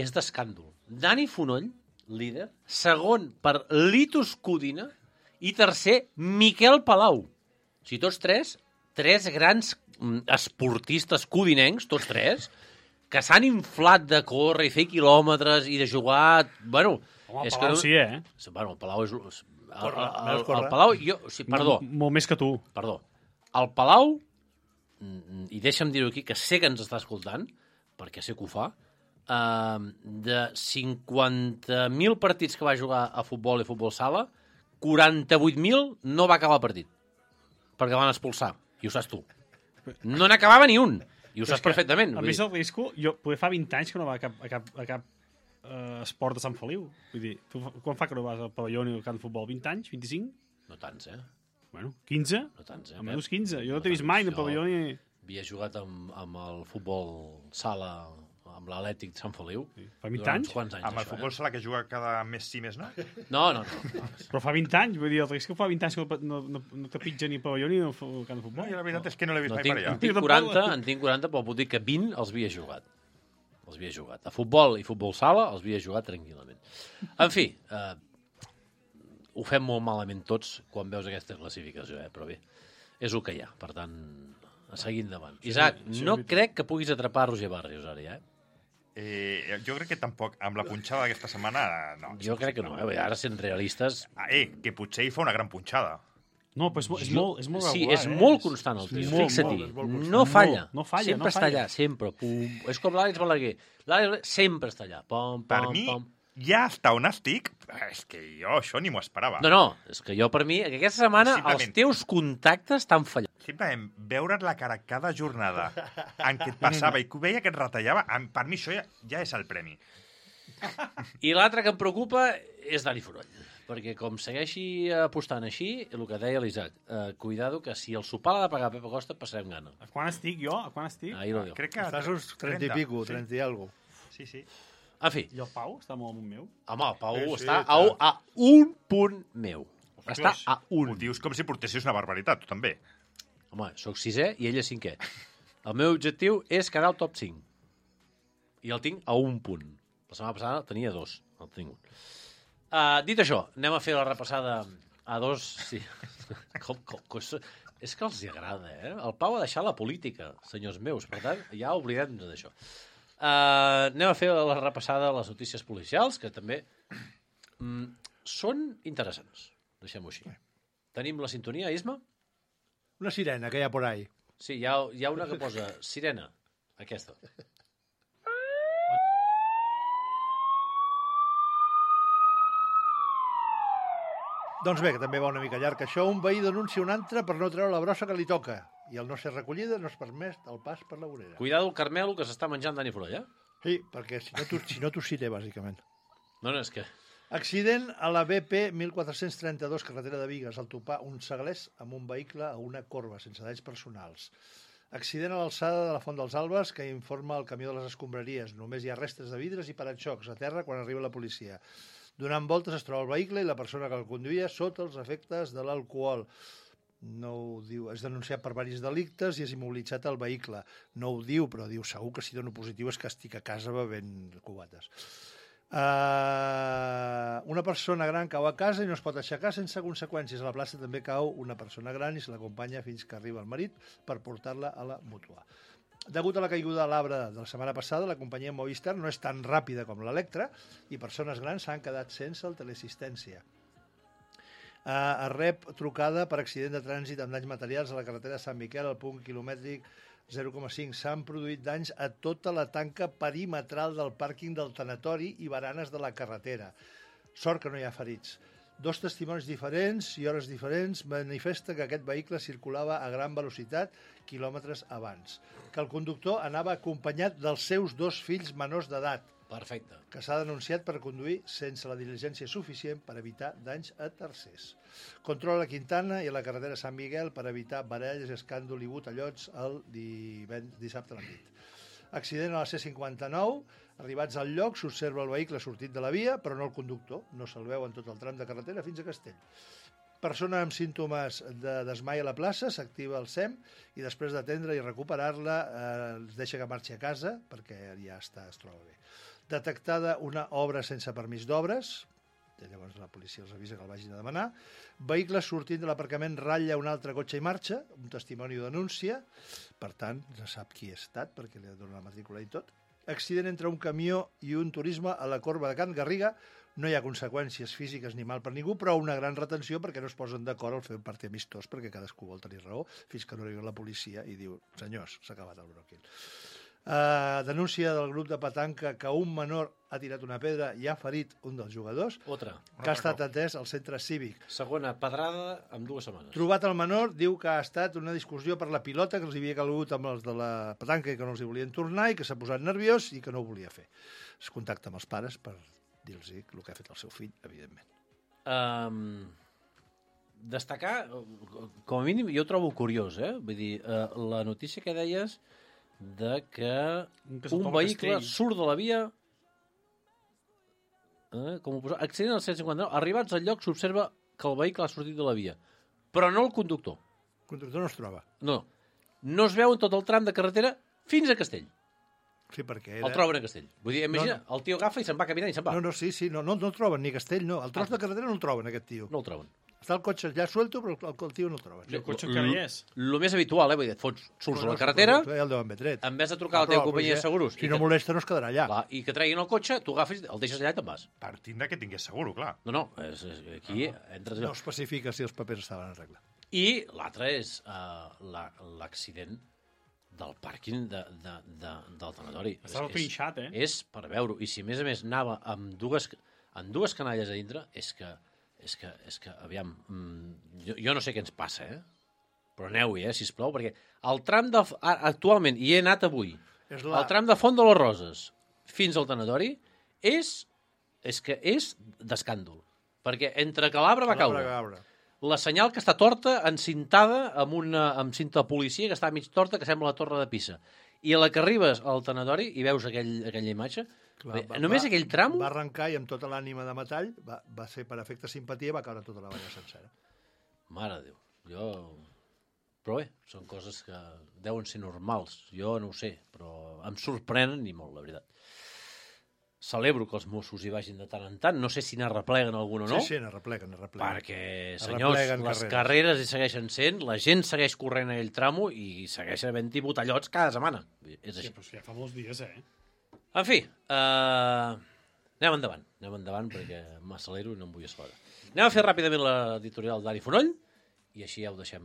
[SPEAKER 2] és d'escàndol. Dani Fonoll, líder, segon per Litus Codina i tercer Miquel Palau. O sigui, tots tres, tres grans mm, esportistes codinencs, tots tres, que s'han inflat de córrer i fer quilòmetres i de jugar... Bueno,
[SPEAKER 5] Home, el
[SPEAKER 2] és
[SPEAKER 5] Palau
[SPEAKER 2] que...
[SPEAKER 5] sí, eh?
[SPEAKER 2] Bueno, el Palau és... El,
[SPEAKER 4] Corre,
[SPEAKER 2] el,
[SPEAKER 4] més
[SPEAKER 2] el,
[SPEAKER 4] corre.
[SPEAKER 2] el Palau... Jo, o sigui, perdó,
[SPEAKER 5] Molt, molt més que tu.
[SPEAKER 2] perdó. El Palau, mm, i deixa'm dir-ho aquí, que sé que ens està escoltant, perquè sé que ho fa, eh, de cinquanta mil partits que va jugar a futbol i futbol sala, quaranta-vuit mil no va acabar el partit, perquè van expulsar, i ho saps tu. No n'acabava ni un, i ho saps perfectament.
[SPEAKER 5] A
[SPEAKER 2] vull
[SPEAKER 5] més
[SPEAKER 2] dir.
[SPEAKER 5] el risco, jo poder fa vint anys que no va a cap, a cap, a cap uh, esport de Sant Feliu. Vull dir, tu fa- quan fa que no vas al pavelló ni al camp de futbol? vint anys? vint-i-cinc?
[SPEAKER 2] No tants, eh?
[SPEAKER 5] Bueno, quinze?
[SPEAKER 2] No tants, eh?
[SPEAKER 5] Almenys
[SPEAKER 2] Pep?
[SPEAKER 5] quinze. Jo no
[SPEAKER 2] No
[SPEAKER 5] t'he vist
[SPEAKER 2] tants.
[SPEAKER 5] mai ni al
[SPEAKER 2] Jo-
[SPEAKER 5] pavelló ni...
[SPEAKER 2] Havia jugat amb, amb el futbol sala, amb l'Atlètic de Sant Feliu.
[SPEAKER 5] Fa vint
[SPEAKER 2] durant
[SPEAKER 5] anys?
[SPEAKER 2] uns quants anys,
[SPEAKER 3] Amb el
[SPEAKER 2] això,
[SPEAKER 3] futbol sala que juga cada mes sí, mes no?
[SPEAKER 2] Eh? No, no, no.
[SPEAKER 5] Però fa vint anys, vull dir, el risc que fa vint anys que no, no, no te pitja ni al pavelló ni al fu- al camp de
[SPEAKER 3] No,
[SPEAKER 5] futbol.
[SPEAKER 3] jo la veritat és que no l'he vist
[SPEAKER 2] no
[SPEAKER 3] mai
[SPEAKER 2] tinc,
[SPEAKER 3] per
[SPEAKER 2] en
[SPEAKER 3] allà.
[SPEAKER 2] tinc
[SPEAKER 5] Jo
[SPEAKER 2] quaranta,
[SPEAKER 5] tampoc.
[SPEAKER 2] en tinc quaranta, però puc dir que vint els havia jugat. Els havia jugat. A futbol i futbol sala els havia jugat tranquil·lament. En fi, eh, ho fem molt malament tots quan veus aquesta classificació, eh? Però bé, és el que hi ha. Per tant, a seguir endavant. Isaac,
[SPEAKER 5] sí,
[SPEAKER 2] no
[SPEAKER 5] sí.
[SPEAKER 2] crec que puguis atrapar Roger Barrios ara, ja, eh?
[SPEAKER 3] Eh, jo crec que tampoc, amb la punxada d'aquesta setmana, no.
[SPEAKER 2] Jo crec que no, eh? Ara sent realistes...
[SPEAKER 3] Ah, eh, que potser hi fa una gran punxada.
[SPEAKER 5] No, però és, mo- és, molt, és molt
[SPEAKER 2] Sí,
[SPEAKER 5] regular,
[SPEAKER 2] és
[SPEAKER 5] eh?
[SPEAKER 2] molt constant el tio,
[SPEAKER 5] molt,
[SPEAKER 2] fixa-t'hi.
[SPEAKER 5] molt, és molt constant.
[SPEAKER 2] No falla.
[SPEAKER 5] No, no falla,
[SPEAKER 2] sempre
[SPEAKER 5] no
[SPEAKER 2] està
[SPEAKER 5] falla.
[SPEAKER 2] allà, sempre. Pum. És com l'Àlex Balaguer. L'Àlex Balaguer sempre està allà. Pom,
[SPEAKER 3] Per
[SPEAKER 2] pom,
[SPEAKER 3] mi,
[SPEAKER 2] pom.
[SPEAKER 3] ja està on estic, és que jo això ni m'ho esperava.
[SPEAKER 2] No, no, és que jo per mi, que aquesta setmana
[SPEAKER 3] Simplement.
[SPEAKER 2] els teus contactes t'han fallat.
[SPEAKER 3] Simplement veure't la cara cada jornada en què et passava i que ho veia que et retallava, em- per mi això ja, ja és el premi.
[SPEAKER 2] I l'altre que em preocupa és Dani Fonoll. Perquè com segueixi apostant així, el que deia l'Isaac, eh, cuidado que si el sopar l'ha de pagar Pep Acosta, passarem gana.
[SPEAKER 5] A quan estic jo? A quan estic?
[SPEAKER 2] Ahí lo diu.
[SPEAKER 3] Crec que...
[SPEAKER 4] Estàs uns trenta i pico, trenta i algo.
[SPEAKER 3] Sí, sí.
[SPEAKER 2] En fi,
[SPEAKER 5] I el Pau està molt amunt meu?
[SPEAKER 2] home, el Pau
[SPEAKER 4] Sí, sí,
[SPEAKER 2] està a,
[SPEAKER 4] clar.
[SPEAKER 2] a un punt meu. Està a
[SPEAKER 3] Ho
[SPEAKER 2] un.
[SPEAKER 3] dius com si portessis una barbaritat, tu també.
[SPEAKER 2] Home, sóc sisè i ell és cinquè. El meu objectiu és quedar al top cinc. I el tinc a un punt. La setmana passada tenia dos. El tinc un. Uh, dit això, anem a fer la repassada a dos... Sí. com, com, com, és que els hi agrada, eh? El Pau ha deixat la política, senyors meus. Per tant, ja oblidem-nos d'això. Uh, anem a fer la repassada de les notícies policials, que també mm, són interessants. Deixem-ho així. Tenim la sintonia, Isma?
[SPEAKER 4] Una sirena que hi ha por ahí.
[SPEAKER 2] Sí, hi ha, hi ha una que posa sirena. Aquesta.
[SPEAKER 4] Doncs bé, que també va una mica llarg això. Un veí denuncia un altre per no treure la brossa que li toca. I al no ser recollida no es permet el pas per la vorera.
[SPEAKER 2] Cuidado el Carmelo que s'està menjant Dani Follà.
[SPEAKER 4] Sí, perquè si no, tu, si no t'ho cité, bàsicament.
[SPEAKER 2] No, no, és que...
[SPEAKER 4] Accident a la B P catorze trenta-dos, carretera de Bigues, al topar un seglers amb un vehicle a una corba, sense danys personals. Accident a l'alçada de la Font dels Albes que informa el camió de les escombraries. Només hi ha restes de vidres i paraxocs a terra quan arriba la policia. Donant voltes es troba el vehicle i la persona que el conduïa sota els efectes de l'alcohol. No ho diu, és denunciat per diversos delictes i és immobilitzat el vehicle. No ho diu, però diu segur que si dono positiu és que estic a casa bevent cubates. Uh, una persona gran cau a casa i no es pot aixecar sense conseqüències. A la plaça també cau una persona gran i se l'acompanya fins que arriba el marit per portar-la a la mútua. Degut a la caiguda de l'arbre de la setmana passada, la companyia Movistar no és tan ràpida com l'Electra i persones grans s'han quedat sense el teleassistència. Uh, es rep trucada per accident de trànsit amb danys materials a la carretera de Sant Miquel al punt quilomètric zero coma cinc. S'han produït danys a tota la tanca perimetral del pàrquing del tanatori i baranes de la carretera. Sort que no hi ha ferits. Dos testimonis diferents i hores diferents manifesten que aquest vehicle circulava a gran velocitat quilòmetres abans, que el conductor anava acompanyat dels seus dos fills menors d'edat,
[SPEAKER 2] Perfecte.
[SPEAKER 4] que s'ha denunciat per conduir sense la diligència suficient per evitar danys a tercers. Control a la Quintana i a la carretera Sant Miguel per evitar baralles, escàndol i botellots el dissabte a la nit. Accident a la C cinquanta-nou. Arribats al lloc, s'observa el vehicle sortit de la via, però no el conductor. No se'l veu en tot el tram de carretera fins a Castell. Persona amb símptomes de desmai a la plaça, s'activa el S E M i després d'atendre i recuperar-la eh, es deixa que marxi a casa perquè ja està, es troba bé. Detectada una obra sense permís d'obres, llavors la policia els avisa que el vagin a demanar. Vehicle sortint de l'aparcament ratlla un altre cotxe i marxa, un testimoni ho denuncia, per tant, ja sap qui ha estat perquè li ha donat la matrícula i tot. Accident entre un camió i un turisme a la corba de Can Garriga. No hi ha conseqüències físiques ni mal per ningú, però una gran retenció perquè no es posen d'acord al fer un partit amistós, perquè cadascú vol tenir raó, fins que no arriba la policia i diu, senyors, s'ha acabat el bròquil. Uh, denúncia del grup de petanca que un menor ha tirat una pedra i ha ferit un dels jugadors,
[SPEAKER 2] Otra.
[SPEAKER 4] que ha estat atès al centre cívic.
[SPEAKER 2] Segona pedrada en dues setmanes.
[SPEAKER 4] Trobat el menor, diu que ha estat una discussió per la pilota, que els havia calgut amb els de la petanca i que no els hi volien tornar i que s'ha posat nerviós i que no ho volia fer. Es contacta amb els pares per dir-los el que ha fet el seu fill, evidentment.
[SPEAKER 2] Um, destacar, com a mínim, jo ho trobo curiós, eh? Vull dir, uh, la notícia que deies de que
[SPEAKER 5] que
[SPEAKER 2] un vehicle surt de la via, eh, com ho posa, accident al cent cinquanta-nou, arribats al lloc s'observa que el vehicle ha sortit de la via, però no el conductor.
[SPEAKER 4] El conductor no es troba.
[SPEAKER 2] No, no es veu en tot el tram de carretera fins a Castell.
[SPEAKER 4] Sí, perquè era...
[SPEAKER 2] El troben a Castell. Vull dir, imagina,
[SPEAKER 4] No, no.
[SPEAKER 2] el tio agafa i se'n va caminant i se'n va.
[SPEAKER 4] No, no, sí, sí, no, no, no el troben, ni Castell, no. El tros de carretera no el troben, aquest tio.
[SPEAKER 2] No el troben.
[SPEAKER 4] Està el cotxe allà suelto, però el, el tio no el troben.
[SPEAKER 5] El cotxe encara hi és.
[SPEAKER 2] El més habitual, eh? Vull dir, et fots, surts
[SPEAKER 4] No,
[SPEAKER 2] a
[SPEAKER 4] no,
[SPEAKER 2] la carretera,
[SPEAKER 4] Ja el deuen haver tret.
[SPEAKER 2] en vez de trucar a la
[SPEAKER 4] Però
[SPEAKER 2] teva companyia de
[SPEAKER 4] policia,
[SPEAKER 2] seguros
[SPEAKER 4] Si
[SPEAKER 2] i
[SPEAKER 4] no
[SPEAKER 2] que,
[SPEAKER 4] molesta, no es quedarà allà.
[SPEAKER 2] clar, i que treguin el cotxe, tu agafes, el deixes allà i te'n vas.
[SPEAKER 3] Partint de que tingués seguro, clar.
[SPEAKER 2] No, no, és, és, aquí entres
[SPEAKER 4] No
[SPEAKER 2] allò.
[SPEAKER 4] especifica si els papers estaven en regla.
[SPEAKER 2] I l'altre és uh, l'accident del pàrquing de, de, de, del tanatori.
[SPEAKER 5] Estava
[SPEAKER 2] És-
[SPEAKER 5] trinxat, eh?
[SPEAKER 2] És per veure-ho. I si a més a més anava amb dues, amb dues canalles a dintre, és que, és que, és que aviam, mm, jo, jo no sé què ens passa, eh? Però aneu-hi, eh, sisplau, perquè el tram de... Actualment, hi he anat avui,
[SPEAKER 4] És
[SPEAKER 2] el tram de Font de les Roses fins al tanatori és, és que és d'escàndol. Perquè entre que l'arbre va caure,
[SPEAKER 4] Cabra.
[SPEAKER 2] la senyal que està torta, encintada amb una amb cinta de policia que està mig torta, que sembla la torre de Pisa. I a la que arribes al tanatori i veus aquell, aquella imatge,
[SPEAKER 4] Clar,
[SPEAKER 2] bé,
[SPEAKER 4] va-
[SPEAKER 2] només
[SPEAKER 4] va-
[SPEAKER 2] aquell tram...
[SPEAKER 4] Va arrencar i amb tota l'ànima de metall va, va ser per efecte simpatia va caure tota la valla sencera.
[SPEAKER 2] Mare de Déu, jo... Però bé, són coses que deuen ser normals. Jo no ho sé, però em sorprenen i molt, la veritat. Celebro que els Mossos hi vagin de tant en tant. No sé si n'arrepleguen algun o no.
[SPEAKER 4] Sí, sí, n'arrepleguen, n'arrepleguen.
[SPEAKER 2] Perquè,
[SPEAKER 4] Es
[SPEAKER 2] senyors,
[SPEAKER 4] repleguen
[SPEAKER 2] les
[SPEAKER 4] carreres.
[SPEAKER 2] carreres hi segueixen sent, la gent segueix corrent aquell tramo i segueixen havent-hi botellots cada setmana. És
[SPEAKER 5] Sí,
[SPEAKER 2] així.
[SPEAKER 5] però és que ja fa molts dies, eh?
[SPEAKER 2] En fi, uh, anem endavant. Anem endavant perquè m'accelero i no em vull accelerar. Anem a fer ràpidament l'editorial d'Ari Fonoll i així ja ho deixem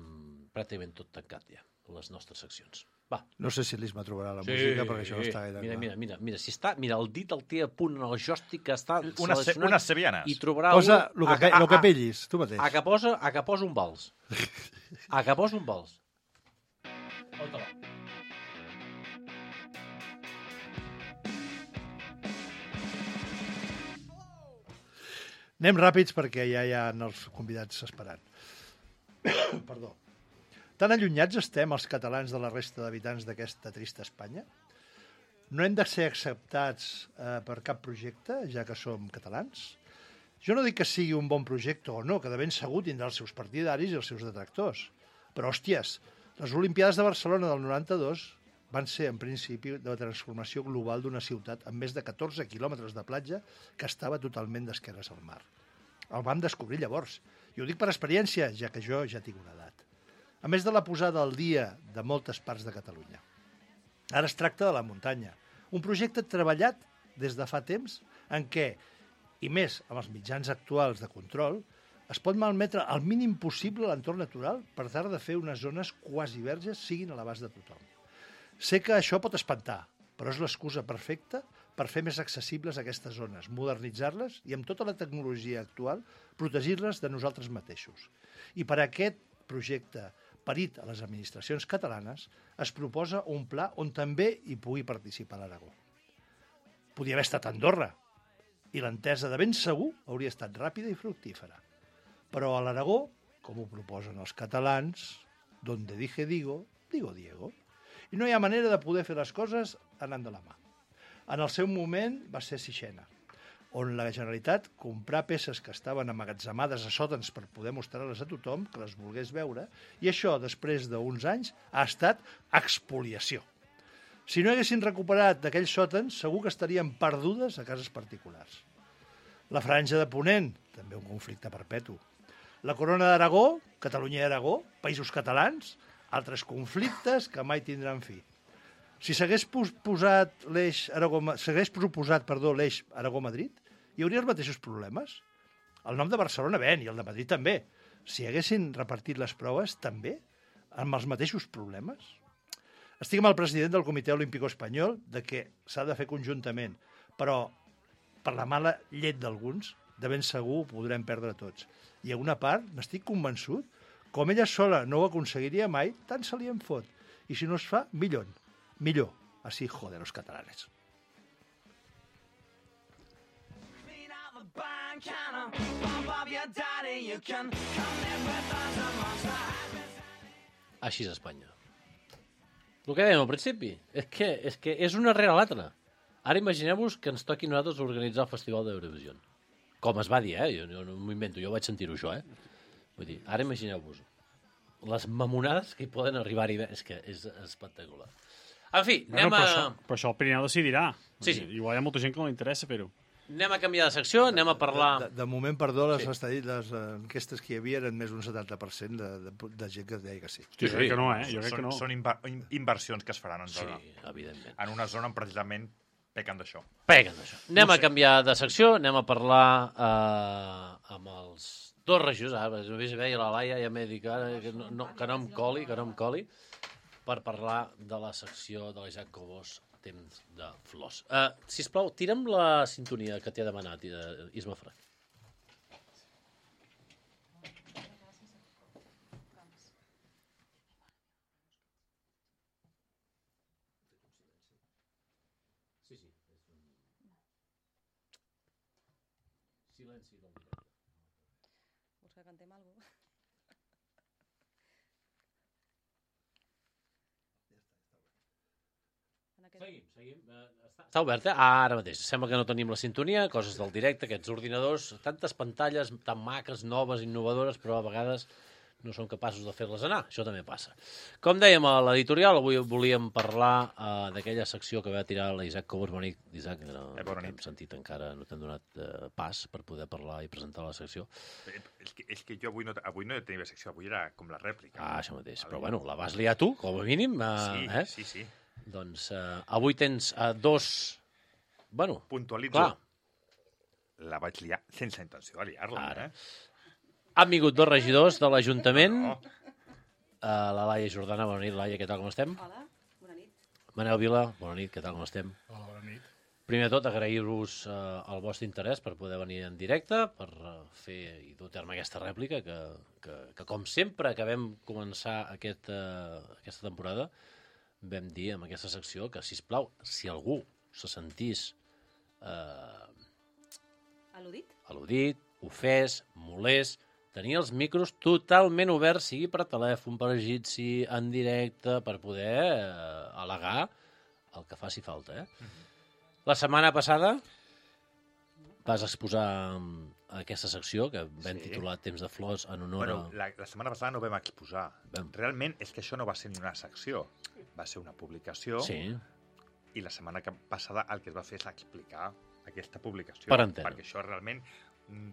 [SPEAKER 2] pràcticament tot tancat ja, les nostres seccions. Va.
[SPEAKER 4] No sé si l'Isma trobarà la música, perquè això no està gaire
[SPEAKER 2] mira,
[SPEAKER 4] clar.
[SPEAKER 2] mira, mira, mira, si està, mira, el dit el té a punt en el joystick que està
[SPEAKER 3] Unes,
[SPEAKER 2] seleccionat
[SPEAKER 3] unes sevillanes.
[SPEAKER 2] i trobarà
[SPEAKER 4] Posa
[SPEAKER 2] un...
[SPEAKER 4] el que,
[SPEAKER 2] a, a,
[SPEAKER 4] lo que
[SPEAKER 2] a,
[SPEAKER 4] pillis, tu mateix.
[SPEAKER 2] a, que posa, a que posa un vals. A que posa un vals. On te va?
[SPEAKER 4] Anem ràpids perquè ja hi ha els convidats esperant. Perdó. Tan allunyats estem els catalans de la resta d'habitants d'aquesta trista Espanya? No hem de ser acceptats eh, per cap projecte, ja que som catalans? Jo no dic que sigui un bon projecte o no, que de ben segur tindrà els seus partidaris i els seus detractors. Però, hòsties, les Olimpiades de Barcelona del noranta-dos van ser, en principi, de transformació global d'una ciutat amb més de catorze quilòmetres de platja que estava totalment d'esquerres al mar. El vam descobrir llavors. I ho dic per experiència, ja que jo ja tinc una edat. A més de la posada al dia de moltes parts de Catalunya. Ara es tracta de la muntanya, un projecte treballat des de fa temps en què, i més amb els mitjans actuals de control, es pot malmetre al mínim possible l'entorn natural per tal de fer unes zones quasi verges siguin a l'abast de tothom. Sé que això pot espantar, però és l'excusa perfecta per fer més accessibles aquestes zones, modernitzar-les i, amb tota la tecnologia actual, protegir-les de nosaltres mateixos. I per a aquest projecte parit a les administracions catalanes, es proposa un pla on també hi pugui participar l'Aragó. Podia haver estat a Andorra, i l'entesa de ben segur hauria estat ràpida i fructífera. Però a l'Aragó, com ho proposen els catalans, donde dije digo, digo Diego. I no hi ha manera de poder fer les coses anant de la mà. En el seu moment va ser Sixena, on la Generalitat comprà peces que estaven amagatzemades a sòtans per poder mostrar-les a tothom, que les volgués veure, i això, després d'uns anys, ha estat expoliació. Si no haguessin recuperat d'aquells sòtans, segur que estarien perdudes a cases particulars. La Franja de Ponent, també un conflicte perpetu. La Corona d'Aragó, Catalunya i Aragó, països catalans, altres conflictes que mai tindran fi. Si s'hagués posat l'eix Aragó, s'hagués proposat, perdó, l'eix Aragó-Madrid, hi hauria els mateixos problemes. El nom de Barcelona ven, i el de Madrid també. Si haguessin repartit les proves, també, amb els mateixos problemes. Estic amb el president del Comitè Olímpic Espanyol de que s'ha de fer conjuntament, però per la mala llet d'alguns, de ben segur ho podrem perdre tots. I a una part, n'estic convençut, com ella sola no ho aconseguiria mai, tant se li en fot. I si no es fa, millor. Millor. Así joder los catalanes.
[SPEAKER 2] Així és Espanya. El que dèiem al principi, és que és, que és una rere l'altra. Ara imagineu-vos que ens toqui a nosaltres organitzar el Festival d'Eurovisió. Com es va dir, eh? Jo, jo no m'ho invento, jo vaig sentir-ho això, eh? Vull dir, ara imagineu-vos les mamonades que hi poden arribar-hi. És que és espectacular. En fi,
[SPEAKER 5] bueno,
[SPEAKER 2] anem
[SPEAKER 5] però
[SPEAKER 2] a...
[SPEAKER 5] Això, però això el Pirineu decidirà.
[SPEAKER 2] Sí, sí.
[SPEAKER 5] Igual hi ha molta gent que no li interessa fer-ho.
[SPEAKER 2] Anem a canviar de secció, anem a parlar...
[SPEAKER 4] De, de, de moment, perdó, les,
[SPEAKER 2] Sí.
[SPEAKER 4] estadis, les enquestes que hi havia eren més d'un setanta per cent de, de, de gent que deia que sí.
[SPEAKER 5] Hosti, jo crec que no, eh? Jo crec
[SPEAKER 3] Són,
[SPEAKER 5] que no.
[SPEAKER 3] són inver inversions que es faran en,
[SPEAKER 2] Sí,
[SPEAKER 3] zona,
[SPEAKER 2] evidentment.
[SPEAKER 3] en una zona on precisament pequen d'això.
[SPEAKER 2] Peguen d'això. Anem
[SPEAKER 3] No
[SPEAKER 2] a
[SPEAKER 3] sé.
[SPEAKER 2] canviar de secció, anem a parlar eh, amb els dos regidors. Ara, només veia la Laia, ja m'he dit que, ara, que, no, no, que no em coli, que no em coli, per parlar de la secció de l'Isaac Cobos, Temps de Flors. Uh, sisplau, tira'm la sintonia que t'he demanat, uh, Isma Frac. Sí, sí. Silenci del directe.
[SPEAKER 9] Vols que cantem alguna cosa?
[SPEAKER 2] Seguim, seguim. Uh, està, està obert, eh? Ah, ara mateix. Sembla que no tenim la sintonia, coses del directe, aquests ordinadors, tantes pantalles tan maques, noves, innovadores, però a vegades no són capaços de fer-les anar. Això també passa. Com dèiem a l'editorial, avui volíem parlar uh, d'aquella secció que va tirar l'Isaac Cobos. Bona nit, Isaac. No,
[SPEAKER 3] Eh,
[SPEAKER 2] no
[SPEAKER 3] bona
[SPEAKER 2] t'hem
[SPEAKER 3] nit.
[SPEAKER 2] sentit encara, no t'hem donat uh, pas per poder parlar i presentar la secció.
[SPEAKER 3] Eh, És que, és que jo avui no, avui no tenia secció, avui era com la rèplica.
[SPEAKER 2] Ah, això mateix. Però bueno, la vas liar tu, com a mínim. Uh,
[SPEAKER 3] sí,
[SPEAKER 2] eh?
[SPEAKER 3] sí, sí.
[SPEAKER 2] Doncs uh, avui tens uh, dos... Bueno,
[SPEAKER 3] Puntualitzo.
[SPEAKER 2] clar,
[SPEAKER 3] La vaig liar sense intenció de liar-la.
[SPEAKER 2] Ara.
[SPEAKER 3] Eh?
[SPEAKER 2] han vingut dos regidors de l'Ajuntament.
[SPEAKER 3] No.
[SPEAKER 2] Uh, la Laia Jordana, bona nit, Laia, què tal, com estem?
[SPEAKER 9] Hola,
[SPEAKER 2] Manel Vila, bona nit, què tal, com estem?
[SPEAKER 10] Hola, bona nit.
[SPEAKER 2] Primer de tot, agrair-vos eh, el vostre interès per poder venir en directe, per eh, fer i dur a terme aquesta rèplica, que, que, que com sempre que vam començar aquest, eh, aquesta temporada, vam dir en aquesta secció que, sisplau, si algú se sentís eh,
[SPEAKER 9] Al·ludit?
[SPEAKER 2] al·ludit, ofès, molest, tenir els micros totalment oberts, sigui per telèfon, per egipci, en directe, per poder eh, al·legar el que faci falta. Eh? Mm-hmm. La setmana passada vas exposar aquesta secció que vam
[SPEAKER 3] Sí.
[SPEAKER 2] titular Temps de flors en honor
[SPEAKER 3] Bueno,
[SPEAKER 2] a...
[SPEAKER 3] la, la setmana passada no vam exposar.
[SPEAKER 2] Vam.
[SPEAKER 3] Realment és que això no va ser ni una secció. Va ser una publicació
[SPEAKER 2] Sí,
[SPEAKER 3] i la setmana que- passada el que es va fer és explicar aquesta publicació.
[SPEAKER 2] Per antena.
[SPEAKER 3] Perquè això realment mm,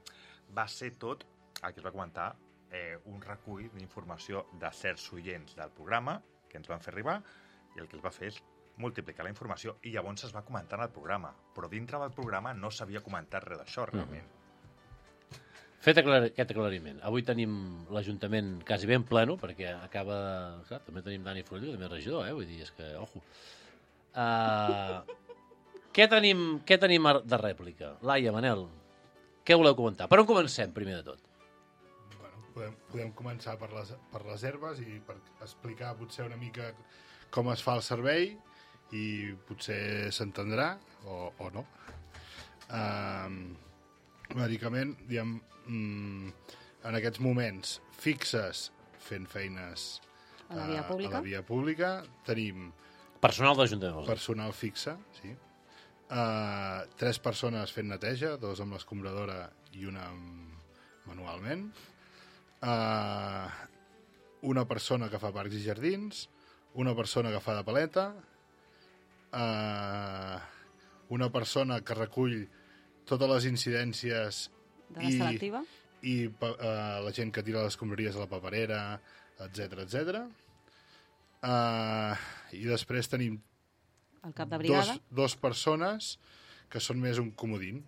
[SPEAKER 3] va ser tot el que es va comentar, eh, un recull d'informació de certs oients del programa que ens van fer arribar i el que es va fer és multiplicar la informació i llavors es va comentar en el programa. Però dintre del programa no s'havia comentat res d'això, realment.
[SPEAKER 2] fet aclar aquest aclariment. Avui tenim l'Ajuntament quasi ben pleno, perquè acaba... Clar, també tenim Dani Forello, també regidor, eh? Vull dir, és que, ojo. Uh, què, tenim, què tenim de rèplica? Laia, Manel, què voleu comentar? Per on comencem, primer de tot?
[SPEAKER 10] Bueno, podem, podem començar per les, per les herbes i per explicar potser una mica com es fa el servei i potser s'entendrà o, o no. Um, bàsicament, diguem, mm, en aquests moments fixes fent feines
[SPEAKER 9] A la via
[SPEAKER 10] eh,
[SPEAKER 9] pública.
[SPEAKER 10] a la via pública tenim
[SPEAKER 2] Personal d'Ajuntament.
[SPEAKER 10] personal fixe, sí. Uh, tres persones fent neteja, dos amb l'escombradora i una amb- manualment. Uh, una persona que fa parcs i jardins, una persona que fa de paleta, uh, una persona que recull totes les incidències
[SPEAKER 9] De la
[SPEAKER 10] i,
[SPEAKER 9] selectiva.
[SPEAKER 10] i pa- uh, la gent que tira les escombraries a la paperera, etc etc. Uh, I després tenim
[SPEAKER 9] El cap de
[SPEAKER 10] dos,
[SPEAKER 9] brigada.
[SPEAKER 10] dos persones que són més un comodín,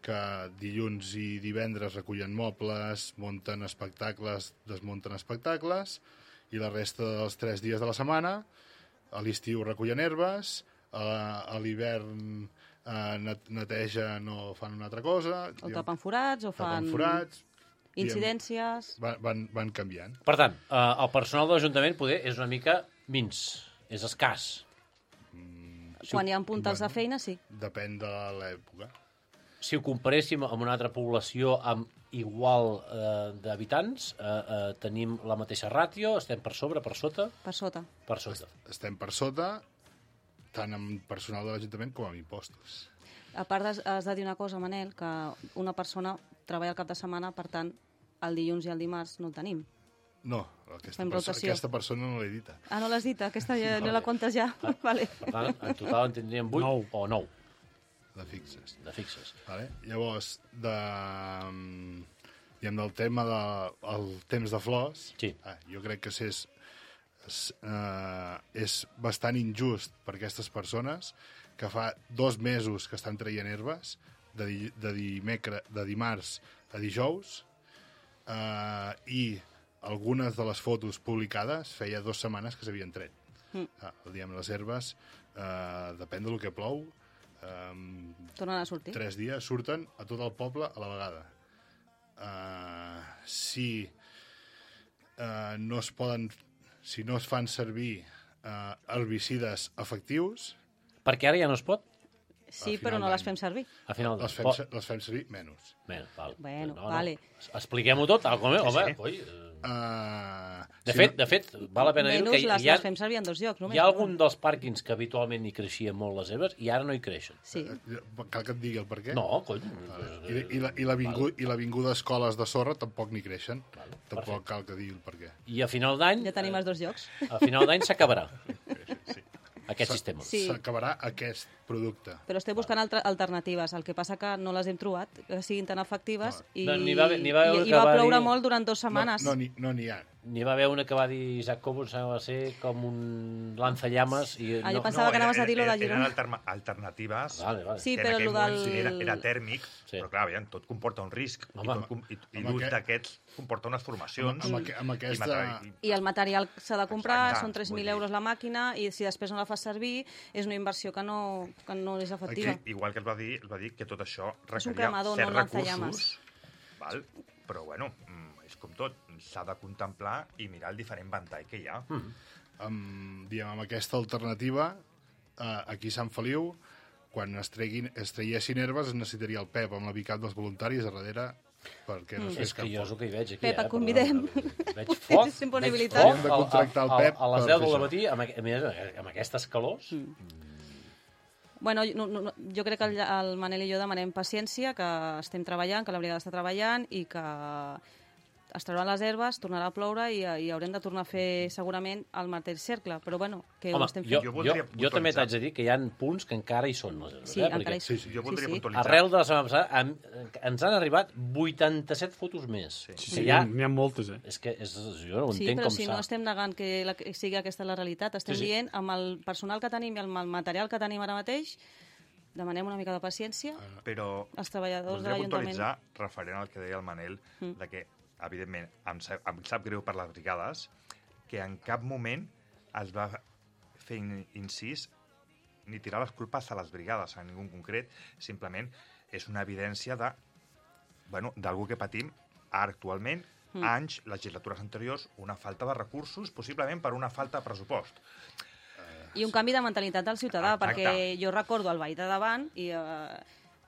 [SPEAKER 10] que dilluns i divendres recullen mobles, munten espectacles, desmunten espectacles, i la resta dels tres dies de la setmana, a l'estiu recullen herbes, a, a l'hivern eh, net- netegen o fan una altra cosa,
[SPEAKER 9] O
[SPEAKER 10] diguem,
[SPEAKER 9] tapen forats, o fan
[SPEAKER 10] tapen forats, diguem,
[SPEAKER 9] incidències.
[SPEAKER 10] van, van, van canviant.
[SPEAKER 2] Per tant, eh, el personal de l'Ajuntament poder és una mica mins, és escàs.
[SPEAKER 9] Quan hi ha puntals de
[SPEAKER 10] bueno.
[SPEAKER 9] feina, sí.
[SPEAKER 10] Depèn de l'època.
[SPEAKER 2] Si ho comparéssim amb una altra població amb igual eh, d'habitants, eh, eh, tenim la mateixa ràtio, estem per sobre, per sota,
[SPEAKER 9] Per sota.
[SPEAKER 2] per sota.
[SPEAKER 10] Estem per sota, tant amb personal de l'Ajuntament com amb impostos.
[SPEAKER 9] A part, has, has de dir una cosa, Manel, que una persona treballa el cap de setmana, per tant, el dilluns i el dimarts no el tenim.
[SPEAKER 10] No, aquesta,
[SPEAKER 9] Fem
[SPEAKER 10] perso
[SPEAKER 9] rotació.
[SPEAKER 10] aquesta persona no l'he dita.
[SPEAKER 9] Ah, no l'has dit? Aquesta ja, no la comptes ja? Vale.
[SPEAKER 2] Per tant, en total en tindríem vuit
[SPEAKER 5] Nou.
[SPEAKER 2] o nou
[SPEAKER 10] De fixes.
[SPEAKER 2] de fixes.
[SPEAKER 10] Vale? Llavors, de, mm, diguem, del tema del de, el temps de flors,
[SPEAKER 2] Sí.
[SPEAKER 10] ah, jo crec que és, és, eh, és bastant injust per aquestes persones que fa dos mesos que estan traient herbes, de, di, de, dimecre, de dimarts a dijous, eh, i algunes de les fotos publicades feia dues setmanes que s'havien tret.
[SPEAKER 9] Mm.
[SPEAKER 10] Ah, diguem, les herbes, eh, depèn del que plou, eh,
[SPEAKER 9] Tornen a sortir.
[SPEAKER 10] tres dies surten a tot el poble a la vegada. Uh, si uh, no es poden, si no es fan servir uh, herbicides efectius,
[SPEAKER 2] Perquè ara ja no es pot?
[SPEAKER 9] Sí,
[SPEAKER 10] al
[SPEAKER 9] però
[SPEAKER 10] final
[SPEAKER 9] no les
[SPEAKER 10] d'any.
[SPEAKER 9] fem servir.
[SPEAKER 2] A final
[SPEAKER 10] les fem,
[SPEAKER 2] Pot-
[SPEAKER 10] se- les fem servir menys.
[SPEAKER 2] Bé, val.
[SPEAKER 9] Bueno,
[SPEAKER 2] no,
[SPEAKER 9] vale.
[SPEAKER 2] No. Expliquem-ho tot, tal com és. Home,
[SPEAKER 3] sí.
[SPEAKER 2] coi, eh,
[SPEAKER 10] Uh,
[SPEAKER 2] de, fet, de fet, val la pena dir
[SPEAKER 9] Menys
[SPEAKER 2] que
[SPEAKER 9] les,
[SPEAKER 2] hi ha,
[SPEAKER 9] les fem servir en dos llocs, només.
[SPEAKER 2] hi ha algun dels pàrquings que habitualment hi creixien molt les herbes i ara no hi creixen.
[SPEAKER 9] Sí.
[SPEAKER 10] Cal que et digui el per què?
[SPEAKER 2] No, cony.
[SPEAKER 10] I, i, la, i, l'avingu, I l'avinguda escoles de sorra tampoc n'hi creixen.
[SPEAKER 2] Val,
[SPEAKER 10] Tampoc
[SPEAKER 2] perfecte.
[SPEAKER 10] cal que digui el per què.
[SPEAKER 2] I a final d'any...
[SPEAKER 9] Ja tenim
[SPEAKER 2] eh,
[SPEAKER 9] els dos llocs.
[SPEAKER 2] A final d'any s'acabarà aquest sistema.
[SPEAKER 9] Sí.
[SPEAKER 10] S'acabarà aquest producte.
[SPEAKER 9] Però estem buscant altre, alternatives. El que passa que no les hem trobat, que siguin tan efectives, i,
[SPEAKER 2] No, n'hi va haver- n'hi va haver
[SPEAKER 9] i, i
[SPEAKER 2] que
[SPEAKER 9] va
[SPEAKER 2] va
[SPEAKER 9] ploure
[SPEAKER 2] dir-
[SPEAKER 9] molt durant dues setmanes.
[SPEAKER 10] No, no n'hi no n'hi ha.
[SPEAKER 2] n'hi va haver una que va dir Isaac Cobo, sembla ser com un lanzallames. I
[SPEAKER 9] Ah, jo
[SPEAKER 2] no,
[SPEAKER 9] pensava que anaves a dir lo de
[SPEAKER 3] eren
[SPEAKER 9] Girona.
[SPEAKER 3] alterna- alternatives.
[SPEAKER 2] Vale, vale.
[SPEAKER 9] Sí,
[SPEAKER 3] que
[SPEAKER 9] però
[SPEAKER 3] en aquell
[SPEAKER 9] lo del-
[SPEAKER 3] moment era, era tèrmic,
[SPEAKER 2] Sí.
[SPEAKER 3] però clar, aviam, tot comporta un risc. I,
[SPEAKER 2] Home.
[SPEAKER 3] tot, com- i, i
[SPEAKER 10] Amb
[SPEAKER 3] l'ús
[SPEAKER 10] aquest-
[SPEAKER 3] d'aquests comporta unes formacions.
[SPEAKER 10] Amb, amb, amb aquesta...
[SPEAKER 3] i material-
[SPEAKER 9] I el material s'ha de comprar,
[SPEAKER 3] Exacte,
[SPEAKER 9] són tres mil
[SPEAKER 3] vull dir-
[SPEAKER 9] euros la màquina, i si després no la fas servir, és una inversió que no, que no és efectiva.
[SPEAKER 3] Aquí, igual que es va dir, es va dir que tot això
[SPEAKER 9] És un
[SPEAKER 3] requeria
[SPEAKER 9] cremador,
[SPEAKER 3] certs
[SPEAKER 9] no un lanzallames.
[SPEAKER 3] recursos, val? Però bueno, mm, és com tot, s'ha de contemplar i mirar el diferent ventall que hi ha.
[SPEAKER 2] Mm.
[SPEAKER 10] amb, diguem, amb aquesta alternativa, eh, aquí a Sant Feliu, quan es, treguin, es traiessin herbes, es necessitaria el Pep amb la bicat dels voluntaris a darrere perquè no es
[SPEAKER 2] És
[SPEAKER 10] fes
[SPEAKER 2] que
[SPEAKER 10] cap
[SPEAKER 2] jo és el que hi veig aquí.
[SPEAKER 9] Pep,
[SPEAKER 2] eh?
[SPEAKER 9] et convidem.
[SPEAKER 2] Perdona, Veig foc, veig
[SPEAKER 9] Disponibilitat.
[SPEAKER 2] foc
[SPEAKER 10] Hem de
[SPEAKER 2] al-
[SPEAKER 10] contractar el
[SPEAKER 2] al-
[SPEAKER 10] Pep
[SPEAKER 2] a les
[SPEAKER 10] per
[SPEAKER 2] deu
[SPEAKER 10] fer
[SPEAKER 2] del
[SPEAKER 10] això.
[SPEAKER 2] matí, amb, aqu- a més, amb aquestes calors.
[SPEAKER 9] Mm. Bueno, no, no, no, jo crec que el, el Manel i jo demanem paciència, que estem treballant, que la brigada està treballant i que es trauran les herbes, tornarà a ploure i, i haurem de tornar a fer segurament el mateix cercle. Però bueno, que
[SPEAKER 2] Home,
[SPEAKER 9] ho estem
[SPEAKER 2] jo,
[SPEAKER 9] fent.
[SPEAKER 3] Jo
[SPEAKER 2] jo,
[SPEAKER 3] voldria
[SPEAKER 2] jo també
[SPEAKER 3] puntualitzar.
[SPEAKER 2] t'haig de dir que hi ha punts que encara hi són les herbes.
[SPEAKER 9] Sí,
[SPEAKER 2] eh?
[SPEAKER 9] encara
[SPEAKER 2] Perquè
[SPEAKER 9] hi són.
[SPEAKER 3] Sí, sí, jo voldria
[SPEAKER 9] sí.
[SPEAKER 3] puntualitzar.
[SPEAKER 2] arrel de la setmana passada em- ens han arribat vuitanta-set fotos més.
[SPEAKER 3] Sí.
[SPEAKER 5] Sí,
[SPEAKER 2] Que
[SPEAKER 5] sí,
[SPEAKER 2] ja,
[SPEAKER 5] n'hi ha moltes, eh?
[SPEAKER 2] és que és, jo no ho
[SPEAKER 9] Sí,
[SPEAKER 2] entenc
[SPEAKER 9] però
[SPEAKER 2] com
[SPEAKER 9] si
[SPEAKER 2] s'ha...
[SPEAKER 9] no estem negant que, la, que sigui aquesta la realitat, estem
[SPEAKER 2] Sí, sí.
[SPEAKER 9] dient amb el personal que tenim i amb el material que tenim ara mateix, demanem una mica de paciència
[SPEAKER 3] Però
[SPEAKER 9] als treballadors de
[SPEAKER 3] voldria
[SPEAKER 9] l'Ajuntament.
[SPEAKER 3] puntualitzar, referent al que deia el Manel,
[SPEAKER 9] Mm.
[SPEAKER 3] de que, evidentment, em sap, em sap greu per les brigades, que en cap moment es va fer in- incís ni tirar les culpes a les brigades, a ningú en concret, simplement és una evidència de, bueno, d'algú que patim ara actualment,
[SPEAKER 9] Mm.
[SPEAKER 3] anys, legislatures anteriors, una falta de recursos, possiblement per una falta de pressupost.
[SPEAKER 9] I un canvi de mentalitat del ciutadà,
[SPEAKER 3] Exacte.
[SPEAKER 9] perquè jo recordo el veí de davant i, eh,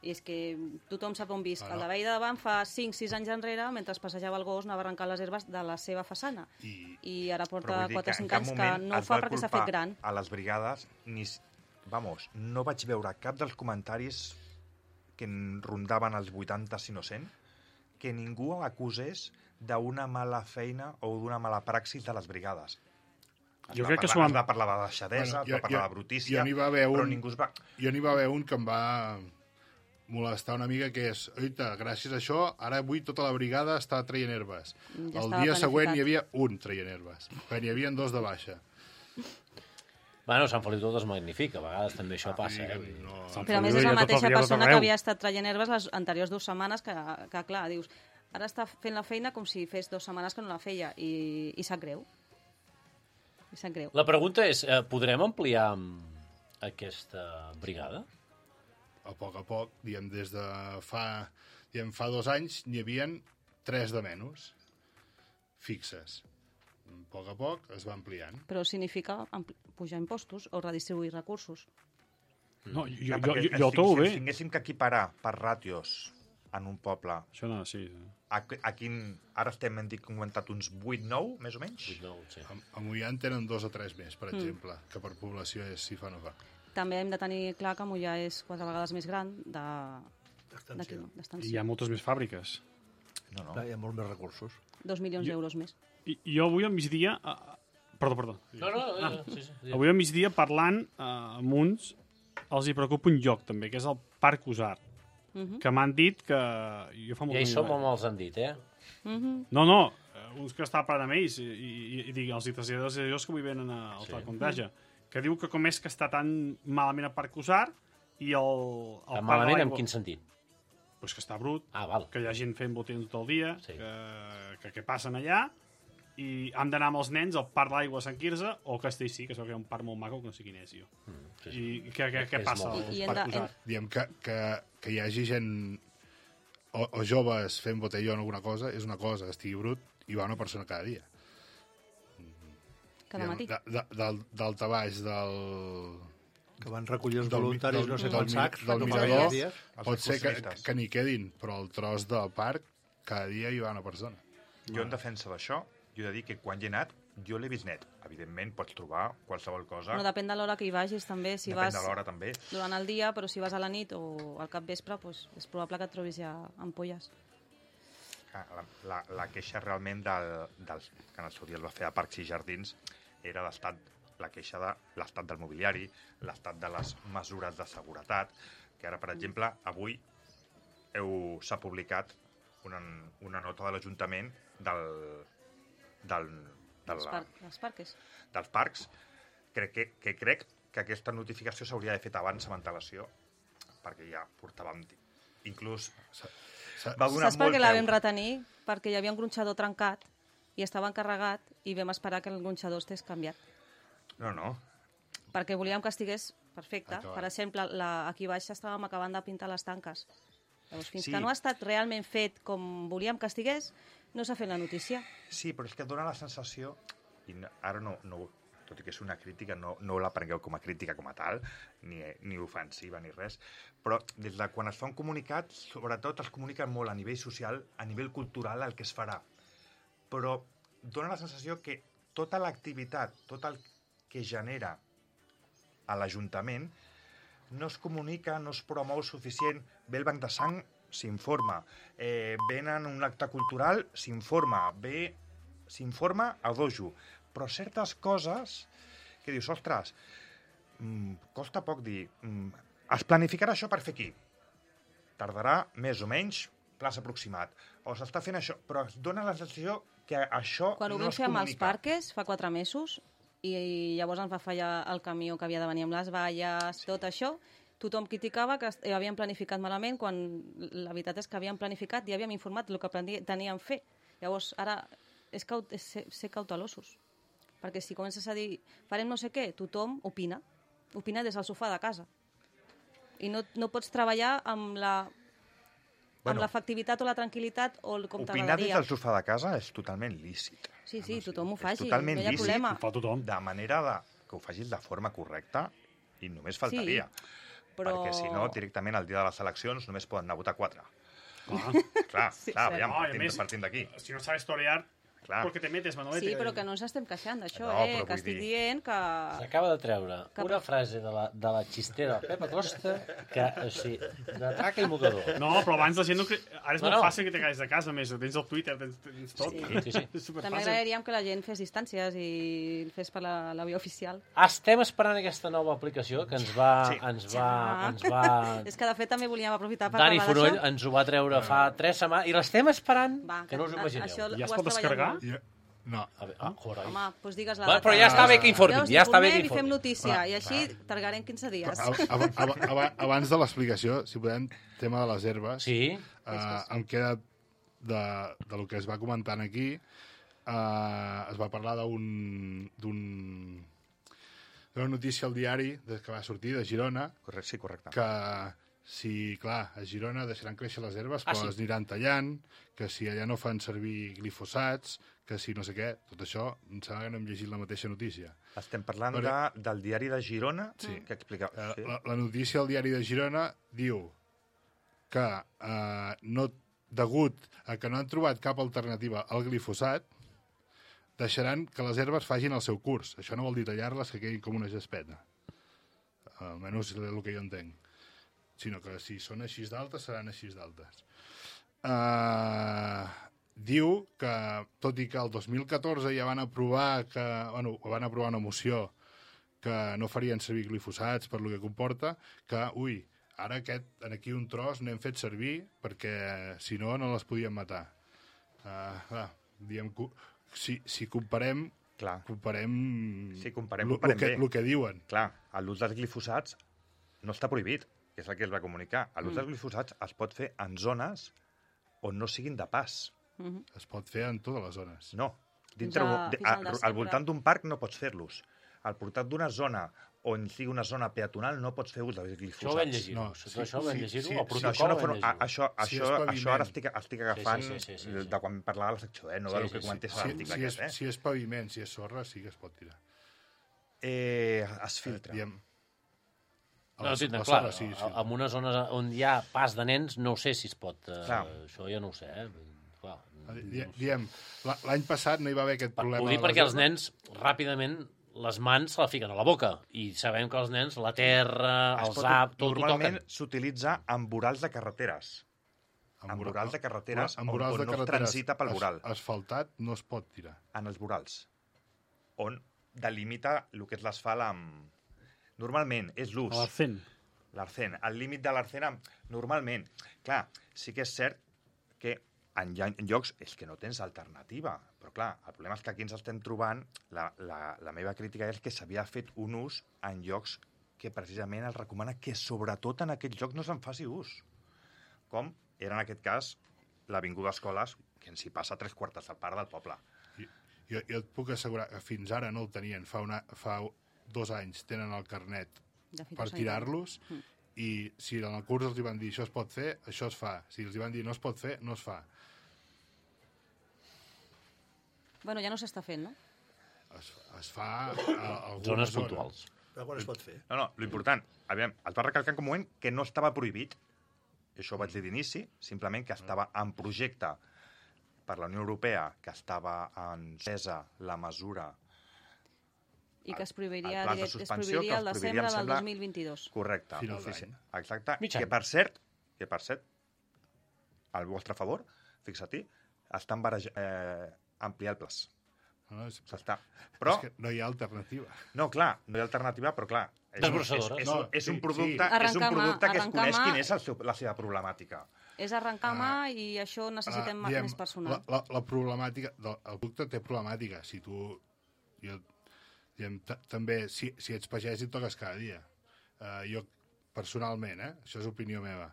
[SPEAKER 9] i és que tothom sap on visc.
[SPEAKER 10] Ah, no.
[SPEAKER 9] El de veí de davant fa cinc sis anys enrere, mentre passejava el gos, anava a arrencar les herbes de la seva façana.
[SPEAKER 10] I,
[SPEAKER 9] I ara
[SPEAKER 3] Però
[SPEAKER 9] porta
[SPEAKER 3] vull dir
[SPEAKER 9] quatre
[SPEAKER 3] que en
[SPEAKER 9] cinc
[SPEAKER 3] cap
[SPEAKER 9] anys que
[SPEAKER 3] moment
[SPEAKER 9] no ho
[SPEAKER 3] es
[SPEAKER 9] fa
[SPEAKER 3] va
[SPEAKER 9] perquè s'ha
[SPEAKER 3] culpar
[SPEAKER 9] fet gran.
[SPEAKER 3] a les brigades, ni, s- vamos, no vaig veure cap dels comentaris que en rondaven els vuitanta, si no cent, que ningú acusés d'una mala feina o d'una mala praxis de les brigades. Es
[SPEAKER 5] Jo
[SPEAKER 3] va
[SPEAKER 5] crec que
[SPEAKER 3] parlar,
[SPEAKER 5] s'ho han-
[SPEAKER 3] es va parlar de deixadesa,
[SPEAKER 10] Bueno,
[SPEAKER 3] es va
[SPEAKER 10] jo-
[SPEAKER 3] parlar
[SPEAKER 10] jo-
[SPEAKER 3] de brutícia,
[SPEAKER 10] jo n'hi va haver
[SPEAKER 3] però
[SPEAKER 10] un-
[SPEAKER 3] ningú es va...
[SPEAKER 10] jo n'hi va haver un que em va molestar una mica, que és, oita, gràcies a això, ara avui tota la brigada està traient herbes.
[SPEAKER 9] Ja
[SPEAKER 10] el
[SPEAKER 9] estava
[SPEAKER 10] dia següent
[SPEAKER 9] planificat.
[SPEAKER 10] hi havia un traient herbes, quan hi havia dos de baixa.
[SPEAKER 2] Bueno, Sant Feliu tot es magnifica, a vegades també això passa, eh?
[SPEAKER 10] Vull dir que no...
[SPEAKER 5] Sant
[SPEAKER 9] Però a més
[SPEAKER 5] Feliu
[SPEAKER 9] és
[SPEAKER 5] hi
[SPEAKER 9] la
[SPEAKER 5] ha tot
[SPEAKER 9] mateixa
[SPEAKER 5] el dia, tot
[SPEAKER 9] persona que
[SPEAKER 5] arreu.
[SPEAKER 9] havia estat traient herbes les anteriors dues setmanes que, que clar, dius, ara està fent la feina com si fes dues setmanes que no la feia i, i sap greu. I sap greu.
[SPEAKER 2] La pregunta és, eh, podrem ampliar mm, aquesta brigada?
[SPEAKER 10] A poc a poc, diguem, des de fa, diguem, fa dos anys n'hi havien tres de menys fixes. A poc a poc es va ampliant.
[SPEAKER 9] Però significa ampli- pujar impostos o redistribuir recursos.
[SPEAKER 5] No, jo,
[SPEAKER 3] Clar,
[SPEAKER 5] jo,
[SPEAKER 3] perquè
[SPEAKER 5] jo, jo
[SPEAKER 3] si-
[SPEAKER 5] trobo
[SPEAKER 3] si
[SPEAKER 5] bé.
[SPEAKER 3] ens tinguéssim que equiparar per ràtios en un poble,
[SPEAKER 5] Això no, sí.
[SPEAKER 3] a, a quin... Ara estem, hem dit, comentat uns vuit nou, més o menys?
[SPEAKER 2] No, sí.
[SPEAKER 10] A, a Mollà en tenen dos o tres més, per
[SPEAKER 9] Mm.
[SPEAKER 10] exemple, que per població és si fa o no fa.
[SPEAKER 9] També hem de tenir clar que Mollà és quatre vegades més gran de... d'aquí,
[SPEAKER 4] Extensió.
[SPEAKER 5] I
[SPEAKER 9] d'extensió.
[SPEAKER 5] hi ha moltes més fàbriques.
[SPEAKER 3] No, no.
[SPEAKER 4] Clar, hi ha molts més recursos.
[SPEAKER 9] Dos milions
[SPEAKER 5] Jo-
[SPEAKER 9] d'euros més.
[SPEAKER 5] I jo avui al migdia... Uh, perdó, perdó.
[SPEAKER 2] No, no, no, sí, sí. sí.
[SPEAKER 5] Avui al migdia parlant uh, amb uns els hi preocupa un lloc també, que és el Parc Usar,
[SPEAKER 9] Uh
[SPEAKER 5] que m'han dit que... Jo fa molt
[SPEAKER 2] Ja hi
[SPEAKER 5] que
[SPEAKER 2] som
[SPEAKER 5] no hi
[SPEAKER 2] on els han dit, eh?
[SPEAKER 9] -huh.
[SPEAKER 5] No, no, eh, uns que està parlant amb ells i, i, i dic, els traslladors i allò que avui venen a- al
[SPEAKER 2] Sí.
[SPEAKER 5] sí. Contagia, que diu que com és que està tan malament el Parc Usar i el, el
[SPEAKER 2] Tan
[SPEAKER 5] Parc
[SPEAKER 2] malament
[SPEAKER 5] de
[SPEAKER 2] en
[SPEAKER 5] l'Aigua-
[SPEAKER 2] quin sentit?
[SPEAKER 5] Pues que està brut,
[SPEAKER 2] Ah, val.
[SPEAKER 5] que hi ha gent fent botins tot el dia,
[SPEAKER 2] Sí.
[SPEAKER 5] que, que, que passen allà, i hem d'anar amb els nens al Parc d'Aigua a Sant Quirze o a Castellcí, que es veu que hi ha un parc molt maco, que no sé quin és, jo.
[SPEAKER 2] Mm, sí, sí.
[SPEAKER 5] I què, què, què
[SPEAKER 2] És
[SPEAKER 5] passa
[SPEAKER 2] molt-
[SPEAKER 5] al
[SPEAKER 9] I- i hem
[SPEAKER 5] Parc
[SPEAKER 9] de-
[SPEAKER 5] Usar?
[SPEAKER 10] Diem que, que, que hi hagi gent o, o joves fent botelló en alguna cosa és una cosa, estigui brut, i va una persona cada dia.
[SPEAKER 9] Cada matí.
[SPEAKER 10] De, de, del, del baix del,
[SPEAKER 4] Que van recollir els
[SPEAKER 10] Del mi-
[SPEAKER 4] voluntaris
[SPEAKER 10] del-
[SPEAKER 4] no sé
[SPEAKER 10] del
[SPEAKER 4] quants
[SPEAKER 10] mi-
[SPEAKER 4] sacs.
[SPEAKER 10] del
[SPEAKER 4] no fa
[SPEAKER 10] mirador.
[SPEAKER 4] gaires dies.
[SPEAKER 3] Els
[SPEAKER 10] pot ser que,
[SPEAKER 3] excursionistes.
[SPEAKER 10] que n'hi quedin, però el tros del parc cada dia hi va una persona.
[SPEAKER 3] Jo, en defensa d'això, jo he de dir que quan hi he anat, jo l'he vist net. Evidentment, pots trobar qualsevol cosa.
[SPEAKER 9] No, depèn de l'hora que hi vagis, també. Si
[SPEAKER 3] Depèn
[SPEAKER 9] vas
[SPEAKER 3] de l'hora, també.
[SPEAKER 9] durant el dia, però si vas a la nit o al capvespre, pues, és probable que et trobis ja ampolles.
[SPEAKER 3] Ah, La, la, la queixa realment del, dels, que en el seu dia es va fer a Parcs i Jardins era l'estat, la queixa de l'estat del mobiliari, l'estat de les mesures de seguretat, que ara, per exemple, avui heu s'ha publicat una, una nota de l'Ajuntament del, del, de
[SPEAKER 9] Els,
[SPEAKER 3] la,
[SPEAKER 9] par els parques.
[SPEAKER 3] dels parcs, crec que, que crec que aquesta notificació s'hauria de fet abans amb antelació, perquè ja portàvem... Inclús va donar
[SPEAKER 9] Saps per
[SPEAKER 3] molt
[SPEAKER 9] què la
[SPEAKER 3] peu.
[SPEAKER 9] vam retenir? Perquè hi havia un gronxador trencat i estava encarregat i vam esperar que el gronxador estés canviat.
[SPEAKER 3] No, no.
[SPEAKER 9] Perquè volíem que estigués perfecte.
[SPEAKER 10] Acabat.
[SPEAKER 9] Per exemple, la, aquí baix estàvem acabant de pintar les tanques. Llavors, fins
[SPEAKER 3] Sí.
[SPEAKER 9] que no ha estat realment fet com volíem que estigués, no s'ha fet la notícia.
[SPEAKER 3] Sí, però és que et dona la sensació, i no, ara no, no, tot i que és una crítica, no, no la prengueu com a crítica com a tal, ni, ni ofensiva ni res, però des de quan es fa un comunicat, sobretot es comunica molt a nivell social, a nivell cultural, el que es farà. Però dona la sensació que tota l'activitat, tot el que genera a l'Ajuntament, no es comunica, no es promou suficient. Ve el banc de sang, s'informa. Eh, venen un acte cultural, s'informa. Ve, s'informa a dojo. Però certes coses que dius, ostres, mm, costa poc dir, mm, es planificarà això per fer aquí. Tardarà més o menys, plaç aproximat. O s'està fent això, però es dona la sensació que això
[SPEAKER 9] Quan ho
[SPEAKER 3] no
[SPEAKER 9] vam
[SPEAKER 3] es
[SPEAKER 9] fer amb els
[SPEAKER 3] comunica.
[SPEAKER 9] parques, fa quatre mesos, i llavors ens va fallar el camió que havia de venir amb les valles, sí. tot això, tothom criticava que est- havíem planificat malament, quan la veritat és que havíem planificat i havíem informat el que plani- teníem fer. Llavors, ara, és, caut és ser, ser cautelosos. Perquè si comences a dir, farem no sé què, tothom opina. Opina des del sofà de casa. I no, no pots treballar amb la...
[SPEAKER 3] Bueno,
[SPEAKER 9] amb l'efectivitat o la tranquil·litat o el com
[SPEAKER 3] opinar des
[SPEAKER 9] t'agradaria.
[SPEAKER 3] del sofà de casa és totalment lícit.
[SPEAKER 9] Sí, sí, tothom ho faci,
[SPEAKER 3] És totalment
[SPEAKER 9] no hi ha
[SPEAKER 3] lícit.
[SPEAKER 9] problema.
[SPEAKER 5] Ho fa tothom.
[SPEAKER 3] De manera de, que ho facis de forma correcta i només faltaria.
[SPEAKER 9] Però...
[SPEAKER 3] Perquè si no, directament el dia de les eleccions només poden anar a votar quatre.
[SPEAKER 5] Ah.
[SPEAKER 3] Clar,
[SPEAKER 9] Sí,
[SPEAKER 3] clar,
[SPEAKER 9] cert.
[SPEAKER 3] aviam,
[SPEAKER 5] No, i a
[SPEAKER 3] partint,
[SPEAKER 5] més-
[SPEAKER 3] partint d'aquí.
[SPEAKER 5] Si no sabes torear,
[SPEAKER 3] Clar.
[SPEAKER 5] ¿por qué te metes, Manolete?
[SPEAKER 9] Sí, però que no ens estem queixant d'això,
[SPEAKER 3] No,
[SPEAKER 9] eh?
[SPEAKER 3] però
[SPEAKER 9] Que
[SPEAKER 3] vull
[SPEAKER 9] estic
[SPEAKER 3] dir-
[SPEAKER 9] dient que...
[SPEAKER 2] S'acaba de treure
[SPEAKER 9] Que-
[SPEAKER 2] una frase de la, de la xistera del Pep Acosta que, o sigui, de traca i mocador.
[SPEAKER 5] No, però abans la gent no... cre- Ara és
[SPEAKER 2] No,
[SPEAKER 5] molt
[SPEAKER 2] no.
[SPEAKER 5] fàcil que te caiguis de casa, més. Tens el Twitter, tens, tens tot.
[SPEAKER 2] Sí, sí, sí.
[SPEAKER 5] És
[SPEAKER 9] També
[SPEAKER 5] superfàcil.
[SPEAKER 9] agradaríem que la gent fes distàncies i el fes per la, la via oficial.
[SPEAKER 2] Estem esperant aquesta nova aplicació que ens va...
[SPEAKER 3] Sí.
[SPEAKER 2] Ens va,
[SPEAKER 9] Ah.
[SPEAKER 2] ens va...
[SPEAKER 9] És que, de fet, també volíem aprofitar per
[SPEAKER 2] Dani
[SPEAKER 9] parlar
[SPEAKER 2] Fonoll
[SPEAKER 9] d'això.
[SPEAKER 2] ens ho va treure fa tres setmanes i l'estem esperant,
[SPEAKER 9] Va,
[SPEAKER 2] que no us ho
[SPEAKER 9] a-
[SPEAKER 2] imagineu.
[SPEAKER 9] això
[SPEAKER 5] Ja es
[SPEAKER 9] ho
[SPEAKER 5] pot
[SPEAKER 9] has treballat
[SPEAKER 5] descarregar?
[SPEAKER 9] molt.
[SPEAKER 10] Ja, no.
[SPEAKER 2] A veure, ah, joder.
[SPEAKER 9] Home, doncs digues la
[SPEAKER 2] Va,
[SPEAKER 9] data.
[SPEAKER 2] però ja està bé que informin,
[SPEAKER 9] Llavors,
[SPEAKER 2] ja està bé que
[SPEAKER 9] informem i fem
[SPEAKER 2] informin.
[SPEAKER 9] notícia,
[SPEAKER 10] Va,
[SPEAKER 9] i així tardarem quinze dies.
[SPEAKER 10] Ab- ab- ab- ab- Abans de l'explicació, si podem, tema de les herbes,
[SPEAKER 2] Sí,
[SPEAKER 10] eh, em queda de, de lo que es va comentant aquí, eh, es va parlar d'un d'un- d'una notícia al diari des que va sortir de Girona,
[SPEAKER 3] Correcte, sí, correcte.
[SPEAKER 10] que si, clar, a Girona deixaran créixer les herbes,
[SPEAKER 2] Ah,
[SPEAKER 10] però
[SPEAKER 2] sí?
[SPEAKER 10] les aniran tallant, que si allà no fan servir glifosats, que si no sé què, tot això, em sembla que no hem llegit la mateixa notícia.
[SPEAKER 3] Estem parlant
[SPEAKER 10] Però-
[SPEAKER 3] de, del diari de Girona,
[SPEAKER 10] Sí.
[SPEAKER 3] que explica...
[SPEAKER 10] Eh,
[SPEAKER 3] Sí.
[SPEAKER 10] la, la notícia al diari de Girona diu que eh, no, degut a que no han trobat cap alternativa al glifosat, deixaran que les herbes facin el seu curs. Això no vol dir tallar-les que quedin com una gespeta. Almenys és el que jo entenc. Sinó que si són així d'altes, seran així d'altes. Uh, diu que, tot i que el dos mil catorze ja van aprovar que, bueno, van aprovar una moció que no farien servir glifosats per lo que comporta, que, ui, ara aquest, en aquí un tros n'hem fet servir perquè, si no, no les podíem matar. Uh, clar, diem, si, si comparem,
[SPEAKER 3] Clar.
[SPEAKER 10] comparem,
[SPEAKER 3] Si comparem,
[SPEAKER 10] lo,
[SPEAKER 3] comparem
[SPEAKER 10] lo que,
[SPEAKER 3] bé.
[SPEAKER 10] lo que diuen.
[SPEAKER 3] Clar, l'ús dels glifosats no està prohibit, que és el que es va comunicar. L'ús
[SPEAKER 9] Mm.
[SPEAKER 3] dels glifosats es pot fer en zones on no siguin de pas.
[SPEAKER 9] Mhm.
[SPEAKER 10] Es pot fer en totes les zones.
[SPEAKER 3] No. Dintre,
[SPEAKER 9] Fins a-
[SPEAKER 3] de,
[SPEAKER 9] fins al
[SPEAKER 3] a, al
[SPEAKER 9] desembre.
[SPEAKER 3] voltant d'un parc no pots fer-los. Al voltant d'una zona on sigui una zona peatonal no pots fer ús dels glifosats.
[SPEAKER 2] això ho vam llegir-ho.
[SPEAKER 10] No,
[SPEAKER 2] No,
[SPEAKER 10] sí,
[SPEAKER 2] això ho vam
[SPEAKER 10] sí,
[SPEAKER 2] llegir-ho,
[SPEAKER 10] sí,
[SPEAKER 2] al
[SPEAKER 3] No,
[SPEAKER 2] protocol
[SPEAKER 3] això, no,
[SPEAKER 2] ho vam
[SPEAKER 3] for- a,
[SPEAKER 2] llegir-ho.
[SPEAKER 3] això,
[SPEAKER 10] Si
[SPEAKER 3] això,
[SPEAKER 10] és
[SPEAKER 3] això
[SPEAKER 10] paviment.
[SPEAKER 3] ara estic, estic agafant
[SPEAKER 2] sí, sí, sí, sí.
[SPEAKER 3] de quan parlava la secció, eh? no
[SPEAKER 2] Sí,
[SPEAKER 3] del
[SPEAKER 2] sí,
[SPEAKER 3] que
[SPEAKER 2] sí.
[SPEAKER 3] comentés a
[SPEAKER 10] Si,
[SPEAKER 3] l'article
[SPEAKER 10] si, és,
[SPEAKER 3] aquest. Eh?
[SPEAKER 10] si és paviment, si és sorra, sí que es pot tirar.
[SPEAKER 3] Eh, es filtra.
[SPEAKER 10] Diem, a
[SPEAKER 2] No,
[SPEAKER 10] la-
[SPEAKER 2] sí,
[SPEAKER 10] la
[SPEAKER 2] clar,
[SPEAKER 10] sorra, sí, sí.
[SPEAKER 2] en una zona on hi ha pas de nens, no ho sé si es pot... Eh,
[SPEAKER 3] Clar.
[SPEAKER 2] això ja no ho sé, eh? Clar,
[SPEAKER 10] Di- Diem, la- l'any passat no hi va haver aquest problema.
[SPEAKER 2] Ho dic
[SPEAKER 10] de les
[SPEAKER 2] perquè els
[SPEAKER 10] herbes.
[SPEAKER 2] nens, ràpidament, les mans se la fiquen a la boca. I sabem que els nens, la terra,
[SPEAKER 3] Es
[SPEAKER 2] els
[SPEAKER 3] pot-
[SPEAKER 2] ap, tot ho
[SPEAKER 3] Normalment
[SPEAKER 2] toquen.
[SPEAKER 3] s'utilitza en vorals de carreteres. En
[SPEAKER 10] vora-
[SPEAKER 3] vorals de carreteres
[SPEAKER 10] en
[SPEAKER 3] on-
[SPEAKER 10] vorals
[SPEAKER 3] on
[SPEAKER 10] de
[SPEAKER 3] no es
[SPEAKER 10] carreteres
[SPEAKER 3] transita pel
[SPEAKER 10] as-
[SPEAKER 3] voral.
[SPEAKER 10] Asfaltat no es pot tirar.
[SPEAKER 3] En els vorals, on delimita el que és l'asfalt amb... Normalment és l'ús.
[SPEAKER 5] A l'arcén.
[SPEAKER 3] L'arcén. El límit de l'arcén, amb- normalment. Clar, sí que és cert que en, en llocs és que no tens alternativa. Però clar, el problema és que aquí ens estem trobant, la, la, la meva crítica és que s'havia fet un ús en llocs que precisament es recomana que sobretot en aquells llocs no se'n faci ús. Com era en aquest cas l'Avinguda Escoles, que ens hi passa tres quartes de part del poble.
[SPEAKER 10] Jo, jo et puc assegurar que fins ara no el tenien, fa, una, fa dos anys tenen el carnet per tirar-los, mm. i si en el curs els hi van dir això es pot fer, això es fa. Si els hi van dir no es pot fer, no es fa.
[SPEAKER 9] Bueno, ja no s'està fent, no?
[SPEAKER 10] Es, es fa a algunes
[SPEAKER 2] zones puntuals.
[SPEAKER 4] Però quan es pot fer?
[SPEAKER 3] No, no, l'important, aviam, es va recalcar en un moment que no estava prohibit, això ho vaig dir d'inici, simplement que estava en projecte per la Unió Europea, que estava encesa la mesura...
[SPEAKER 9] I que es prohibiria,
[SPEAKER 3] el pla de
[SPEAKER 9] direct, es
[SPEAKER 3] suspensió,
[SPEAKER 9] prohibiria el
[SPEAKER 3] que els
[SPEAKER 9] desembre
[SPEAKER 3] prohibiria,
[SPEAKER 9] del
[SPEAKER 3] em sembla-
[SPEAKER 9] dos mil vint-i-dos.
[SPEAKER 3] Correcte.
[SPEAKER 10] Final
[SPEAKER 3] ofici-
[SPEAKER 10] d'any.
[SPEAKER 3] Exacte.
[SPEAKER 2] Mig any.
[SPEAKER 3] Que per cert, que per cert, al vostre favor, fixa-t'hi, estan bareja, eh, ampliar el plaç.
[SPEAKER 10] No, és,
[SPEAKER 3] S'està. Però,
[SPEAKER 10] és que no hi ha alternativa.
[SPEAKER 3] no, clar, no hi ha alternativa, però clar... És, un- és,
[SPEAKER 2] Desbrossadora.
[SPEAKER 3] és,
[SPEAKER 10] No,
[SPEAKER 3] un- és,
[SPEAKER 10] sí,
[SPEAKER 3] un producte,
[SPEAKER 9] sí.
[SPEAKER 3] és un
[SPEAKER 9] Arrencar mà,
[SPEAKER 3] producte que es
[SPEAKER 9] arrencar
[SPEAKER 3] coneix
[SPEAKER 9] mà.
[SPEAKER 3] quin és el seu, la seva problemàtica.
[SPEAKER 9] És arrencar mà i això necessitem
[SPEAKER 10] Ah,
[SPEAKER 9] ma-
[SPEAKER 10] diem,
[SPEAKER 9] més personal.
[SPEAKER 10] La, la, la problemàtica... del- El producte té problemàtica. Si tu... Jo, diem, t- també, si, si ets pagès i et toques cada dia. Uh, jo, personalment, eh? Això és opinió meva.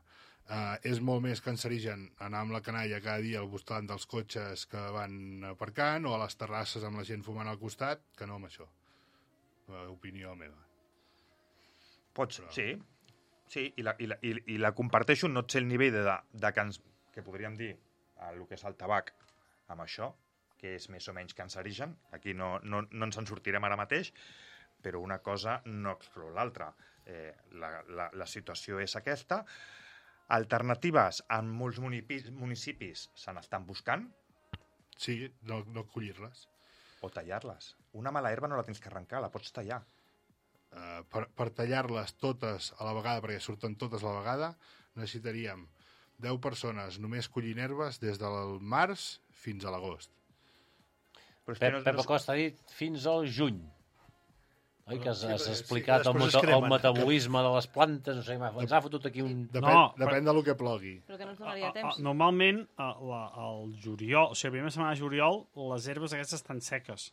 [SPEAKER 10] Uh, és molt més cancerigen anar amb la canalla cada dia al voltant dels cotxes que van aparcant o a les terrasses amb la gent fumant al costat que no amb això. Uh, opinió meva.
[SPEAKER 3] Pots,
[SPEAKER 10] Però-
[SPEAKER 3] sí, sí, i la, i, la, i, i la comparteixo, no sé el nivell de, de que, ens, que podríem dir el que és el tabac amb això, que és més o menys cancerigen. Aquí no, no, no ens en sortirem ara mateix, però una cosa no exclou l'altra. Eh, la, la, la situació és aquesta. Alternatives en molts municipis, municipis se n'estan buscant,
[SPEAKER 10] Sí, no, no collir-les.
[SPEAKER 3] o tallar-les. Una mala herba no la tens que arrencar, la pots tallar.
[SPEAKER 10] Uh, per, per tallar-les totes a la vegada, perquè surten totes a la vegada, necessitaríem deu persones només collint herbes des del març fins a l'agost.
[SPEAKER 3] Però és
[SPEAKER 2] Pep,
[SPEAKER 3] que no,
[SPEAKER 2] Pep
[SPEAKER 3] no,
[SPEAKER 2] Acosta ha dit fins al juny. Oi, que has,
[SPEAKER 4] Sí,
[SPEAKER 2] has
[SPEAKER 4] perquè- sí,
[SPEAKER 2] explicat
[SPEAKER 4] que
[SPEAKER 2] el,
[SPEAKER 4] després
[SPEAKER 2] meta,
[SPEAKER 4] es cremen.
[SPEAKER 2] el metabolisme de les plantes, no sé, m'ha- ens ha fotut aquí un...
[SPEAKER 10] Depèn,
[SPEAKER 5] No,
[SPEAKER 10] depèn de lo que plogui.
[SPEAKER 9] Però que no ens
[SPEAKER 5] A-
[SPEAKER 9] donaria
[SPEAKER 5] a-
[SPEAKER 9] temps.
[SPEAKER 5] Normalment, a, la, al juliol, o sigui, la primera setmana de juliol, les herbes aquestes estan seques,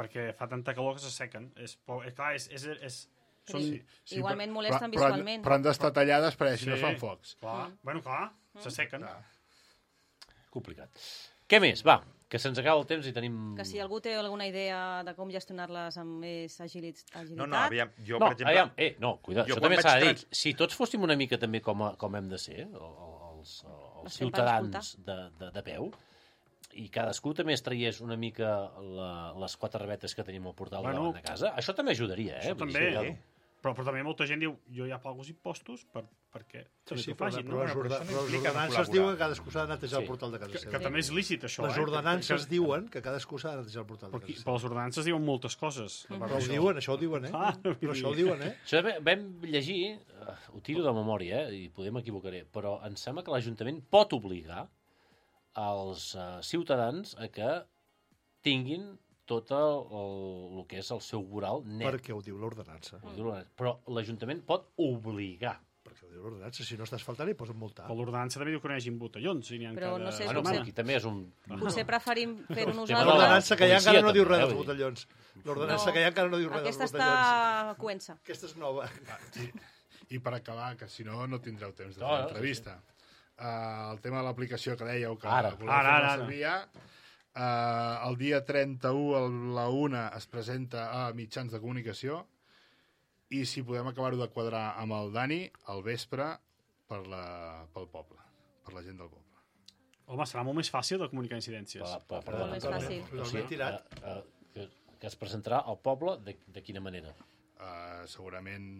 [SPEAKER 5] perquè fa tanta calor que se sequen. És, po- eh, clar, és, és, és, són...
[SPEAKER 9] Sí. Igualment
[SPEAKER 10] però-
[SPEAKER 9] molesten
[SPEAKER 10] però, han-
[SPEAKER 9] visualment.
[SPEAKER 10] Però han d'estar tallades perquè si no
[SPEAKER 5] Sí.
[SPEAKER 10] fan focs.
[SPEAKER 5] Clar, bueno, clar, se sequen.
[SPEAKER 2] Complicat. Què més? Va, que se'ns acaba el temps i tenim...
[SPEAKER 9] Que si algú té alguna idea de com gestionar-les amb més agilit agilitat...
[SPEAKER 3] no, no, aviam, jo,
[SPEAKER 2] No,
[SPEAKER 3] per exemple...
[SPEAKER 2] aviam, eh, no, cuida,
[SPEAKER 3] jo
[SPEAKER 2] això
[SPEAKER 3] quan
[SPEAKER 2] també
[SPEAKER 3] vaig
[SPEAKER 2] s'ha de dir.
[SPEAKER 3] trans-
[SPEAKER 2] Si tots fóssim una mica també com, a, com hem de ser, el- el- els, els
[SPEAKER 9] Estem per
[SPEAKER 2] ciutadans de, de, de peu, i cadascú també es traiés una mica la, les quatre rabetes que tenim al portal
[SPEAKER 5] Bueno,
[SPEAKER 2] davant de casa, això també ajudaria, eh?
[SPEAKER 5] Això
[SPEAKER 2] Vull
[SPEAKER 5] també.
[SPEAKER 2] dir,
[SPEAKER 3] Sí.
[SPEAKER 5] Però, però també molta gent diu, jo ja pago els impostos, per, per què?
[SPEAKER 4] Sí, sí,
[SPEAKER 5] Ho
[SPEAKER 4] però,
[SPEAKER 5] facin,
[SPEAKER 4] però,
[SPEAKER 5] no?
[SPEAKER 4] les,
[SPEAKER 3] Bueno, però
[SPEAKER 4] orda,
[SPEAKER 3] això no
[SPEAKER 4] però les
[SPEAKER 3] implica no
[SPEAKER 4] ordenances
[SPEAKER 3] col·laborar.
[SPEAKER 4] diuen que cadascú s'ha de netejar
[SPEAKER 2] Sí.
[SPEAKER 4] el portal de casa
[SPEAKER 5] Que,
[SPEAKER 4] seva.
[SPEAKER 5] que també és lícit, això,
[SPEAKER 4] Les
[SPEAKER 5] eh?
[SPEAKER 4] ordenances
[SPEAKER 5] Que-
[SPEAKER 4] diuen que cadascú s'ha de netejar el portal de
[SPEAKER 5] Però, aquí,
[SPEAKER 4] casa
[SPEAKER 5] però
[SPEAKER 4] seva.
[SPEAKER 5] les ordenances diuen moltes coses. a part
[SPEAKER 4] Però ho
[SPEAKER 5] d'això.
[SPEAKER 4] diuen, això ho diuen, eh?
[SPEAKER 5] Clar,
[SPEAKER 4] Però això ho diuen, eh?
[SPEAKER 2] Això vam- vam llegir, eh, ho tiro de memòria, eh, i podem equivocaré, però em sembla que l'Ajuntament pot obligar els eh, ciutadans a que tinguin tot el, el, el que és el seu voral net.
[SPEAKER 4] Perquè ho diu l'ordenança.
[SPEAKER 2] Ho diu l'ordenança. Però l'Ajuntament pot obligar.
[SPEAKER 4] Perquè ho diu l'ordenança. Si no estàs faltant, hi posen multar.
[SPEAKER 5] Però l'ordenança també diu que no hi hagin botellons. I n'hi ha
[SPEAKER 9] Però
[SPEAKER 5] cada...
[SPEAKER 9] no sé,
[SPEAKER 2] Bueno,
[SPEAKER 9] potser-
[SPEAKER 2] però aquí també és un...
[SPEAKER 9] Potser preferim fer-ho
[SPEAKER 2] Tema de
[SPEAKER 9] nosaltres.
[SPEAKER 4] L'ordenança que hi ha
[SPEAKER 2] policia,
[SPEAKER 4] encara no diu
[SPEAKER 2] també,
[SPEAKER 4] res
[SPEAKER 2] eh,
[SPEAKER 4] dels
[SPEAKER 2] vull dir.
[SPEAKER 4] botellons. L'ordenança
[SPEAKER 9] No.
[SPEAKER 4] que hi ha encara no diu res dels
[SPEAKER 9] Aquesta
[SPEAKER 4] botellons.
[SPEAKER 9] està cuença.
[SPEAKER 4] Aquesta és nova.
[SPEAKER 10] Sí. I per acabar, que si no, no tindreu temps de
[SPEAKER 2] No,
[SPEAKER 10] fer
[SPEAKER 2] no,
[SPEAKER 10] l'entrevista. Uh, el tema de l'aplicació que dèieu que
[SPEAKER 2] Ara.
[SPEAKER 10] voleu
[SPEAKER 5] Ara,
[SPEAKER 10] fer
[SPEAKER 5] ara,
[SPEAKER 10] servir ja, uh, el dia trenta-u a la una es presenta a mitjans de comunicació i si podem acabar-ho de quadrar amb el Dani al vespre per la, pel poble, per la gent del poble.
[SPEAKER 5] Home, serà molt més fàcil de comunicar incidències.
[SPEAKER 2] Per, per, perdona,
[SPEAKER 9] Molt més fàcil.
[SPEAKER 2] O sigui,
[SPEAKER 4] Ben tirat.
[SPEAKER 2] eh, eh, que, que es presentarà al poble de, de quina manera?
[SPEAKER 10] Uh, segurament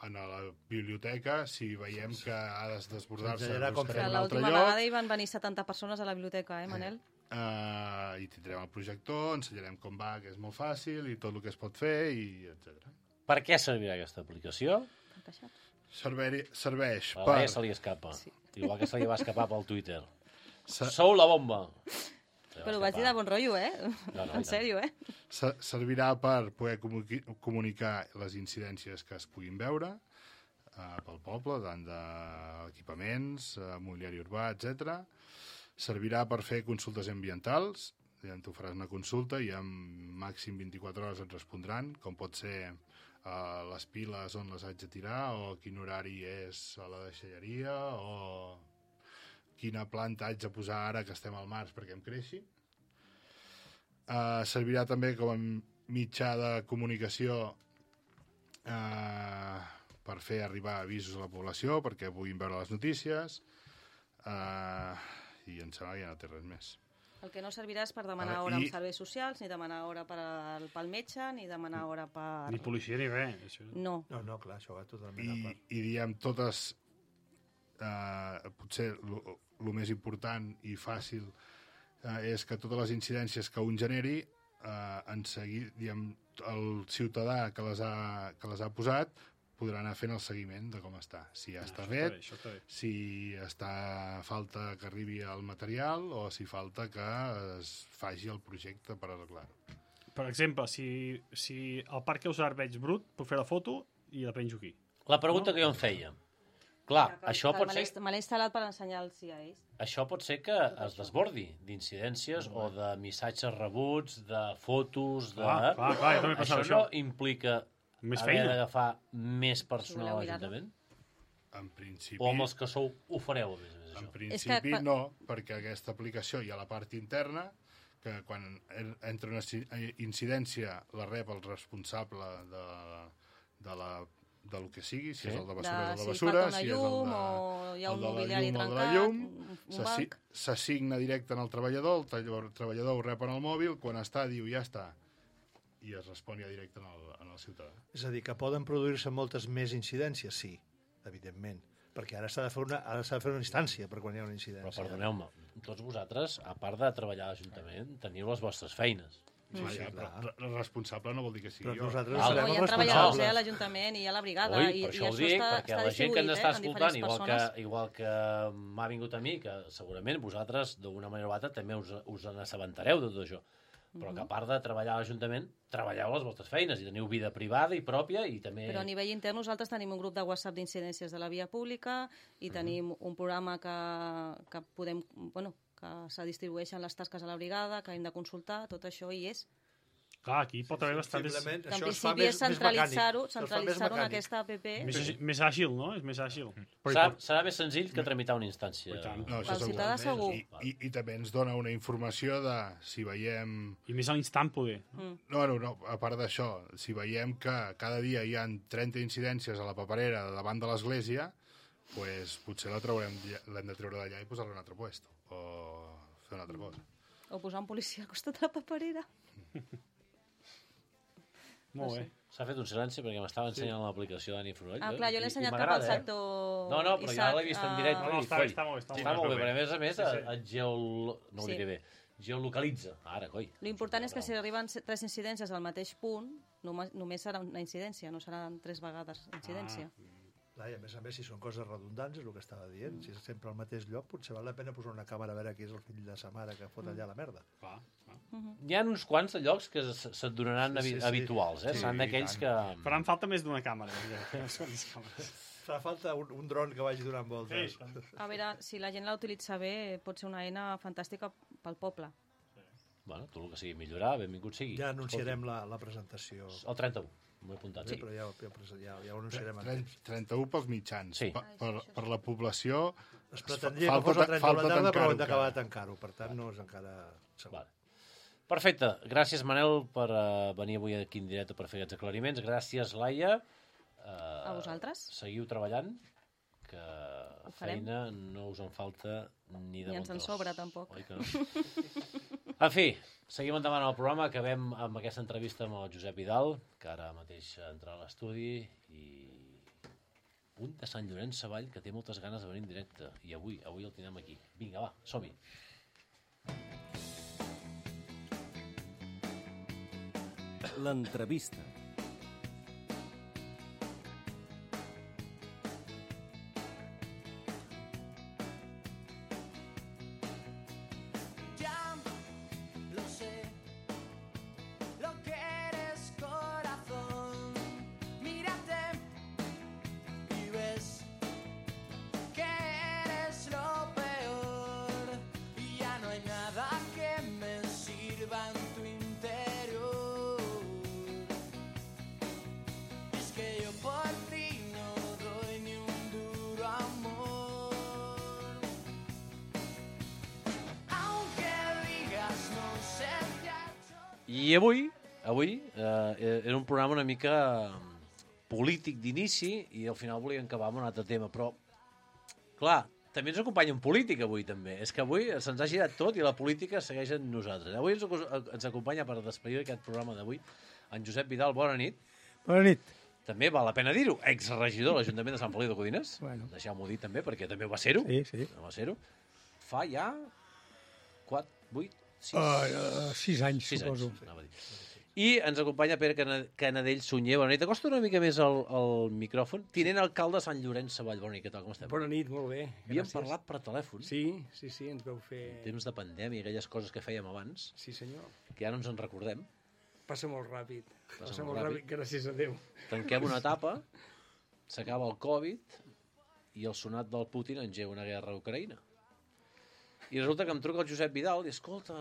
[SPEAKER 10] en la biblioteca, si veiem que ha de desbordar-se,
[SPEAKER 4] Ensenyarà com
[SPEAKER 10] buscarem
[SPEAKER 9] Que
[SPEAKER 10] un altre
[SPEAKER 9] l'última
[SPEAKER 10] lloc.
[SPEAKER 9] vegada hi van venir setanta persones a la biblioteca, eh, Manel?
[SPEAKER 10] Uh, i tindrem el projector, ensenyarem com va, que és molt fàcil, i tot el que es pot fer, i etcètera.
[SPEAKER 2] Per què servirà aquesta aplicació?
[SPEAKER 10] Servei, serveix
[SPEAKER 2] A
[SPEAKER 10] per...
[SPEAKER 2] l'A se li escapa. Sí. Igual que se li va escapar pel Twitter.
[SPEAKER 10] Se,
[SPEAKER 2] Sou la bomba! Se li va
[SPEAKER 9] Però ho vaig dir de
[SPEAKER 2] escapar.
[SPEAKER 9] bon rotllo, eh?
[SPEAKER 2] No, no, i
[SPEAKER 9] En
[SPEAKER 2] tant.
[SPEAKER 9] sèrio, eh?
[SPEAKER 10] se, servirà per poder comuniqui, comunicar les incidències que es puguin veure uh, pel poble, tant d'equipaments, uh, mobiliari urbà, etcètera. servirà per fer consultes ambientals, ja tu faràs una consulta i en màxim vint-i-quatre hores et respondran, com pot ser uh, les piles on les haig de tirar, o quin horari és a la deixalleria, o quina planta haig de posar ara que estem al març perquè em creixi. Uh, servirà també com a mitjà de comunicació uh, per fer arribar avisos a la població perquè puguin veure les notícies, uh, i em sembla que ja no té res més.
[SPEAKER 9] El que no servirà és per demanar
[SPEAKER 10] Ah,
[SPEAKER 9] hora
[SPEAKER 10] i-
[SPEAKER 9] amb serveis socials, ni demanar hora per al, pel metge, ni demanar hora per...
[SPEAKER 5] Ni policia ni res. Això.
[SPEAKER 9] No.
[SPEAKER 4] No, no, clar, això va totalment
[SPEAKER 10] I,
[SPEAKER 4] a part.
[SPEAKER 10] i diem totes, eh, potser el més important i fàcil eh, és que totes les incidències que un generi, eh, en seguir, diem, el ciutadà que les ha, que les ha posat podrà anar fent el seguiment de com està. Si ja
[SPEAKER 5] Ah,
[SPEAKER 10] està
[SPEAKER 5] això està
[SPEAKER 10] fet,
[SPEAKER 5] bé, això està bé.
[SPEAKER 10] si està falta que arribi el material o si falta que es faci el projecte per arreglar-ho.
[SPEAKER 5] Per exemple, si, si el parc Eusar veig brut, puc fer la foto i la penjo aquí.
[SPEAKER 2] La pregunta que jo em feia. Clar,
[SPEAKER 9] Que-
[SPEAKER 2] això
[SPEAKER 9] que
[SPEAKER 2] pot
[SPEAKER 9] me l'he
[SPEAKER 2] ser...
[SPEAKER 9] inst- Me l'he instal·lat per ensenyar-los a ells.
[SPEAKER 2] Això pot ser que es desbordi d'incidències o de missatges rebuts, de fotos, de...
[SPEAKER 5] Clar, clar, clar, jo també pensava
[SPEAKER 2] això no
[SPEAKER 5] això.
[SPEAKER 2] implica
[SPEAKER 5] Més
[SPEAKER 2] haver
[SPEAKER 5] feina.
[SPEAKER 2] d'agafar més personal
[SPEAKER 9] voleu
[SPEAKER 2] a
[SPEAKER 9] mirar-ho.
[SPEAKER 2] l'Ajuntament?
[SPEAKER 10] En principi...
[SPEAKER 2] O amb els que sou ho fareu, a més a més,
[SPEAKER 10] En
[SPEAKER 2] això?
[SPEAKER 10] principi
[SPEAKER 9] quan-
[SPEAKER 10] no, perquè aquesta aplicació hi ha la part interna, que quan en- entra una ci- incidència la rep el responsable de, de la del que sigui, si
[SPEAKER 2] Sí.
[SPEAKER 10] és el de bessura,
[SPEAKER 9] De
[SPEAKER 10] de
[SPEAKER 9] si
[SPEAKER 10] bessura,
[SPEAKER 9] falta una
[SPEAKER 10] si és el
[SPEAKER 9] llum
[SPEAKER 10] de,
[SPEAKER 9] o hi ha
[SPEAKER 10] el
[SPEAKER 9] un
[SPEAKER 10] de la
[SPEAKER 9] mobiliari
[SPEAKER 10] llum, el de la
[SPEAKER 9] trencat,
[SPEAKER 10] llum,
[SPEAKER 9] un, un
[SPEAKER 10] s'assi-
[SPEAKER 9] banc...
[SPEAKER 10] s'assigna directe en el treballador, el tall- treballador ho rep en el mòbil, quan està diu ja està, i es respon ja directe en el, en el ciutadà.
[SPEAKER 4] És a dir, que poden produir-se moltes més incidències, sí, evidentment, perquè ara s'ha de fer una, ara s'ha de fer una instància per quan hi ha una
[SPEAKER 2] Però
[SPEAKER 4] incidència.
[SPEAKER 2] perdoneu-me, tots vosaltres, a part de treballar a l'Ajuntament, teniu les vostres feines.
[SPEAKER 10] Sí,
[SPEAKER 4] sí,
[SPEAKER 10] ja,
[SPEAKER 4] clar.
[SPEAKER 10] però re- responsable no vol dir que sigui
[SPEAKER 4] Però
[SPEAKER 10] jo.
[SPEAKER 4] nosaltres
[SPEAKER 2] Val.
[SPEAKER 9] No,
[SPEAKER 4] serem
[SPEAKER 9] hi
[SPEAKER 4] els
[SPEAKER 9] ha treballadors eh, a
[SPEAKER 4] responsables.
[SPEAKER 9] l'Ajuntament i hi ha la brigada.
[SPEAKER 2] Ui,
[SPEAKER 9] i,
[SPEAKER 2] per
[SPEAKER 9] i
[SPEAKER 2] això ho dic,
[SPEAKER 9] està,
[SPEAKER 2] perquè
[SPEAKER 9] està
[SPEAKER 2] la gent que ens
[SPEAKER 9] distribuït,
[SPEAKER 2] està
[SPEAKER 9] eh, en
[SPEAKER 2] escoltant,
[SPEAKER 9] diferents
[SPEAKER 2] igual que,
[SPEAKER 9] persones.
[SPEAKER 2] igual que m'ha vingut a mi, que segurament vosaltres, d'una manera o altra, també us, us n'assabentareu de tot això. Però que a part de treballar a l'Ajuntament, treballeu les vostres feines i teniu vida privada i pròpia i també...
[SPEAKER 9] Però a nivell intern nosaltres tenim un grup de WhatsApp d'incidències de la via pública i tenim un programa que, que podem, bueno, que se distribueixen les tasques a la brigada, que hem de consultar, tot això hi és.
[SPEAKER 5] Clar, aquí pot haver bastantes...
[SPEAKER 4] Simplement,
[SPEAKER 9] Que en
[SPEAKER 4] això es fa
[SPEAKER 9] principi
[SPEAKER 4] més,
[SPEAKER 9] és
[SPEAKER 4] més mecànic.
[SPEAKER 9] centralitzar-ho
[SPEAKER 4] Això es fa més
[SPEAKER 9] centralitzar-ho en
[SPEAKER 4] mecànic.
[SPEAKER 9] aquesta app.
[SPEAKER 5] Més, agi- més àgil, no? És més àgil. Però hi
[SPEAKER 2] Serà,
[SPEAKER 5] pot-
[SPEAKER 2] serà més senzill que tramitar una instància.
[SPEAKER 5] I tant.
[SPEAKER 10] No, això
[SPEAKER 9] Pel
[SPEAKER 10] segur.
[SPEAKER 9] ciutadà segur.
[SPEAKER 10] I, i, I també ens dona una informació de si veiem...
[SPEAKER 5] I més a l'instant poder.
[SPEAKER 9] Mm.
[SPEAKER 10] No, no, no, a part d'això, si veiem que cada dia hi ha trenta incidències a la paperera davant de l'església, pues, potser la traurem, l'hem de treure d'allà i posar-la en un altre puesto, o fer una altra cosa.
[SPEAKER 9] O posar un policia al costat de la paperera.
[SPEAKER 5] Molt bé.
[SPEAKER 2] S'ha fet un silenci perquè m'estava ensenyant l'aplicació d'Ani Fruell.
[SPEAKER 9] Ah, clar, jo l'he
[SPEAKER 2] i- i
[SPEAKER 9] ensenyat cap
[SPEAKER 2] m'agrada,
[SPEAKER 9] al
[SPEAKER 2] eh?
[SPEAKER 9] sector...
[SPEAKER 2] No, no, però ja l'he vist en directe.
[SPEAKER 5] No, no,
[SPEAKER 2] i
[SPEAKER 5] està bé,
[SPEAKER 2] coi,
[SPEAKER 5] està molt bé, està molt
[SPEAKER 2] Està
[SPEAKER 5] bé.
[SPEAKER 2] molt bé, perquè a més a més
[SPEAKER 5] Sí, sí.
[SPEAKER 2] et geol... no ho
[SPEAKER 9] Sí.
[SPEAKER 2] diré bé. Geolocalitza. Ara, coi.
[SPEAKER 9] L'important és que si arriben se- tres incidències al mateix punt, només, només serà una incidència, no seran tres vegades incidència.
[SPEAKER 4] Clar, i a més a més, si són coses redundants, és el que estava dient. Si és sempre al mateix lloc, potser val la pena posar una càmera a veure qui és el fill de sa mare que fot allà la merda.
[SPEAKER 5] Clar, clar.
[SPEAKER 2] Hi ha uns quants de llocs que se- se't donaran
[SPEAKER 4] Sí, sí,
[SPEAKER 2] habi-
[SPEAKER 4] sí.
[SPEAKER 2] habituals, eh?
[SPEAKER 10] Sí,
[SPEAKER 2] Seran d'aquells
[SPEAKER 10] i
[SPEAKER 2] que...
[SPEAKER 5] Faran falta més d'una càmera. Ja. Unes quantes càmeres.
[SPEAKER 4] Fa falta un, un dron que vagi donant voltes.
[SPEAKER 5] Sí.
[SPEAKER 9] A veure, si la gent la utilitza bé, pot ser una eina fantàstica pel poble.
[SPEAKER 2] Bueno, tot el que sigui millorar, benvingut sigui.
[SPEAKER 4] Ja anunciarem la, la presentació.
[SPEAKER 2] El trenta-u, m'ho he apuntat.
[SPEAKER 4] Sí,
[SPEAKER 2] Sí.
[SPEAKER 4] però ja, ja, ja, ja ho anunciarem.
[SPEAKER 10] Tren-
[SPEAKER 4] antes.
[SPEAKER 10] trenta-u pels mitjans.
[SPEAKER 2] Sí.
[SPEAKER 10] Per, per, per la població...
[SPEAKER 4] Es pretendria que
[SPEAKER 10] falta
[SPEAKER 4] fos el
[SPEAKER 10] ta-
[SPEAKER 4] trenta de la
[SPEAKER 10] falta
[SPEAKER 4] tarda, però
[SPEAKER 10] tancar-ho
[SPEAKER 4] hem d'acabar de
[SPEAKER 10] encara.
[SPEAKER 4] tancar-ho. Per tant, no és encara segur.
[SPEAKER 2] Vale. Perfecte. Gràcies, Manel, per uh, venir avui aquí en directe per fer aquests aclariments. Gràcies, Laia. Uh,
[SPEAKER 9] A vosaltres.
[SPEAKER 2] Seguiu treballant, que
[SPEAKER 9] Ho farem.
[SPEAKER 2] feina no us en falta ni de
[SPEAKER 9] Ni
[SPEAKER 2] bon
[SPEAKER 9] ens en
[SPEAKER 2] tros.
[SPEAKER 9] sobra, tampoc.
[SPEAKER 2] Oi que no? En fi, seguim endavant el programa. Acabem amb aquesta entrevista amb el Josep Vidal, que ara mateix entrarà a l'estudi, i un de Sant Llorenç Savall que té moltes ganes de venir en directe. I avui, avui el tindrem aquí. Vinga, va, som-hi.
[SPEAKER 1] L'entrevista.
[SPEAKER 11] Ya lo sé, lo que eres corazón. Mírate y ves que eres lo peor. Y
[SPEAKER 2] I avui, avui eh, era un programa una mica polític d'inici i al final volíem acabar amb un altre tema, però, clar, també ens acompanya un polític avui, també. És que avui se'ns ha girat tot i la política segueix amb nosaltres. Avui ens, ens acompanya per despedir aquest programa d'avui en Josep Vidal. Bona nit.
[SPEAKER 12] Bona nit.
[SPEAKER 2] També val la pena dir-ho, exregidor de l'Ajuntament de Sant Feliu de Codines.
[SPEAKER 12] Bueno.
[SPEAKER 2] Deixeu-m'ho dir també, perquè també va ser-ho.
[SPEAKER 12] Sí, sí.
[SPEAKER 2] Va ser-ho. Fa ja quatre, vuit, sis...
[SPEAKER 12] Uh, sis anys,
[SPEAKER 2] sis
[SPEAKER 12] suposo.
[SPEAKER 2] Anys, anava a dir. I ens acompanya Pere Cana- Canadell Sunyer. Bona nit. Acosta una mica més el, el micròfon. Tinent alcalde de Sant Llorenç Savall. Bona nit, què tal, com estem?
[SPEAKER 13] Bona nit, molt bé.
[SPEAKER 2] Havíem
[SPEAKER 13] Gràcies.
[SPEAKER 2] parlat per telèfon.
[SPEAKER 13] Sí, sí, sí, ens vau fer...
[SPEAKER 2] En temps de pandèmia, aquelles coses que fèiem abans.
[SPEAKER 13] Sí, senyor.
[SPEAKER 2] Que ja no ens en recordem.
[SPEAKER 13] Passa molt ràpid.
[SPEAKER 2] Passa
[SPEAKER 13] Passa
[SPEAKER 2] molt
[SPEAKER 13] molt
[SPEAKER 2] ràpid.
[SPEAKER 13] ràpid, gràcies a Déu.
[SPEAKER 2] Tanquem una etapa, s'acaba el Covid i el sonat del Putin engega una guerra a Ucraïna. I resulta que em truca el Josep Vidal i escolta,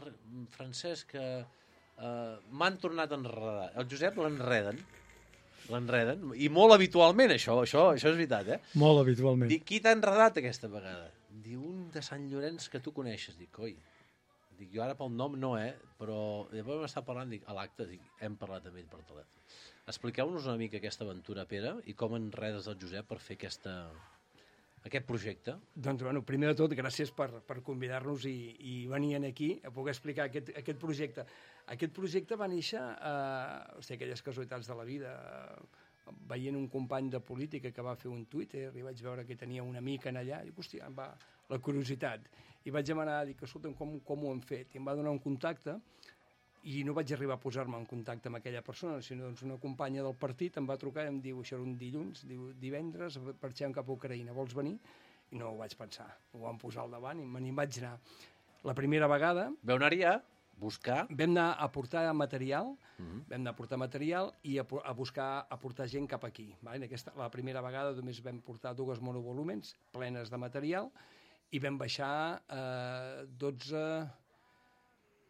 [SPEAKER 2] Francesc, que uh, m'han tornat a enredar. El Josep l'enreden, l'enreden, i molt habitualment això, això, això és veritat, eh?
[SPEAKER 12] Molt habitualment.
[SPEAKER 2] Dic, qui t'ha enredat aquesta vegada? Diu, un de Sant Llorenç que tu coneixes. Dic, oi, dic, jo ara pel nom no, eh? Però després vam estar parlant, dic, a l'acte, dic, hem parlat amb ell per telèfon. Expliqueu-nos una mica aquesta aventura, Pere, i com enredes el Josep per fer aquesta, aquest projecte.
[SPEAKER 13] Doncs, bueno, primer de tot, gràcies per, per convidar-nos i, i venir aquí a poder explicar aquest, aquest projecte. Aquest projecte va néixer, eh, hosti, aquelles casualitats de la vida, eh, veient un company de política que va fer un Twitter i vaig veure que tenia una amic en allà, i dic, hòstia, em va la curiositat. I vaig demanar, dic, escolta'm, com, com ho hem fet? I em va donar un contacte i no vaig arribar a posar-me en contacte amb aquella persona, sinó doncs una companya del partit em va trucar i em diu, això era un dilluns, diu, divendres marxem cap a Ucraïna, vols venir? I no ho vaig pensar, ho vam posar al davant i me n'hi vaig anar. La primera vegada...
[SPEAKER 2] Vau anar-hi a buscar...
[SPEAKER 13] Vam anar a portar material,
[SPEAKER 2] uh -huh.
[SPEAKER 13] vam anar a portar material i a, a buscar, a portar gent cap aquí. Vale? Aquesta, la primera vegada només vam portar dues monovolumens plenes de material i vam baixar eh, dotze,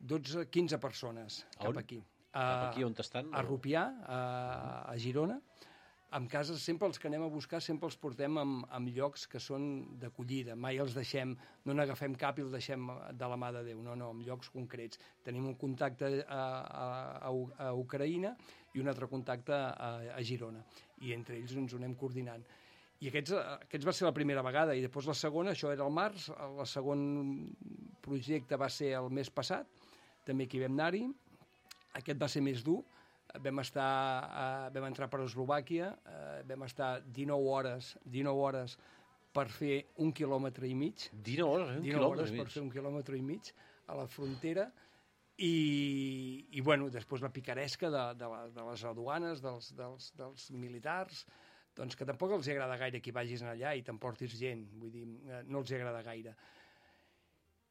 [SPEAKER 13] dotze, quinze persones cap
[SPEAKER 2] on?
[SPEAKER 13] aquí.
[SPEAKER 2] Cap aquí on estan?
[SPEAKER 13] A Rupià, a, a Girona. Amb cases, sempre els que anem a buscar, sempre els portem en, en llocs que són d'acollida. Mai els deixem, no n'agafem cap i els deixem de la mà de Déu. No, no, en llocs concrets. Tenim un contacte a, a, a Ucraïna i un altre contacte a, a Girona. I entre ells ens ho anem coordinant. I aquests, aquests va ser la primera vegada. I després la segona, això era el març, el segon projecte va ser el mes passat, també aquí vam anar-hi. Aquest va ser més dur. Vam, estar, uh, vam entrar per Eslovàquia, uh, vam estar dinou hores, dinou hores per fer un quilòmetre i mig.
[SPEAKER 2] dinou hores, un
[SPEAKER 13] dinou
[SPEAKER 2] quilòmetre
[SPEAKER 13] hores
[SPEAKER 2] i mig.
[SPEAKER 13] per fer un quilòmetre i mig a la frontera. I, i bueno, després la picaresca de, de, la, de les aduanes, dels, dels, dels militars, doncs que tampoc els agrada gaire que hi vagis allà i t'emportis gent, vull dir, no els agrada gaire.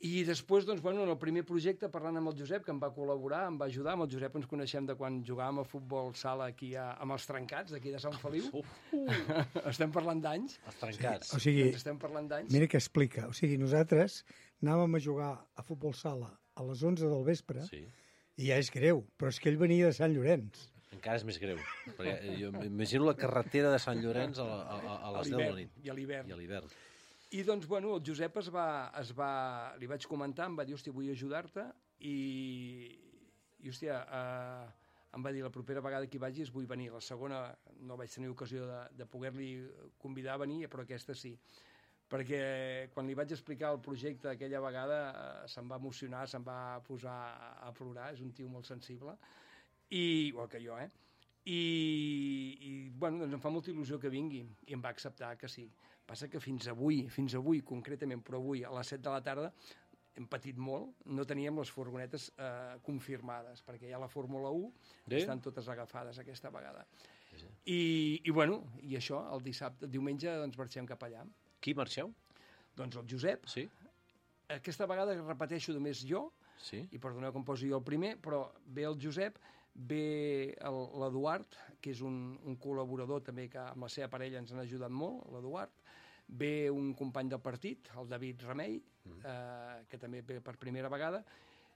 [SPEAKER 13] I després, doncs, bueno, en el primer projecte, parlant amb el Josep, que em va col·laborar, em va ajudar, amb el Josep ens coneixem de quan jugàvem a futbol sala aquí a, amb els Trencats, d'aquí de Sant Feliu. Uh, uh. Estem parlant d'anys.
[SPEAKER 2] Els Trencats.
[SPEAKER 12] O sigui,
[SPEAKER 13] doncs estem parlant d'anys.
[SPEAKER 12] Mira que explica. O sigui, nosaltres anàvem a jugar a futbol sala a les onze del vespre
[SPEAKER 2] sí.
[SPEAKER 12] i ja és greu, però és que ell venia de Sant Llorenç.
[SPEAKER 2] Encara és més greu. Perquè jo m'imagino la carretera de Sant Llorenç a, la, a, a les deu de la nit.
[SPEAKER 13] I a l'hivern.
[SPEAKER 2] I a l'hivern.
[SPEAKER 13] I doncs, bueno, el Josep es va, es va... Li vaig comentar, em va dir, hòstia, vull ajudar-te, i, i hòstia, eh, em va dir, la propera vegada que hi vagis vull venir. La segona no vaig tenir ocasió de, de poder-li convidar a venir, però aquesta sí. Perquè quan li vaig explicar el projecte aquella vegada eh, se'm va emocionar, se'm va posar a plorar, és un tio molt sensible, i, igual que jo, eh? I, i bueno, doncs em fa molta il·lusió que vingui, i em va acceptar que sí. Passa que fins avui, fins avui concretament, però avui a les set de la tarda hem patit molt, no teníem les furgonetes eh, confirmades, perquè ja la Fórmula u
[SPEAKER 2] sí?
[SPEAKER 13] estan totes agafades aquesta vegada. Sí, sí. I, I bueno, i això, el dissabte, el diumenge, doncs marxem cap allà.
[SPEAKER 2] Qui marxeu?
[SPEAKER 13] Doncs el Josep.
[SPEAKER 2] Sí.
[SPEAKER 13] Aquesta vegada repeteixo només jo,
[SPEAKER 2] sí.
[SPEAKER 13] i perdoneu que em posi jo el primer, però ve el Josep, ve l'Eduard, que és un, un col·laborador també que amb la seva parella ens han ajudat molt, l'Eduard, ve un company del partit, el David Remei, mm. eh, que també ve per primera vegada,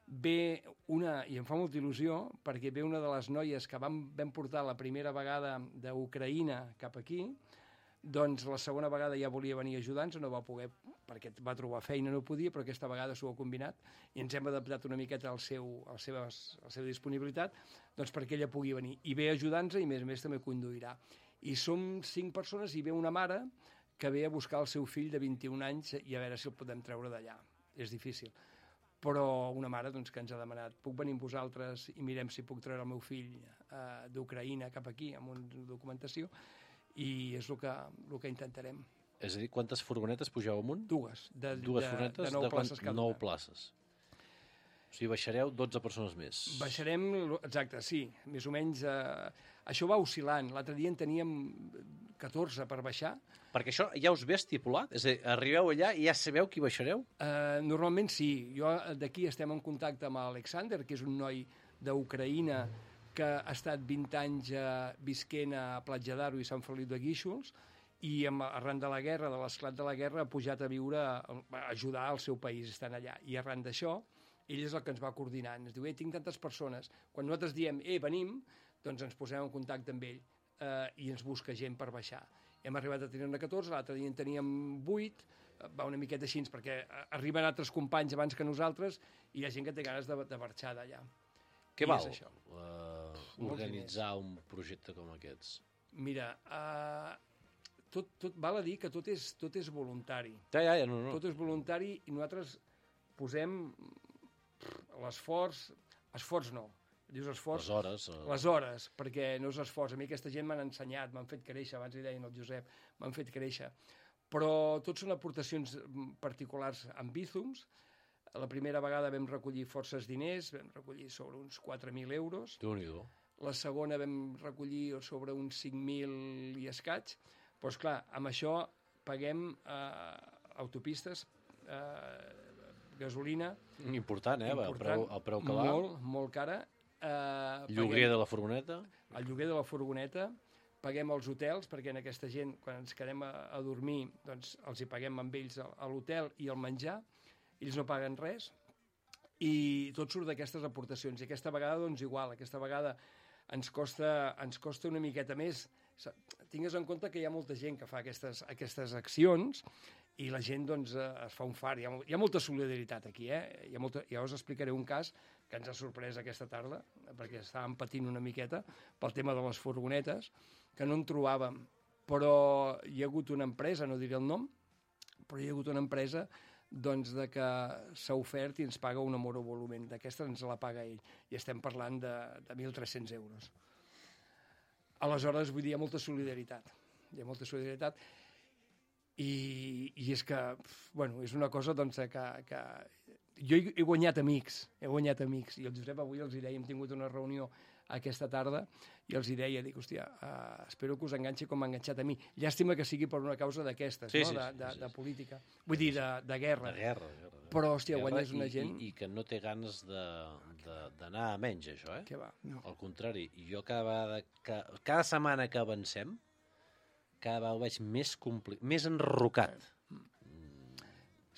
[SPEAKER 13] ve una, i em fa molta il·lusió, perquè ve una de les noies que vam, vam portar la primera vegada d'Ucraïna cap aquí, Doncs la segona vegada ja volia venir a ajudar-nos, no va poder, perquè va trobar feina, no podia, però aquesta vegada s'ho ha combinat i ens hem adaptat una miqueta al seu, a la seva, a la seva disponibilitat, doncs perquè ella pugui venir. I ve a ajudar-nos i, a més a més, també conduirà. I som cinc persones i ve una mare que ve a buscar el seu fill de vint-i-un anys i a veure si el podem treure d'allà. És difícil. Però una mare doncs, que ens ha demanat, puc venir amb vosaltres i mirem si puc treure el meu fill eh, d'Ucraïna cap aquí amb una documentació, i és el que, el que intentarem.
[SPEAKER 2] És a dir, quantes furgonetes pugeu amunt?
[SPEAKER 13] Dues. De,
[SPEAKER 2] Dues
[SPEAKER 13] de,
[SPEAKER 2] furgonetes
[SPEAKER 13] de nou
[SPEAKER 2] de
[SPEAKER 13] places cada
[SPEAKER 2] nou
[SPEAKER 13] una.
[SPEAKER 2] places. O sigui, baixareu dotze persones més.
[SPEAKER 13] Baixarem, exacte, sí, més o menys. Eh, això va oscil·lant. L'altre dia en teníem catorze per baixar.
[SPEAKER 2] Perquè això ja us ve estipulat? És a dir, arribeu allà i ja sabeu qui baixareu?
[SPEAKER 13] Eh, normalment sí. Jo d'aquí estem en contacte amb Alexander, que és un noi d'Ucraïna que ha estat vint anys eh, visquent a Platja d'Aro i Sant Feliu de Guíxols, i amb, arran de la guerra, de l'esclat de la guerra, ha pujat a viure, a ajudar al seu país, estant allà. I arran d'això, ell és el que ens va coordinant. Ens diu, eh, tinc tantes persones. Quan nosaltres diem, eh, venim, doncs ens posem en contacte amb ell eh, i ens busca gent per baixar. Hem arribat a tenir-ne catorze, l'altre dia en teníem vuit, va una miqueta així, perquè arriben altres companys abans que nosaltres i hi ha gent que té ganes de, de marxar d'allà.
[SPEAKER 2] Què
[SPEAKER 13] I
[SPEAKER 2] val
[SPEAKER 13] és això.
[SPEAKER 2] uh,
[SPEAKER 13] Molts
[SPEAKER 2] organitzar un projecte com aquests?
[SPEAKER 13] Mira, uh, tot, tot val a dir que tot és, tot és voluntari.
[SPEAKER 2] Ja, ja, ja, no, no.
[SPEAKER 13] Tot és voluntari i nosaltres posem l'esforç... Esforç no. Dius esforç?
[SPEAKER 2] Les hores. Uh...
[SPEAKER 13] Les hores, perquè no és esforç. A mi aquesta gent m'han ensenyat, m'han fet créixer, abans li deien el Josep, m'han fet créixer. Però tot són aportacions particulars amb Bízums. La primera vegada vam recollir forces diners, vam recollir sobre uns quatre mil euros.
[SPEAKER 2] Déu-n'hi-do.
[SPEAKER 13] La segona vam recollir sobre uns cinc mil i escaig. Però, esclar, amb això paguem eh, autopistes, eh, gasolina...
[SPEAKER 2] Important, eh?
[SPEAKER 13] Important,
[SPEAKER 2] el, preu, el preu que va.
[SPEAKER 13] Molt, molt cara. Eh,
[SPEAKER 2] Lloguer
[SPEAKER 13] paguem,
[SPEAKER 2] de la furgoneta.
[SPEAKER 13] El lloguer de la furgoneta. Paguem els hotels, perquè en aquesta gent, quan ens quedem a, a dormir, doncs els hi paguem amb ells a, a l'hotel i el menjar. Ells no paguen res i tot surt d'aquestes aportacions. I aquesta vegada, doncs, igual. Aquesta vegada ens costa, ens costa una miqueta més. Tingues en compte que hi ha molta gent que fa aquestes, aquestes accions i la gent, doncs, es fa un far. Hi ha, hi ha molta solidaritat aquí, eh? Hi ha molta, ja us explicaré un cas que ens ha sorprès aquesta tarda, perquè estàvem patint una miqueta pel tema de les furgonetes, que no en trobàvem. Però hi ha hagut una empresa, no diré el nom, però hi ha hagut una empresa doncs de que s'ha ofert i ens paga un monovolumen. D'aquesta ens la paga ell. I estem parlant de, de mil tres-cents euros. Aleshores, vull dir, hi ha molta solidaritat. Hi ha molta solidaritat. I, i és que, bueno, és una cosa doncs, que, que... Jo he, he guanyat amics, he guanyat amics. I el Josep avui els hi deia, hem tingut una reunió aquesta tarda i els hi deia, dic, hòstia, uh, espero que us enganxi com m'ha enganxat a mi. Llàstima que sigui per una causa d'aquestes,
[SPEAKER 2] sí,
[SPEAKER 13] no?
[SPEAKER 2] sí,
[SPEAKER 13] de,
[SPEAKER 2] sí,
[SPEAKER 13] de,
[SPEAKER 2] sí,
[SPEAKER 13] de
[SPEAKER 2] sí.
[SPEAKER 13] política. Vull dir, de, de guerra.
[SPEAKER 2] De guerra, de guerra.
[SPEAKER 13] Però, hòstia,
[SPEAKER 2] guerra
[SPEAKER 13] guanyes una
[SPEAKER 2] i,
[SPEAKER 13] gent...
[SPEAKER 2] I, I que no té ganes d'anar a menys, això, eh?
[SPEAKER 13] Què va? No.
[SPEAKER 2] Al contrari, jo cada vegada, que, cada setmana que avancem, cada vegada ho veig més compli... més enrocat.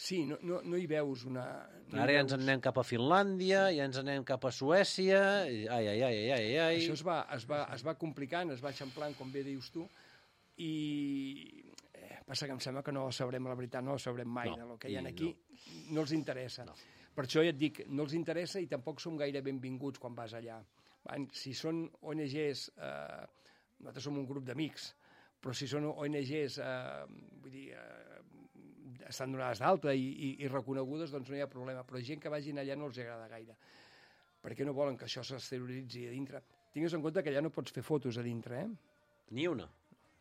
[SPEAKER 13] Sí, no, no, no hi veus una... No
[SPEAKER 2] Ara ja ens
[SPEAKER 13] veus...
[SPEAKER 2] en anem cap a Finlàndia, ja ens en anem cap a Suècia, i ai, ai, ai, ai, ai, ai...
[SPEAKER 13] Això es va, es, va, es va complicant, es va eixamplant, com bé dius tu, i eh, passa que em sembla que no sabrem la veritat, no sabrem mai,
[SPEAKER 2] no,
[SPEAKER 13] del que hi ha
[SPEAKER 2] i
[SPEAKER 13] aquí, no, no els interessa.
[SPEAKER 2] No.
[SPEAKER 13] Per això ja et dic, no els interessa i tampoc som gaire benvinguts quan vas allà. Van, si són O N Ges, eh, nosaltres som un grup d'amics, però si són O N Ges, eh, vull dir, eh, estan donades d'alta i, i, i reconegudes, doncs no hi ha problema. Però gent que vagin allà no els agrada gaire, perquè no volen que això s'exterioritzi a dintre. Tingues en compte que allà no pots fer fotos a dintre, eh?
[SPEAKER 2] Ni una.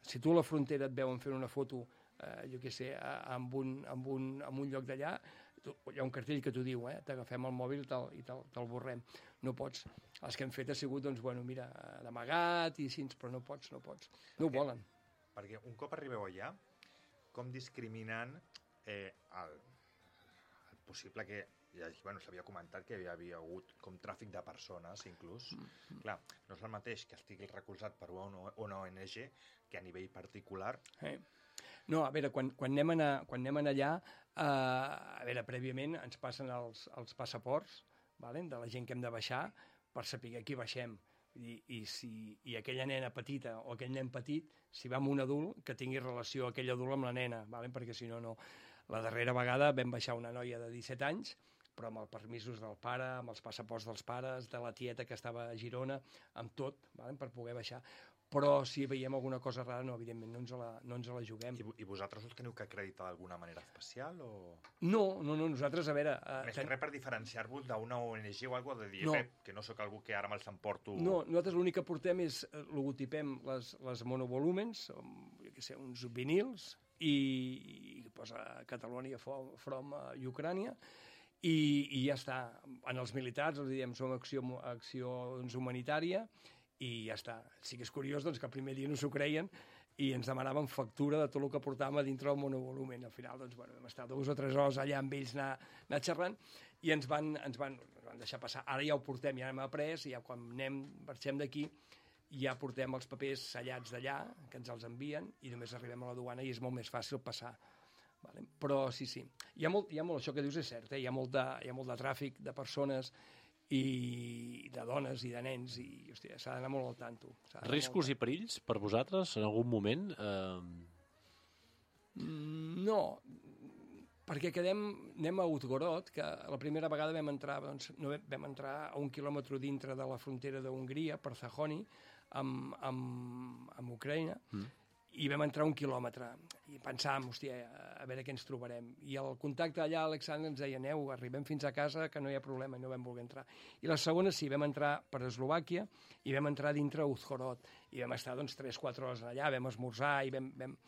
[SPEAKER 13] Si tu a la frontera et veuen fent una foto, eh, jo què sé, amb un, amb un, amb un lloc d'allà, hi ha un cartell que t'ho diu, eh? T'agafem el mòbil i te'l te te borrem. No pots. Els que hem fet ha sigut, doncs, bueno, mira, d'amagat i així, però no pots, no pots. No ho volen.
[SPEAKER 3] Perquè un cop arribeu allà, com discriminant eh, el, el possible que... Ja, bueno, s'havia comentat que hi havia hagut com tràfic de persones, inclús. Mm-hmm. Clar, no és el mateix que estigui recolzat per una O N G que a nivell particular.
[SPEAKER 13] Eh. No, a veure, quan, quan, anem, a, quan anem allà, eh, a veure, prèviament ens passen els, els passaports, vale, de la gent que hem de baixar, per saber qui baixem. I, i, si, i aquella nena petita o aquell nen petit, si va amb un adult, que tingui relació aquell adult amb la nena, vale? Perquè si no, no. La darrera vegada vam baixar una noia de disset anys, però amb els permisos del pare, amb els passaports dels pares, de la tieta que estava a Girona, amb tot, vale? Per poder baixar. Però si veiem alguna cosa rara, no, evidentment, no ens la, no ens la juguem.
[SPEAKER 3] I, I vosaltres us teniu que acreditar d'alguna manera especial? O...
[SPEAKER 13] No, no, no, nosaltres, a veure... Uh,
[SPEAKER 3] Més que res per diferenciar-vos d'una O N G o alguna cosa, de dir,
[SPEAKER 13] no.
[SPEAKER 3] eh, que no sóc algú que ara me'ls emporto...
[SPEAKER 13] No, nosaltres l'únic que portem és, logotipem les, les monovolúmens, jo què sé, uns vinils, i, i posa Catalonia from uh, Ucrània, i, i ja està. En els militars els diem som acció, acció doncs, humanitària, i ja està. Sí que és curiós doncs, que el primer dia no s'ho creien i ens demanaven factura de tot el que portàvem a dintre del monovolumen. Al final, doncs, bueno, vam estar dues o tres hores allà amb ells anar, anar xerrant i ens van, ens, van, ens van deixar passar. Ara ja ho portem, ja hem après, i ja quan anem, marxem d'aquí, ja portem els papers sellats d'allà, que ens els envien, i només arribem a la duana i és molt més fàcil passar. Vale? Però sí, sí. Hi ha molt, hi ha molt, això que dius és cert, eh? hi, ha molt de, hi ha molt de tràfic de persones i de dones i de nens, i hòstia, s'ha d'anar molt al tanto.
[SPEAKER 2] Riscos i perills per vosaltres en algun moment? Eh...
[SPEAKER 13] Mm, no, perquè quedem, anem a Uzhgorod, que la primera vegada vam entrar, doncs, no vam entrar a un quilòmetre dintre de la frontera d'Hongria, per Zahoni, amb, amb, amb Ucraïna, mm. i vam entrar un quilòmetre i pensàvem, hòstia, a veure què ens trobarem. I el contacte allà, Alexandre, ens deia, aneu, arribem fins a casa, que no hi ha problema, i no vam voler entrar. I la segona sí, vam entrar per Eslovàquia i vam entrar dintre Uzhgorod. I vam estar, doncs, tres o quatre hores allà, vam esmorzar i vam... vam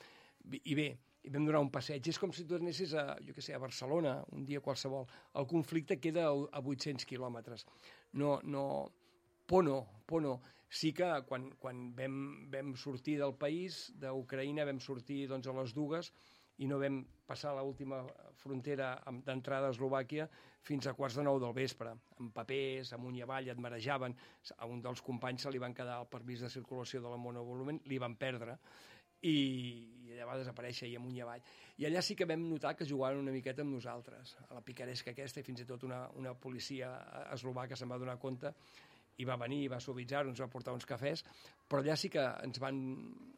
[SPEAKER 13] i bé, i vam donar un passeig. És com si tu anessis a, jo què sé, a Barcelona, un dia qualsevol. El conflicte queda a vuit-cents quilòmetres. No, no... Por no, por no. Sí que quan, quan vam, vam sortir del país, d'Ucraïna, vam sortir doncs, a les dues i no vam passar l'última frontera d'entrada a Eslovàquia fins a quarts de nou del vespre, amb papers, amunt i avall, et marejaven. A un dels companys se li van quedar el permís de circulació de la monovolumen, li van perdre, i, i allà va desaparèixer i amunt i avall. I allà sí que vam notar que jugaven una miqueta amb nosaltres, a la picaresca aquesta, i fins i tot una, una policia eslovaca se'n va donar compte i va venir, va suavitzar, ens va portar uns cafès, però allà sí que ens van,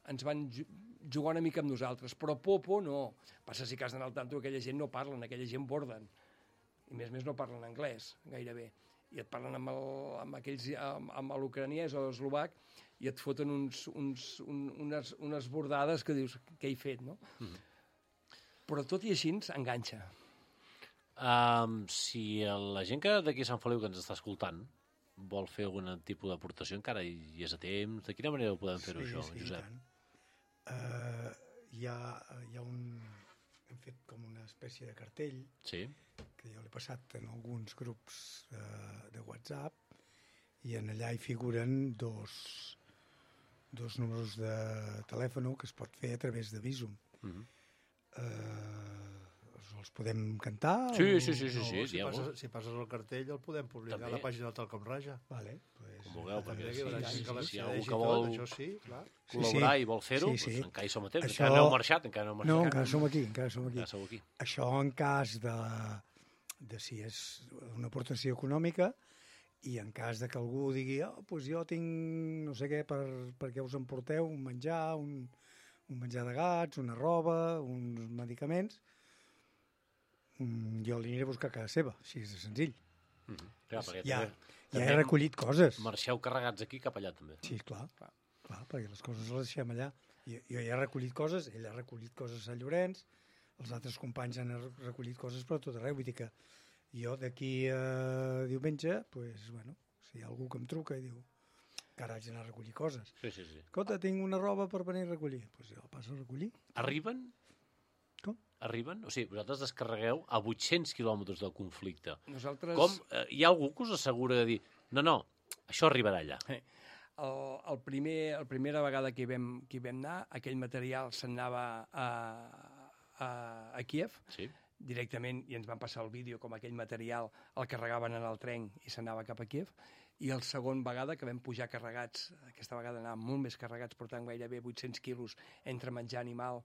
[SPEAKER 13] ens van jugar una mica amb nosaltres, però por, por no. Passa si que has d'anar al tanto, aquella gent no parlen, aquella gent borden, i més més no parlen anglès, gairebé, i et parlen amb, el, amb aquells, amb, amb l'ucraniès o l'eslovac, i et foten uns, uns, un, unes, unes bordades que dius, què he fet, no? Mm-hmm. Però tot i així ens enganxa.
[SPEAKER 2] Um, si la gent que d'aquí a Sant Feliu que ens està escoltant vol fer algun tipus d'aportació, encara hi és a temps. De quina manera ho podem fer-ho,
[SPEAKER 12] sí,
[SPEAKER 2] això,
[SPEAKER 12] sí,
[SPEAKER 2] Josep?
[SPEAKER 12] Uh, hi, ha, hi ha un... Hem fet com una espècie de cartell
[SPEAKER 2] sí.
[SPEAKER 12] que jo l'he passat en alguns grups uh, de WhatsApp i en allà hi figuren dos, dos números de telèfon que es pot fer a través de Visum. Mm-hmm. uh, els podem cantar?
[SPEAKER 2] Sí,
[SPEAKER 12] o...
[SPEAKER 2] sí, sí, sí,
[SPEAKER 4] no,
[SPEAKER 2] sí,
[SPEAKER 4] si, passes, si passes el cartell el podem publicar
[SPEAKER 2] també.
[SPEAKER 4] a la pàgina del Talcom Raja.
[SPEAKER 12] Vale, pues,
[SPEAKER 2] com vulgueu, perquè
[SPEAKER 4] sí,
[SPEAKER 2] sí,
[SPEAKER 4] sí,
[SPEAKER 2] sí,
[SPEAKER 4] sí,
[SPEAKER 2] sí, si hi ha algú
[SPEAKER 4] tot,
[SPEAKER 2] que vol
[SPEAKER 4] això sí, clar.
[SPEAKER 2] col·laborar
[SPEAKER 12] sí, sí.
[SPEAKER 2] i vol fer-ho,
[SPEAKER 12] sí, sí.
[SPEAKER 2] doncs encara hi som a temps.
[SPEAKER 12] Això...
[SPEAKER 2] Encara no heu marxat, encara no heu marxat.
[SPEAKER 12] No, encara som aquí, encara som aquí.
[SPEAKER 2] Encara sou aquí.
[SPEAKER 12] Això en cas de, de si és una aportació econòmica i en cas de que algú digui oh, pues jo tinc no sé què per, perquè us emporteu un menjar, un, un menjar de gats, una roba, uns medicaments, jo li aniré a buscar a casa seva, així és de senzill.
[SPEAKER 2] Mm-hmm. Clar,
[SPEAKER 12] ja,
[SPEAKER 2] també,
[SPEAKER 12] ja
[SPEAKER 2] també
[SPEAKER 12] he recollit coses.
[SPEAKER 2] Marxeu carregats aquí cap allà, també.
[SPEAKER 12] Sí, clar, clar, clar perquè les coses les deixem allà. Jo, jo ja he recollit coses, ell ha recollit coses a Sant Llorenç, els altres companys han recollit coses per tot arreu, vull dir que jo d'aquí a diumenge, pues, bueno, si hi ha algú que em truca i diu que ara haig d'anar a recollir coses.
[SPEAKER 2] Sí, sí, sí.
[SPEAKER 12] Escolta, tinc una roba per venir a recollir. Doncs pues jo passo a recollir.
[SPEAKER 2] Arriben?
[SPEAKER 12] Com?
[SPEAKER 2] Arriben? O sigui, vosaltres descarregueu a vuit-cents quilòmetres del conflicte.
[SPEAKER 13] Nosaltres...
[SPEAKER 2] Com? Eh, hi ha algú que us assegura de dir no, no, això arribarà allà?
[SPEAKER 13] Eh, el, el primer, el primera vegada que hi vam, que hi vam anar, aquell material se'n anava a, a, a Kíev,
[SPEAKER 2] sí.
[SPEAKER 13] directament, i ens van passar el vídeo com aquell material el carregaven en el tren i s'anava cap a Kíev. I el segon vegada que vam pujar carregats, aquesta vegada anàvem molt més carregats, portant gairebé vuit-cents quilos entre menjar animal,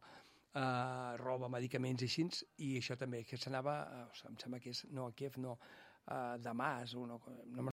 [SPEAKER 13] Uh, roba, medicaments i així, i això també, que s'anava, uh, em sembla que és, no, a Kíev, no, uh, Damas, o no, no